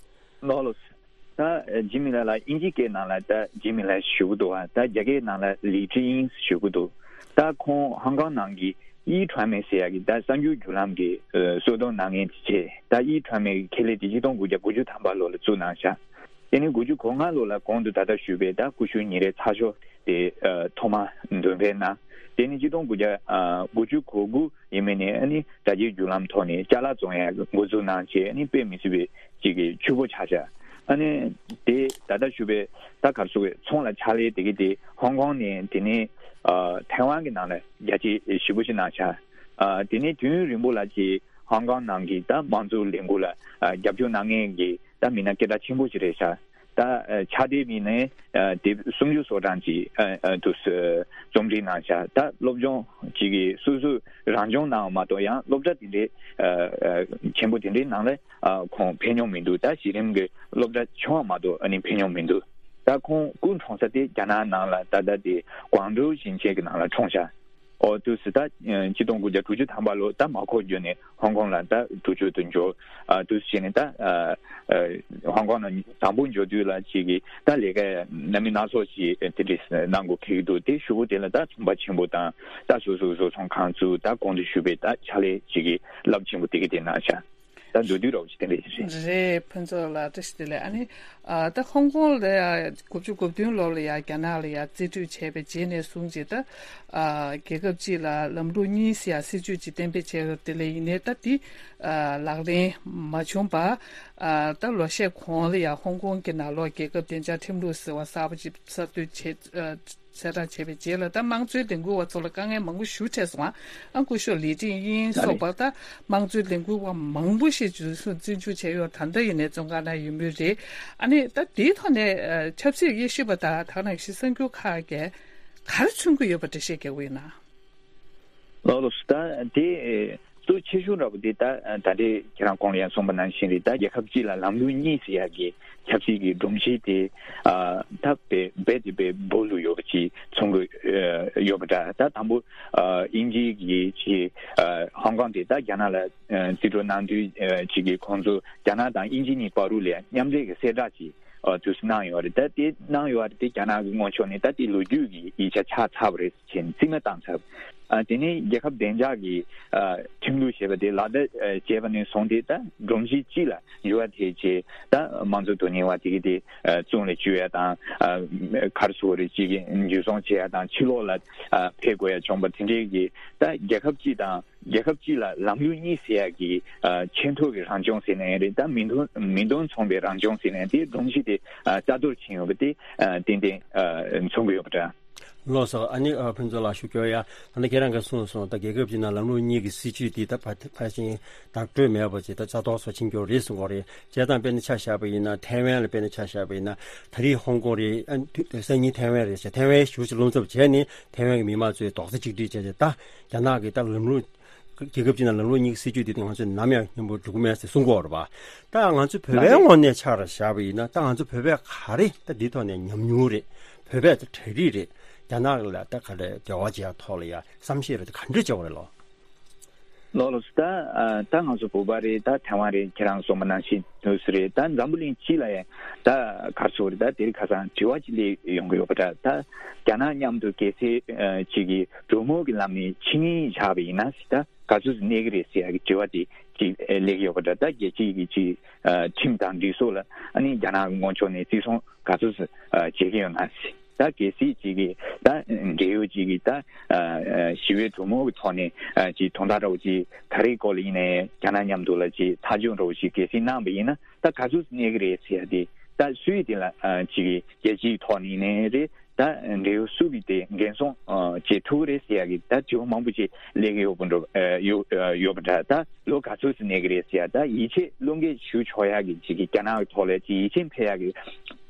ལགས་ལགས། ད་འཇིགས་མེད་ལགས་ལ་དབྱིན་ཇིའི་སྐད་ནང་ལ་ད་འཇིགས་མེད་ལགས་ཞུ་གི་འདུག་བ། ད་རྒྱ་སྐད་ནང་ལ་ལི་ཀྲི་དབྱིན་ཞུ་གི་འདུག། ད་ཁོང་ཧོང་ཀོང་ནང་གི་ཨི་ཁྲོན་མེ་ཟེར་ཡག་གི་ད་གསར་འགྱུར་བརྒྱུད་ལམ་གྱི་ཨ་གསོལ་སྟོན་གནང་མཁན་ཅིག་བྱས། ད་ཨི་ཁྲོན་མེ་གི་ཁེ་ལས་དེ་ཆིག་སྟོང་དགུ་བརྒྱ་དགུ་བཅུ་ཐམ་པ་ལོ་ལ་བཙུགས་གནང་ཤག། དེ་ནས་དགུ་བཅུ་གོ་ལྔ་ལོ་ལ་གོང་དུ་ད་ལྟ་ཞུས་པའི་ད་ཀུ་ཤུ་ཉིན་རེའི་ཚགས་ཤོག་དེ་ཨ་ཐོག་མ་འདོན་སྤེལ་གནང་། དེ་ནས་ཆིག་སྟོང་དགུ་བརྒྱ་ཨ་དགུ་བཅུ་གོ་དགུ་ཡིན་མིན་ནས་ཨ་ནི་དྲ་རྒྱའི་བརྒྱུད་ལམ་ཐོག་ནས་ཅ་ལག་བཙོང་ཡག་འགོ་འཛུགས་གནང་བྱས། ཨ་ནི་དཔེ་མི་སྲིད་པའི་ཅིག་གི་ཕྱུག་པོ་ཆགས་ཤག། ཨ་ནི་དེ་ད་ལྟ་ཞུ་བའི་ད་ག་རེ་ཟེར་དགོས། ཚོང་ལ་ཕྱག་ལས་དེ་གི་དེ་ཧོང་ཀོང་ནས་དེ་ནས་ཨ་ཐའེ་ཝན་གྱི་ནང་ལ་རྒྱ་སྐྱེད་ཞེ་པོ་ཞིག་གནང་ཤག། ཨ་དེ་ནས་དུས་ཡུན་རིང་པོ་ལ་ཅིག་ཧོང་ཀོང་ནང་གི་ད་དམངས་གཙོ་ལས་འགུལ་ལ་ཨ་རྒྱབ་སྐྱོར་གནང་མཁན་གྱི་ད་མི་སྣ་སྐད་གྲགས་ཆེན་པོ་ཞིག་རེད་ཤག། ད་ཨ་ཕྱག་དེབ་ཡིན་ནའི་ཨ་དེབ་སུམ་ཅུ་སོ་གྲངས་ཅིག་ཨ་ཨ་དུ་རྩོམ་སྒྲིག་གནང་བཞག་ད་སློབ་སྦྱོང་ཅིག་གིས་སོ་སོས་རང་སྦྱོང་གནང་བ་མ་གཏོགས་ཡང་སློབ་གྲྭ་དེ་འདྲའི་ཨ་ཨ་ཆེན་པོ་དེ་འདྲའི་ནང་ལ་ཨ་ཁོང་ཕེབས་མྱོང་མི་འདུག་ད་གཞི་རིམ་གྱི་སློབ་གྲྭ་ཆུང་བ་མ་གཏོགས་ཨ་ནི་ཕེབས་མྱོང་མི་འདུག་ད་ཁོང་སྐུ་འཁྲུངས་ས་དེ་རྒྱ་ནག་ནང་ལ་ད་ལྟ་དེ་ཀོང་ཀྲོའུ་ཞིང་ཆེན་གྱི་ནང་ལ་འཁྲུངས་བཞག་འོ་དུས་སུ་ད་ཆིག་སྟོང་དགུ་བརྒྱ་དྲུག་ཅུ་ཐམ་པ་ལོ་ད་མར་ཁོ་བརྒྱུད་ནས་ཧོང་ཀོང་ལ་ད་འགྲུལ་སྐྱོད་དུ་འབྱོར། ཨ་དུས་སུ་བྱས་ནས་ད་ཨ་ཨ་ཧོང་ཀོང་ལ་དང་པོ་འབྱོར་དུས་ལ་ཅིག་གིས་ད་ལས་ཀ་སྣ་མིན་སྣ་ཚོགས་ཤིག་དེ་འདྲས་གནང་དགོས་ཀྱི་འདུག་དེ་གཞུག་གུ་དེ་ལ་ད་ཚོང་པ་ཆེན་པོ་དང་ད་སོ་སོའི་བཟོ་ཚོང་ཁང་བཙུགས། ད་གོང་དུ་ཞུས་པའི་ད་ཕྱག་ལས་ཅིག་གིས་རླབས་ཆེན་པོ་དེ་ག་དེ་གནང་བཞག་ད་མདོར་བསྡུས་རོགས་ཅིག་དེ་འདྲས་ཞིག་རེད། རེད། ཕུན་ཚོགས་ལགས་བཀྲ་ཤིས་བདེ་ལེགས། ཨ་ནི་ཨ་ད་ཧོང་ཀོང་ལ་ཡ་དགུ་བཅུ་གོ་བདུན་ལོ་ལ་ཡ་རྒྱ་ནག་ལ་ཡ་རྩིས་སྤྲོད་བྱས་པའི་རྗེས་ནས་བཟུང་ཅིག་ད་ཨ་རྒྱལ་ཁབ་གཅིག་ལ་ལམ་ལུགས་གཉིས་ཟེར་ཡ་སྲིད་ཇུས་ཅིག་གཏན་འབེབས་བྱས་ཡོད་དེ་ལས་ཡིན་ནའི་ད་དེ་ཨ་ལག་ལེན་མ་བྱུང་བ། ཨ་ད་ལོ་ཤས་གོང་ལ་ཡ་ཧོང་ཀོང་གི་ནང་ལོགས་རྒྱལ་ཁབ་བདེ་འཇགས་ཁྲིམས་ལུགས་ཟེར་བ་གསར་པ་ཅིག་གསར་གཏོད་བྱས། ཨ་གསལ་བསྒྲགས་བྱས་པའི་རྗེས་ལ་ད་དམངས་གཙོའི་ལས་འགུལ་བ་ཚོ་ལ་དཀའ་ངལ་མང་པོ་ཞེ་དྲག་འཕྲད་སོང་། ཨ་སྐུ་ཞབས་ལི་ཀྲིན་དབྱིང་སོགས་པ་ད་དམངས་གཙོའི་ལས་འགུལ་བ་མང་པོ་ཞིག་འཛིན་བཟུང་འཛིན་བཟུང་བྱས་ཡོད། ད་ལྟ་ཡིན་ནའི་བཙོན་ཁང་ནང་ཡོད་མུས་རེད། ཨ་ནི་ད་དེའི་ཐོག་ནས་ཨ་ཆབ་སྲིད་དབྱེ་ཞིབ་པ་དང་ད་ག་ནང་བཞིན་གསར་འགྱུར་ཁག་གིས་ག་རེ་མཚོན་གྱི་ཡོད་པ་འགྲེལ་བཤད་རྒྱག་གི་ཡོད་ན། ལགས་ལགས་སོ། ད་དེ་གཙོ་ཆེ་ཤོས་འདྲ་པོ་དེ་ད་ད་ལྟའི་ཁྱེད་རང་གོང་ལ་ཡང་གསུངས་པ་ནང་བཞིན་རེད། ད་རྒྱལ་ཁབ་གཅིག་ལ་ལམ་ལུགས་གཉིས་ཟེར་ཡག་གི་ཆབ་སྲིད་ཀྱི་སྒྲོམ་གཞི་དེ་ཨ་ད་དཔེ་རྦད་དེ་དཔེ་སྦོ་ལུས་ཡོད་པ་ཅིག་མཚོན་གྱི་ཡོད་པ་འདྲ། ད་དང་པོ་ཨ་དབྱིན་ཇི་གི་ཅིག་ཨ་ཧོང་ཀོང་དེ་ད་རྒྱ་ནག་ལ་རྩིས་སྤྲོད་གནང་དུས་ཅིག་གི་ཁོང་ཚོ་རྒྱ་ནག་དང་དབྱིན་ཇི་གཉིས་བར་དུ་ལ་མཉམ་འབྲེལ་གྱི་གསལ་བསྒྲགས་ཅིག་ཨ་དུས་སུ་གནང་ཡོད་རེད། ད་དེ་གནང་ཡོད་རེད། དེ་རྒྱ་ནག་གི་ངོས་ཕྱོགས་ནས་ད་དེ་ལོ་རྒྱུས་ཀྱི་ཡིག་ཆ་ཆགས་ཚར་བ་རེད་ཅེས་རྩིས་མེད་བཏང་ཚར། ཨ་དེ་ནས་རྒྱལ་ཁབ་བདེ་འཇགས་ཀྱི་ཨ་ཁྲིམས་ལུགས་ཞེས་པ་དེ་ལག་བསྟར་ཨ་བྱས་པ་ནས་བཟུང་སྟེ་ད་སྒྲོམ་གཞི་སྤྱི་ལ་འགྱུར་བ་ཐེབས་རྗེས་ད་དམངས་གཙོ་དོན་གཉེར་བ་དེ་ག་དེ་ཨ་བཙོན་ལ་འཇུག་ཡ་དང་ཨ་ག་རེ་ཟེར་དགོས་རེད། ཅིག་གི་འཇུ་བཟུང་བྱེད་ཡ་དང་ཕྱི་ལོགས་ལ་ཨ་ཕེབས་དགོས་ཡ་བྱུང་བ་དེ་འདྲའི་གི་ད་རྒྱལ་ཁབ་སྤྱི་དང་རྒྱལ་ཁབ་སྤྱི་ལ་ལམ་ལུགས་གཉིས་ཟེར་ཡ་གི་ཨ་ཆེས་མཐོ་གི་རང་སྐྱོང་ཟེར་ན་ཡང་རེད། ད་མི་འདོམས་མི་འདོམས་ཚོང་པའི་རང་སྐྱོང་ཟེར་ན་ཡང་དེ་སྒྲོམ་གཞི་དེ་ཨ་རྩ་གཏོར་ཕྱིན་ཡོད་པ་དེ་ཨ་ཏན་ཏན་ཨ་མཚོན་གྱི་ཡོད་པ་འདྲ། ལགས་སོ། ཨ་ནི་ཨ་ཕུན་ཚོགས་ལགས་ཞུ་སྐྱོར་ཡ། ད་ནི་ཁྱེད་རང་གིས་གསུངས་སོང་། ད་རྒྱལ་ཁབ་ཅིག་ནང་ལམ་ལུགས་གཉིས་ཀྱི་སྲིད་ཇུས་འདི་ད་ཕ་ཕལ་ཆེར་བདག་སྤྲོད་མེད་པ་ཅིག་ད་རྩ་གཏོར་སོགས་ཕྱིན་སྐྱོར་རེད་གསུང་གི་རེད། བྱས་ཙང་དཔེར་ན་ཆ་བཞག་པ་ཡིན་ན་ཐའེ་ཝན་ལ་དཔེར་ན་ཆ་བཞག་པ་ཡིན་ན་ད་རེས་ཧོང་ཀོང་རེད། ཨ་དུས་སང་ཉིན་ཐའེ་ཝན་རེད་བྱས། ཐའེ་ཝན་ཞུ་ཞིག་རློམ་ཚབས་བྱས་ནས་ཐའེ་ཝན་གྱི་མི་མང་ཚོས་རྡོག་རྩ་གཅིག་སྒྲིལ་བྱས་བྱས་ད་རྒྱ་ནག་གི་ད་ལམ་ལུགས་རྒྱལ་ཁབ་ཅིག་ནང་ལམ་ལུགས་གཉིས་ཀྱི་སྲིད་ཇུས་འདི་དེ་ང་ཚོས་ནམ་ཡང་མཉམ་པོ་འགྲོ་གི་མེད་ཟེར་གསུང་གི་ཡོད་རེད་པ། ད་ང་ཚོ་བོད་པའི་ངོས་ནས་ཆ་ར་བཞག་པ་ཡིན་ན་ད་ང་ཚོ་བོད་པས་ག་རེ་ད་འདི་ཐོག་ནས་ཉམས་མྱོང་རེད། བོད་པས་ད་གྲ་སྒྲིག་རེད། རྒྱ་ནག་ལ་ད་ག་རེ་འབྲེལ་བ་བྱེད་ཡ་ཐོག་ལ་ཡ་བསམ་ཤེས་རེད། ད་ག་འདྲ་བྱེད་དགོས་རེད་ལོ། ལགས་ལགས་སོ། ད་ཨ་ད་ང་ཚོ་བོད་པ་རེད། ད་ཐའེ་ཝན་རེད། ཁྱེད་རང་གསུངས་པ་ནང་བཞིན་དུས་སུ་རེད། ད་འཛམ་བུ་གླིང་སྤྱི་ལ་ཡང་ད་ག་རེ་ཟེར་དགོས་རེད། ད་དེ་རིང་ཁ་སང་དྲི་བ་ཅིག་སླེབས་ཡོང་གི་ཡོད་པ་འདྲ། ད་རྒྱ་ནག་མཉམ་དུ་གལ་སྲིད་ཨ་ཅིག་གི་གྲོས་མོལ་གྱི་ལམ་ནས་ཕྱི་ཉིན་བཞག་པ་ཡིན་ན་ཟེར། ད་ག་ཚོད་ཙམ་གནས་ཀྱི་རེད་ཟེར་ཡ་གི་དྲི་བ་དེ་ཅིག་སླེབས་ཀྱི་ཡོད་པ་འདྲ། ད་རྒྱལ་སྤྱི་གི་ཅིག་ཨ་ཁྲིམས་དང་སྒྲིག་སྲོལ་ལ་ཨ་ནི་རྒྱ་ནག་གི་ངོས་ཕྱོགས་ནས་བརྩི་སྲུང་ག་ཚོད་ཙམ་ཨ་བྱེད་ཀྱི་ཡོད་ན་ཟེར། ད་གལ་སྲིད་ཅིག་གིས་ད་འབྲེལ་ཡོད་ཅིག་གིས་ད་ཨ་ཞི་བའི་གྲོས་མོལ་གྱི་ཐོག་ནས་ཨ་ཅིག་དོན་དག་འདྲ་བོ་ཅིག་ག་རེའི་སྐོར་ལ་ཡིན་ནའི་རྒྱ་ནག་མཉམ་དུ་ལ་ཅིག་ཐག་གཅོད་འདྲ་བོ་ཅིག་གལ་སྲིད་གནང་བ་ཡིན་ན་ད་ག་ཚོད་གནས་ཀྱི་རེད་ཟེར་ཡ་དེ། ད་སུའི་དེ་ལ་ཨ་ཅིག་གིས་རྒྱལ་སྤྱིའི་ཐོག་ནས་ཡིན་ནའི་རེད། ད་འབྲེལ་ཡོད་སུ་གིས་དེ་འགན་སྲུང་ཨ་བྱེད་ཐུབ་ཀྱི་རེད་ཟེར་ཡ་གི་ད་དྲི་བ་མང་པོ་ཅིག་སླེབས་ཀྱི་ཡོད་པ་འགྲོ་ཨ་ཡོད་ཨ་ཡོད་པ་འདྲ། ད་ལོ་ག་ཚོད་ཙམ་གནས་ཀྱི་རེད་ཟེར་ཡ། ད་ཡིད་ཆེས་བློ་འགེལ་ཞུ་ཆོག་ཡ་གི་ཅིག་གི་རྒྱ་ནག་གི་ཐོག་ལ་ཅིག་ཡིད་ཆེས་འཕེར་ཡ་གི་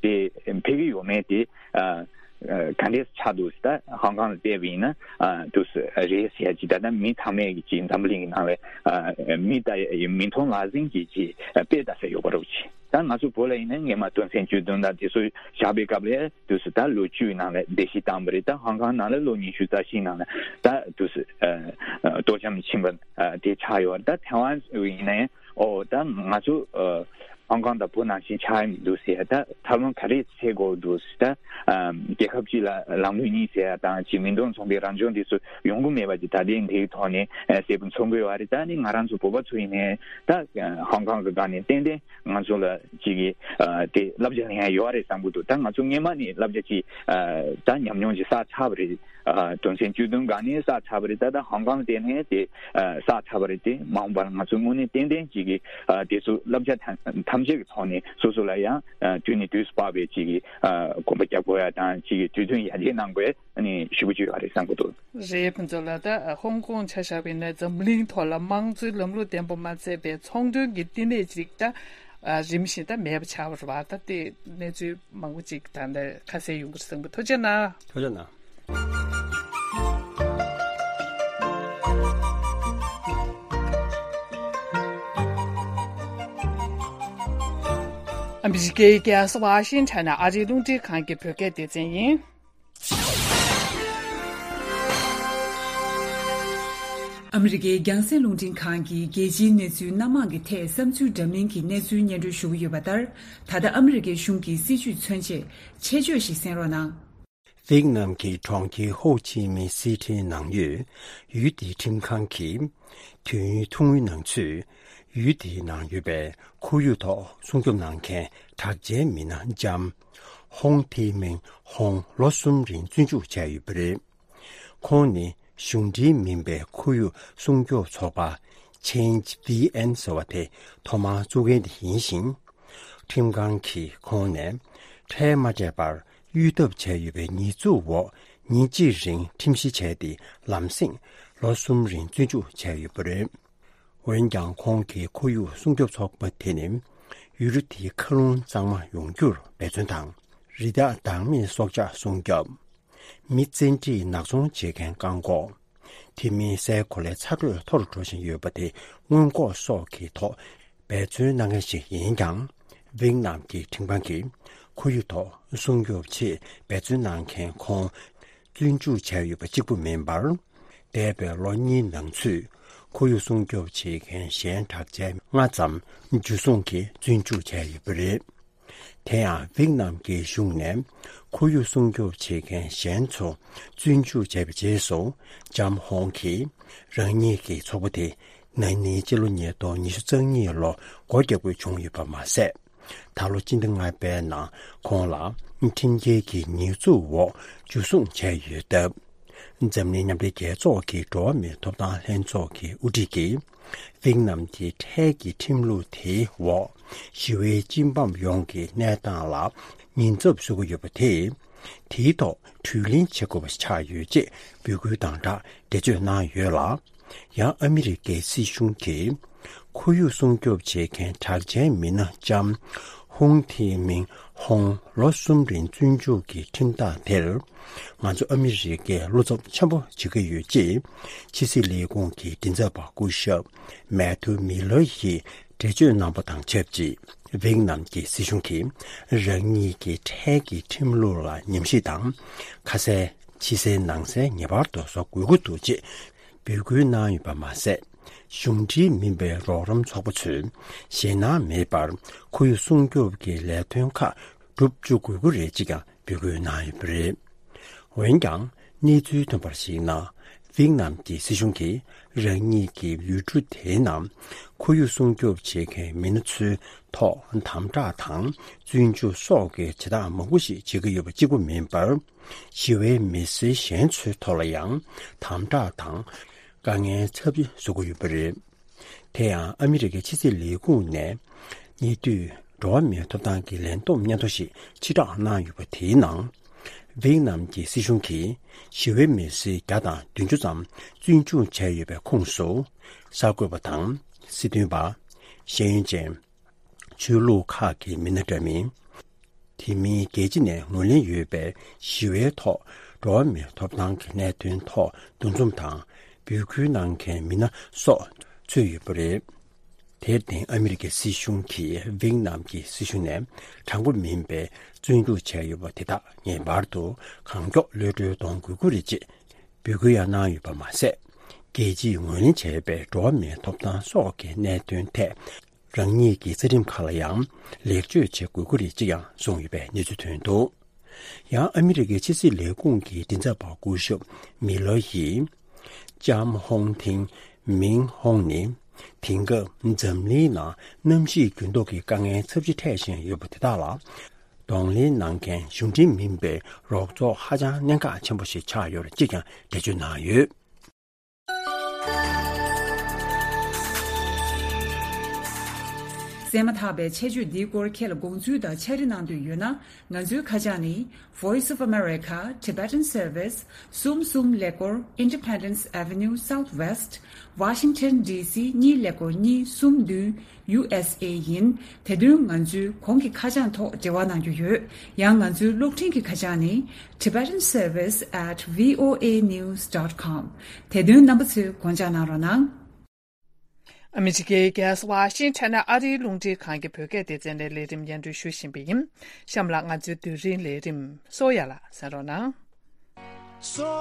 དེ་འཕེར་གྱི་ཡོད་མེད་དེ་ཨ། ཨ་ག་འདྲས་ཆགས་འདུག་ཟེར། ད་ཧོང་ཀོང་ལ་བལྟས་པ་ཡིན་ན་ཨ་འདུག་ཟེར་རེད་ཟེར་ཡ་ཅིག་ད་ལྟ་མི་ཚང་མས་ཀྱི་ཅིག་འཛམ་བུ་གླིང་གི་ནང་ལ་ཨ་མི་ལྟ་མིག་མཐོང་ལག་ཟིན་གྱི་ཅིག་དཔེ་ལྟ་ས་ཡོད་པ་རེད་ཅིག་ད་ང་ཚོ་བོད་ལ་ཡིན་ན་སྔོན་མ་དོན་ཚན་བཅུ་བདུན་དང་དེ་ཚོ་བཞག་པའི་སྐབས་ལ་འདུག་ཟེར། ད་ལོ་བཅུའི་ནང་ལ་བརྡལ་བཤིག་བཏང་བ་རེད། ད་ཧོང་ཀོང་ནང་ལ་ལོ་ཉི་ཤུ་རྩ་བཞིའི་ནང་ལ་ད་འདུག་ཟེར་ཨ་ཨ་གཏོར་བཅོམ་ཕྱིན་པ་ཨ་དེ་ཆགས་ཡོད་རེད། ད་ཐའེ་ཝན་ཡིན་ན་ཡང་ཨོ་ད་ང་ཚོ་ཨ་ཧོང་ཀོང་དང་བོད་ནང་བཞིན་ཆགས་ཡ་མི་འདུག་ཟེར། ད་ཐབས་ལམ་ག་རེ་འཚོལ་དགོས་འདུག་ཟེར། ད་ཨ་རྒྱལ་ཁབ་གཅིག་ལ་ལམ་ལུགས་གཉིས་ཟེར་ཡ་དང་ཅིག་མི་འདོམས་ཚོང་པའི་རང་སྦྱོང་དེ་ཚོ་ཡོང་གི་མེད་པ་ཅིག་ད་ལྟའི་འདིའི་ཐོག་ནས་ཨ་གསལ་པོ་མཚོན་གྱི་ཡོད་རེད། ད་ནི་ང་རང་ཚོ་བོད་པ་ཚོ་ཡིན་ནའི་ད་ཨ་ཧོང་ཀོང་གི་སྒང་ནས་ཏན་ཏན་ང་ཚོ་ལ་ཅིག་གི་ཨ་དེ་བསླབ་བྱ་ལེན་ཡ་ཡོད་རེད་བསམ་གྱི་འདུག་ད་ང་ཚོ་སྔོན་མ་ནས་བསླབ་བྱ་ཅིག་ཨ་ད་ཉམས་མྱོང་ཅིག་བསགས་ཚར་བ་རེད། ཨ་དོན་ཚན་བཅུ་བདུན་སྒང་ནས་བསགས་ཚར་བ་རེད། ད་ད་ཧོང་ཀོང་དེ་ནས་དེ་ཨ་བསགས་ཚར་བ་རེད། དེ་མ་འོངས་པར་ང་ཚོ་དངོས་གནས་ཏན་ཏན་ཅིག་གི་ཨ་དེ་ཚོ་བསླབ་བྱ་ཐམས་ཐམས་ཅད་ཀྱི་ཐོག་ནས་སོ་སོ་ལ་ཡང་ཨ་དུས་ནས་དུས་སུ་བབས་པའི་ཅིག་གི་ཨ་གོམ་པ་རྒྱག་དགོས་ཡ་དང་ཅིག་གི་དུས་མཐུན་ཡར་རྒྱས་གནང་དགོས་ཨ་ནི་ཞེ་པོ་ཅིག་ཡོད་རེད་བསམ་གྱི་འདུག་རེད། ཕུན་ཚོགས་ལགས། ད་ཧོང་ཀོང་ཆ་བཞག་པ་ཡིན་ན་འཛམ་གླིང་ཐོག་ལ་དམངས་གཙོའི་ལམ་ལུགས་ལྡན་པ་མ་ཚད་པའི་ཚོང་དོན་གྱི་བསྟི་གནས་ཅིག་ད་ ཨ། རིམ་བཞིན་ད་མེད་པ་ཆགས་པ་རེད་བ། ད་དེ་གནས་ཚུལ་མང་པོ་ཅིག་ད་ལྟ་ཁ་གསལ་ཡོང་གི་རེད་བསམ་གི། ཐུགས་རྗེ་གནང་། ཐུགས་རྗེ་གནང་། ཨ་མི་རི་ཀའི་རྒྱལ་ས་ཝ་ཤིང་ཊོན་ནས་ཨ་རིའི་རླུང་འཕྲིན་ཁང་གི་བོད་སྐད་སྡེ་ཚན་ཡིན། ཨ་མི་རི་ཀའི་རྒྱང་སྲིང་རླུང་འཕྲིན་ཁང་གིས་རྒྱལ་སྤྱིའི་གནས་ཚུལ་སྣ་མང་གི་ཐད་བསམ་ཚུལ་འདྲ་མིན་གྱི་གནས་ཚུལ་སྙན་སྒྲོན་ཞུ་གི་ཡོད་པ་ལྟར། ད་ལྟ་ཨ་མི་རི་ཀའི་གཞུང་གི་སྲིད་བྱུས་མཚོན་ཆེད་ཆེད་བརྗོད་ཞིག་གསན་རོགས་གནང་། ཝེད་ནམ་གྱི་གྲོང་ཁྱེར་ཧོ་ཅི་མིན་སི་ཐིའི་ནང་ཡོད་ཡུལ་དེའི་ཁྲིམས་ཁང་གིས། དུས་ཡུན་ཐུང་ངུའི་ནང་ཚུད། ཡུལ་དེའི་ནང་ཡོད་པའི་ཁོར་ཡུག་ཐོག་སྲུང་སྐྱོབ་གནང་མཁན་གྲགས་ཅན་མི་སྣ་ལྕམ་ཧོང་ཐི་མིང་ཧོང་ལོ་གསུམ་རིང་བཙོན་འཇུག་བྱས་ཡོད་པ་རེད། ཁོང་ནི་གཞུང་འབྲེལ་མིན་པའི་ཁོར་ཡུག་སྲུང་སྐྱོབ་ཚོགས་པ་Change V N ཟེར་བ་དེ་ཐོག་མར་བཙུགས་མཁན་དེ་ཡིན་ཞིང་། ཁྲིམས་ཁང་གིས་ཁོང་ནས་ཁྲལ་མ་སྤྲད་པར་གཡུག་ཐབས་བྱས་ཡོད་པའི་ཉེས་འཛུགས་འོག་ཉིན་གཅིག་རིང་ཁྲིམས་ཞིབ་བྱས་ཏེ། ལམ་སེང་ལོ་གསུམ་རིང་བཙོན་འཇུག་བྱས་ཡོད་པ་རེད། འོན་ཀྱང་། ཁོང་གིས་ཁོར་ཡུག་སྲུང་སྐྱོབ་ཚོགས་པ་དེ་ནི་ཡུལ་གྲུ་དེའི་མཁའ་རླུང་གཙང་མ་ཡོང་རྒྱུར་འབད་བརྩོན་དང་། རི་དྭགས་བདག་མེད་སྲོག་ཆགས་སྲུང་སྐྱོབ། མི་བཙན་ཁྲིད་ནག་ཚོང་བྱེད་མཁན་བཀག་འགོག་དེ་མིན་སའི་གོ་ལའི་ཚ་དྲོད་མཐོ་རུ་འགྲོ་བཞིན་ཡོད་པ་དེ་སྔོན་འགོག་སོགས་ཀྱི་ཐོག་འབད་བརྩོན་གནང་མཁན་ཞིག་ཡིན་ཀྱང་། ཝེད་ནམ་གྱི་ཁྲིམས་ཁང་གིས་ཁོར་ཡུག་ཐོག་སྲུང་སྐྱོབ་ཆེད་འབད་བརྩོན་གནང་མཁན་ཁོང་བཙོན་འཇུག་བྱས་ཡོད་པ་གཅིག་པུ་མིན་པར། འདས་པའི་ལོ་གཉིས་ནང་ཚུད་ཁོར་ཡུག་སྲུང་སྐྱོབ་བྱེད་མཁན་གཞན་གྲགས་ཅན་ལྔ་ཙམ་འཇུ་བཟུང་གིས་བཙོན་འཇུག་བྱས་ཡོད་པ་རེད། དེ་ཡང་། ཝེད་ནམ་གྱི་གཞུང་ནས་ཁོར་ཡུག་སྲུང་སྐྱོབ་བྱེད་མཁན་གཞན་ཚོ་བཙོན་འཇུག་བྱས་པའི་རྗེས་སུ། ལྕམ་ཧོང་གིས་རང་ཉིད་ཀྱི་ཚོགས་པ་དེ་ན་ནིང་སྤྱི་ལོ་ཉིས་སྟོང་ཉི་ཤུ་རྩ་གཉིས་ལོ་སྒོ་རྒྱག་དགོས་བྱུང་ཡོད་པ་མ་ཟད། ད་ལོ་སྤྱི་ཟླ་ལྔ་པའི་ནང་ཁོང་ལ་ཁྲིམས་འགལ་གྱི་ཉེས་འཛུགས་འོག་འཇུ་བཟུང་བྱས་ཡོད་སྟབས། འཛམ་གླིང་མཉམ་འབྲེལ་རྒྱལ་ཚོགས་ཀྱི་འགྲོ་བ་མིའི་ཐོབ་ཐང་ལྷན་ཚོགས་ཀྱི་དབུ་ཁྲིད་ཀྱིས། ཝེད་ནམ་གྱི་ཁྲལ་གྱི་ཁྲིམས་ལུགས་དེའི་འོག་ཞི་བའི་སྤྱི་འབངས་ཡོངས་ཀྱི་གནས་སྟངས་ལ་ཉེན་ཚབས་བཟོ་གི་ཡོད་པ་དེས། དེའི་ཐོག་གྲོས་གླེང་བྱེད་དགོས་པ་ཆགས་ཡོད་ཅེས་འབོད་སྐུལ་དང་སྦྲགས་འགྲེལ་བརྗོད་གནང་ཡོད་ལ། ཡང་ཨ་མི་རི་ཀའི་སྲིད་གཞུང་གིས་ཁོར་ཡུག་སྲུང་སྐྱོབ་བྱེད་མཁན་གྲགས་ཅན་མི་སྣ་ལྕམ་ཧུང་ཐི་མིང་ཧོང་ལོ་གསུམ་རིང་བཙོན་འཇུག་གི་ཁྲིམས་ཐག་དེར། ང་ཚོ་ཨ་མི་རི་ཀས་བློ་འཚབ་ཆེན་པོ་བྱེད་ཀྱི་ཡོད་ཅེས་ཕྱི་སྲིད་ལས་ཁུངས་ཀྱི་མགྲིན་ཚབ་པ་སྐུ་ཞབས་མེ་ཐུ་མི་ལར་ཡིས་འགྲེལ་བརྗོད་གནང་པ་དང་ཆབས་ཅིག་ཝེད་ནམ་གྱི་སྲིད་གཞུང་གིས་རང་ཉིད་ཀྱི་ཁྲལ་གྱི་ཁྲིམས་ལུགས་ལ་ཉམས་ཞིབ་དང་། ཁ་གསལ་ཕྱི་གསལ་ནང་གསལ་ངེས་པར་དུ་བཟོ་དགོས་ཀྱི་འདུག་ཅེས་འབོད་སྐུལ་གནང་ཡོད་པ་མ་ཟད། གཞུང་འབྲེལ་མིན་པའི་རོགས་རམ་ཚོགས་པ་ཚོས་ཞེད་སྣང་མེད་པར་ཁོར་ཡུག་སྲུང་སྐྱོབ་ཀྱི་ལས་དོན་ཁག་སྒྲུབ་བཅུག་དགོས་ཀྱི་རེད་ཅེས་ཀྱང་འབོད་སྐུལ་གནང་ཡོད་པ་རེད། འོན་ཀྱང་། གནས་ཚུལ་ཐོན་པར་གཞིགས་ན། ཝེད་ནམ་གྱི་སྲིད་གཞུང་གིས་རང་ཉིད་ཀྱི་ཡུལ་གྲུ་དེའི་ནང་ཁོར་ཡུག་སྲུང་སྐྱོབ་བྱེད་མཁན་མི་སྣ་ཚོའི་ཐོག་དམ་དྲག་དང་བཙོན་འཇུག་སོགས་ཀྱི་བྱེད་སྟངས་མང་པོ་ཞིག་བྱེད་ཀྱི་ཡོད་པ་གཅིག་པུ་མིན་པར། ཞི་བའི་མི་སེར་གཞན་ཚོའི་ཐོག་ལ་ཡང་དམ་དྲག་དང་དཀའ་ངལ་ཚབས་ཆེ་བཟོ་གི་ཡོད་པ་རེད། དེ་ཡང་ཨ་མི་རི་ཀའི་ཕྱི་སྲིད་ལས་ཁུངས་ནས་ཉེ་དུས་འགྲོ་བ་མིའི་ཐོབ་ཐང་གི་ལས་བསྡོམས་སྙན་ཐོ་ཞིག་ཕྱིར་བསྒྲགས་གནང་ཡོད་པ་དེའི་ནང་། ཝེད་ནམ་གྱི་སྲིད་གཞུང་གིས་ཞི་བའི་མི་སེར་བརྒྱ་དང་བདུན་ཅུ་ཙམ་བཙོན་འཇུག་བྱས་ཡོད་པའི་ཁོངས་སུ། གསར་འགོད་པ་དང་། སྲིད་དོན་པ། ཤེས་ཡོན་ཅན། ཆོས་ལུགས་ཁག་གི་མི་སྣ་འདྲ་མིན། དེ་མིན་རྒྱལ་སྤྱི་ནས་ངོས་ལེན་ཡོད་པའི་ཞི་བའི་ཐོག་འགྲོ་བ་མིའི་ཐོབ་ཐང་གི་གནད་དོན་ཐོག་འདུ་འཛོམས་དང་འབོད་སྐུལ་གནང་མཁན་མི་སྣ་སོགས་ཚུད་ཡོད་པ་རེད། དེར་བརྟེན་ཨ་མི་རི་ཀའི་སྲིད་གཞུང་གིས་ཝེད་ནམ་གྱི་སྲིད་གཞུང་ནས་དྲང་པོ་མིན་པའི་བཙོན་འཇུག་བྱས་ཡོད་པ་དེ་དག་ངེས་པར་དུ་གང་མགྱོགས་གློད་གྲོལ་གཏོང་དགོས་ཀྱི་རེད་ཅེས་འབོད་སྐུལ་ཡང་གནང་ཡོད་པ་མ་ཟད། རྒྱལ་སྤྱིས་ངོས་ལེན་བྱས་པའི་འགྲོ་བ་མིའི་ཐོབ་ཐང་སོགས་ཀྱི་གནད་དོན་ཐད། རང་ཉིད་ཀྱི་རྩ་ཁྲིམས་ཁག་ལ་ཡང་ལེགས་བཅོས་བྱེད་དགོས་ཀྱི་རེད་ཅེས་ཀྱང་གསུངས་ཡོད་པའི་གནས་ཚུལ་ཐོན་འདུག་ཡང་ཨ་མི་རི་ཀའི་ཕྱི་སྲིད་ལས་ཁུངས་ཀྱི་མགྲིན་ཚབ་པ་སྐུ་ཞབས་མི་ལོ་ཡིས། ལྕམ་ཧོང་ཐིང་མིང་ཧོང་ནི། དེང་སྐབས་འཛམ་གླིང་ནང་གནམ་གཤིས་འགྱུར་ལྡོག་གི་དཀའ་ངལ་ཚབས་ཆེ་འཕྲད་བཞིན་ཡོད་པ་དེ་དག་ལ། གདོང་ལེན་གནང་མཁན་གཞུང་འབྲེལ་མིན་པའི་རོགས་ཚོགས་ཧ་ཅང་གནད་འགག་ཆེན་པོ་ཞིག་ཆགས་ཡོད་རེད་ཅེས་ཀྱང་འགྲེལ་བརྗོད་གནང་ཡོད། བཙས་མ་ཐག་པའི་ཆེད་བརྗོད་འདིའི་སྐོར་ཁྱེད་ལ་དགོངས་ཚུལ་དང་ཕྱག་བྲིས་གནང་འདོད་ཡོད་ན། ང་ཚོའི་ཁ་བྱང་ནི། Voice of America, Tibetan Service, གསུམ་གསུམ་ཀླད་ཀོར། Independence Avenue Southwest, Washington D C གཉིས་ཀླད་ཀོར་གཉིས་གསུམ་བདུན། U S A ཡིན། དེ་དོན་ང་ཚོའི་གོང་གི་ཁ་བྱང་ཐོག་འབྲེལ་བ་གནང་རྒྱུ་ཡོད། ཡང་ང་ཚོའི་གློག་འཕྲིན་གྱི་ཁ་བྱང་ནི། Tibetan Service at V O A news dot com། དེ་དོན་རྣམ་པ་ཚོས་དགོངས་འཇགས་གནང་རོགས་གནང་། ཨ་མི་རི་ཀའི་རྒྱལ་ས་ཝ་ཤིང་ཊོན་ནས་ཨ་རིའི་རླུང་འཕྲིན་ཁང་གི་བོད་སྐད་སྡེ་ཚན་ནས་ལས་རིམ་སྙན་སྒྲོན་ཞུ་བཞིན་པ་ཡིན། གཤམ་ལ་ང་ཚོའི་དུས་རིང་ལས་རིམ་གསོ་ཡ་ལ་གསན་རོགས་གནང་། སོ།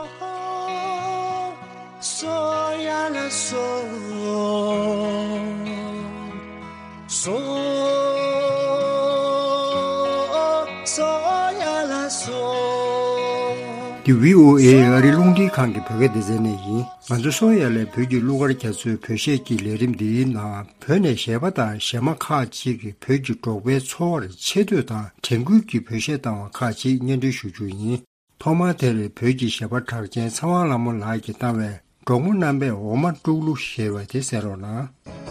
སོ་ཡ་ལ་སོ། སོ། སོ་ཡ་ལ་སོ། འདི་V O A ཨ་རིའི་རླུང་འཕྲིན་ཁང་གི་བོད་སྐད་སྡེ་ཚན་ནས་ཡིན། ང་ཚོ་སོ་ཡ་ལའི་བོད་ཀྱི་གླུ་གར་རྒྱ་མཚོའི་བོད་གཞས་ཀྱི་ལས་རིམ་འདིའི་ནང་བོད་ནས་གཞས་པ་དང་གཞས་མ་ཁག་ཅིག་གིས་བོད་ཀྱི་འབྲོག་པའི་འཚོ་བར་ཆེ་བསྟོད་དང་དྲན་སྐུལ་གྱི་བོད་གཞས་བཏང་བ་ཁག་ཅིག་སྙན་སྒྲོན་ཞུ་རྒྱུ་ཡིན། ཐོག་མར་དེར་བོད་ཀྱི་གཞས་པ་གྲགས་ཅན་ཚེ་དབང་ལྷ་མོ་ལགས་ཀྱིས་བཏང་བའི་འབྲོག་མོ་རྣམ་པས་འོ་མ་དཀྲུག་གླུ་ཞེས་པ་དེ་གསན་རོགས་གནང་།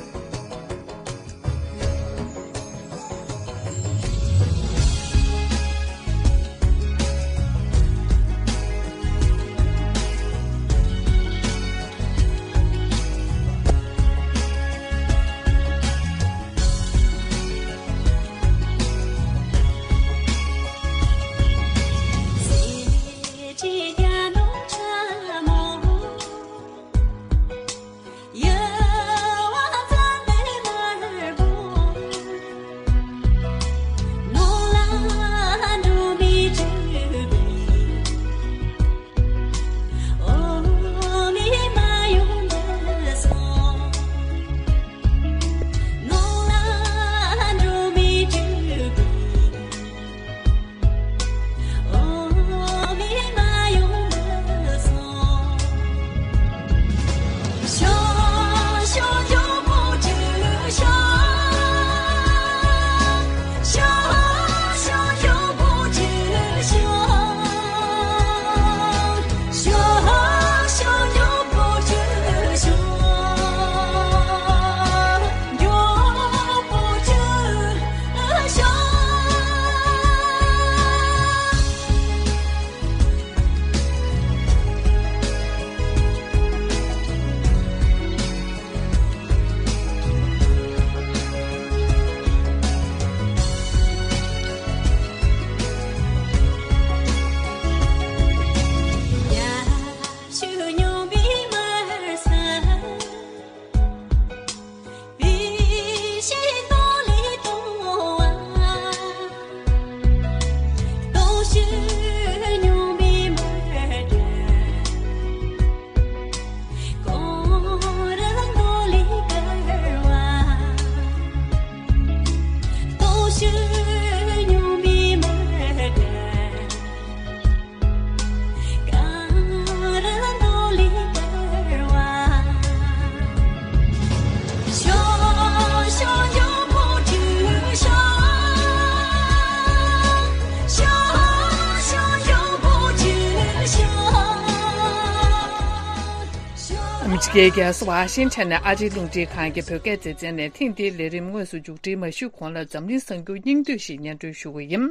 ཨ་མི་རི་ཀའི་རྒྱལ་ས་ཝ་ཤིང་ཊོན་ནས་ཨ་རིའི་རླུང་འཕྲིན་ཁང་གི་བོད་སྐད་སྡེ་ཚན་ནས་ཐེངས་འདིའི་ལས་རིམ་དངོས་སུ་མཇུག་སྒྲིལ་མ་ཞུས་གོང་ལ་འཛམ་གླིང་གསར་འགྱུར་སྙིང་བསྡུས་ཤིག་སྙན་སྒྲོན་ཞུ་གི་ཡིན།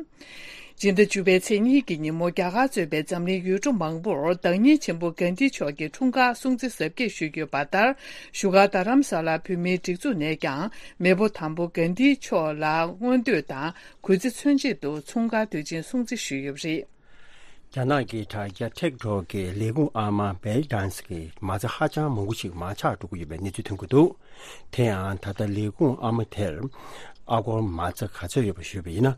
སྤྱི་ཟླ་བཅུ་པའི་ཚེས་གཉིས་ཀྱི་ཉིན་མོ་རྒྱ་གར་གཙོས་པའི་འཛམ་གླིང་ཡུལ་གྲུ་མང་པོར་བདག་ཉིད་ཆེན་པོ་གྷན་དྷི་མཆོག་གི་འཁྲུངས་སྐར་སྲུང་བརྩི་གཟབ་རྒྱས་ཞུས་ཡོད་པ་ལྟར། བཞུགས་སྒར་རྡ་རམ་ས་ལ་བོད་མིའི་སྒྲིག་འཛུགས་ནས་ཀྱང་མེས་པོ་དང་པོ་གྷན་དྷི་མཆོག་ལ་མངོན་བསྟོད་དང་གུས་བརྩི་མཚོན་ཆེད་དུ་འཁྲུངས་སྐར་དུས་ཆེན་སྲུང་བརྩི་ཞུས་ཡོད་པ་རེད། རྒྱ་ནག་གི་དྲ་རྒྱ་ཊིག་ཊོག་གི་ལས་ཁུངས་ཨ་མ་བེལ་ཌན་སི་གིས་མ་རྩ་ཧ་ཅང་མང་པོ་ཞིག་མར་ཆག་འགྲོ་གི་ཡོད་པའི་གནས་ཚུལ་ཐོན་གྱི་འདུག་དེ་ཡང་ད་ལྟ་ལས་ཁུངས་ཨ་མ་དེར་ཨ་སྒོར་མ་རྩ་ག་ཚོད་ཡོད་པ་ཞུས་པ་ཡིན་ན།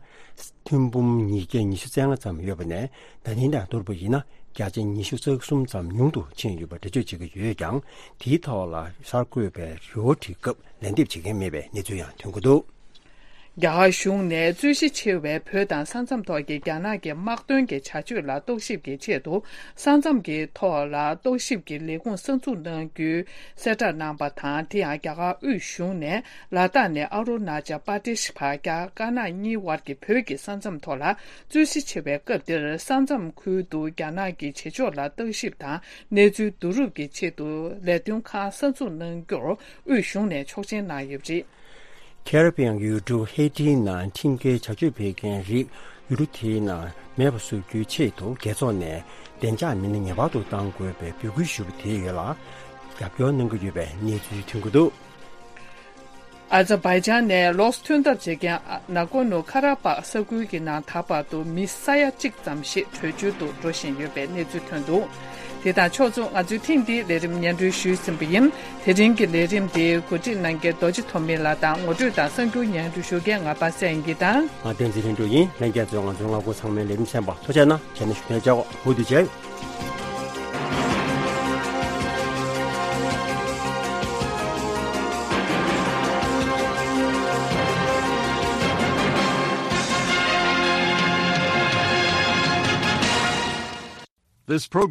ཐེར་འབུམ་ཉིས་བརྒྱ་ཉི་ཤུ་རྩ་ལྔ་ཙམ་ཡོད་པ་ནས། ད་ཐེངས་དང་བསྡུར་བ་ཡིན་ན་བརྒྱ་ཆ་ཉི་ཤུ་རྩ་གསུམ་ཙམ་ཉུང་དུ་ཕྱིན་ཡོད་པ་འགྲེལ་བརྗོད་བྱེད་ཀྱི་ཡོད་ཀྱང་། དེའི་ཐོག་ལ་གསར་འགོད་པས་རེ་བ་བྱེད་སྐབས་ལན་འདེབས་བྱེད་མཁན་མེད་པའི་གནས་ཚུལ་ཡང་ཐོན་གྱི་འདུག་རྒྱ་གར་གཞུང་ནས་རྩོད་གཞི་ཆེ་བའི་བོད་དང་ས་མཚམས་ཐོག་གི་རྒྱ་ནག་གི་དམག་དོན་གྱི་བྱ་སྤྱོད་ལ་རྟོག་ཞིབ་ཀྱི་ཆེད་དུ། ས་མཚམས་ཀྱི་ཐོག་ལ་རྟོག་ཞིབ་ཀྱི་ལས་ཁུངས་གསར་འཛུགས་གནང་རྒྱུའི་གསལ་བསྒྲགས་གནང་པ་དང་། དེ་ཡང་རྒྱ་གར་དབུས་གཞུང་ནས་ལ་དྭགས་ནས་ཨ་རུ་ན་ཅལ་པར་དེ་ཤི་བར་རྒྱ་དཀར་ནག་གཉིས་དབར་གྱི་བོད་ཀྱི་ས་མཚམས་ཐོག་ལ་རྩོད་གཞི་ཆེ་བའི་སྐབས་འདིར། ས་མཚམས་ཁུལ་དུ་རྒྱ་ནག་གི་བྱེད་ཕྱོགས་ལ་བརྟག་ཞིབ་དང་གནས་ཚུལ་བསྡུ་རུབ་ཀྱི་ཆེད་དུ་ལས་དོན་ཁང་གསར་འཛུགས་གནང་རྒྱུར་དབུས་གཞུང་ནས་ཆོག་མཆན་གནང་ཡོད་པ་རེད། ཁེ་རི་བི་ཡན་ཡུལ་གྲུ་ཧེ་ཏིའི་ནང་ཁྲིམས་འགལ་བྱ་སྤྱོད་སྤེལ་མཁན་རིགས་ཡུལ་གྲུ་དེའི་ནང་མེད་པ་བཟོ་རྒྱུའི་ཆེད་དུ་རྒྱལ་ཚོགས་ནས་བདེ་འཇགས་མི་སྣ་ངེས་པར་དུ་གཏང་དགོས་པའི་འབོད་སྐུལ་ཞུས་པ་དེའི་ཡོལ་ལ་རྒྱབ་སྐྱོར་གནང་གི་ཡོད་པའི་གནས་ཚུལ་ཐོན་གྱི་འདུག། ཨ་ཛར་བྷའི་ཇན་ནས་ལོགས་སུ་ཐོན་ཐབས་བྱེད་མཁན་ནཱ་གོར་ནོ་ཁ་ར་པག་ས་ཁུལ་གྱི་ནང་ད་བར་དུ་མི་ས་ཡ་གཅིག་ཙམ་ཞིག་བྲོས་བྱོལ་དུ་འགྲོ་བཞིན་ཡོད་པའི་གནས་ཚུལ་ཐོན་འདུག། དེ་དང་ཕྱོགས་མཚུངས་ང་ཚོས་ཐེངས་འདིའི་ལས་རིམ་སྙན་སྒྲོན་ཞུས་ཟིན་པ་ཡིན། དེ་རིང་གི་ལས་རིམ་དེ་གོ་སྒྲིག་གནང་མཁན་རྡོ་རྗེ་ཐོགས་མེད་ལགས་དང་ངོ་སྤྲོད་དང་གསར་འགྱུར་སྙན་སྒྲོན་ཞུ་མཁན་ང་པ་སངས་སྐྱིད་དང་། ང་བསྟན་འཛིན་ལྷུན་གྲུབ་ཡིན། ལྷན་རྒྱས་ཚོས་ང་ཚོའི་ལྔ་སྒོར་ཚང་མའི་ལས་རིམ་གསན་པར་ཐུགས་རྗེ་གནང་། བྱས་ན་ཞུ་ནས་བཅར་འོ་དུ་བྱས། This program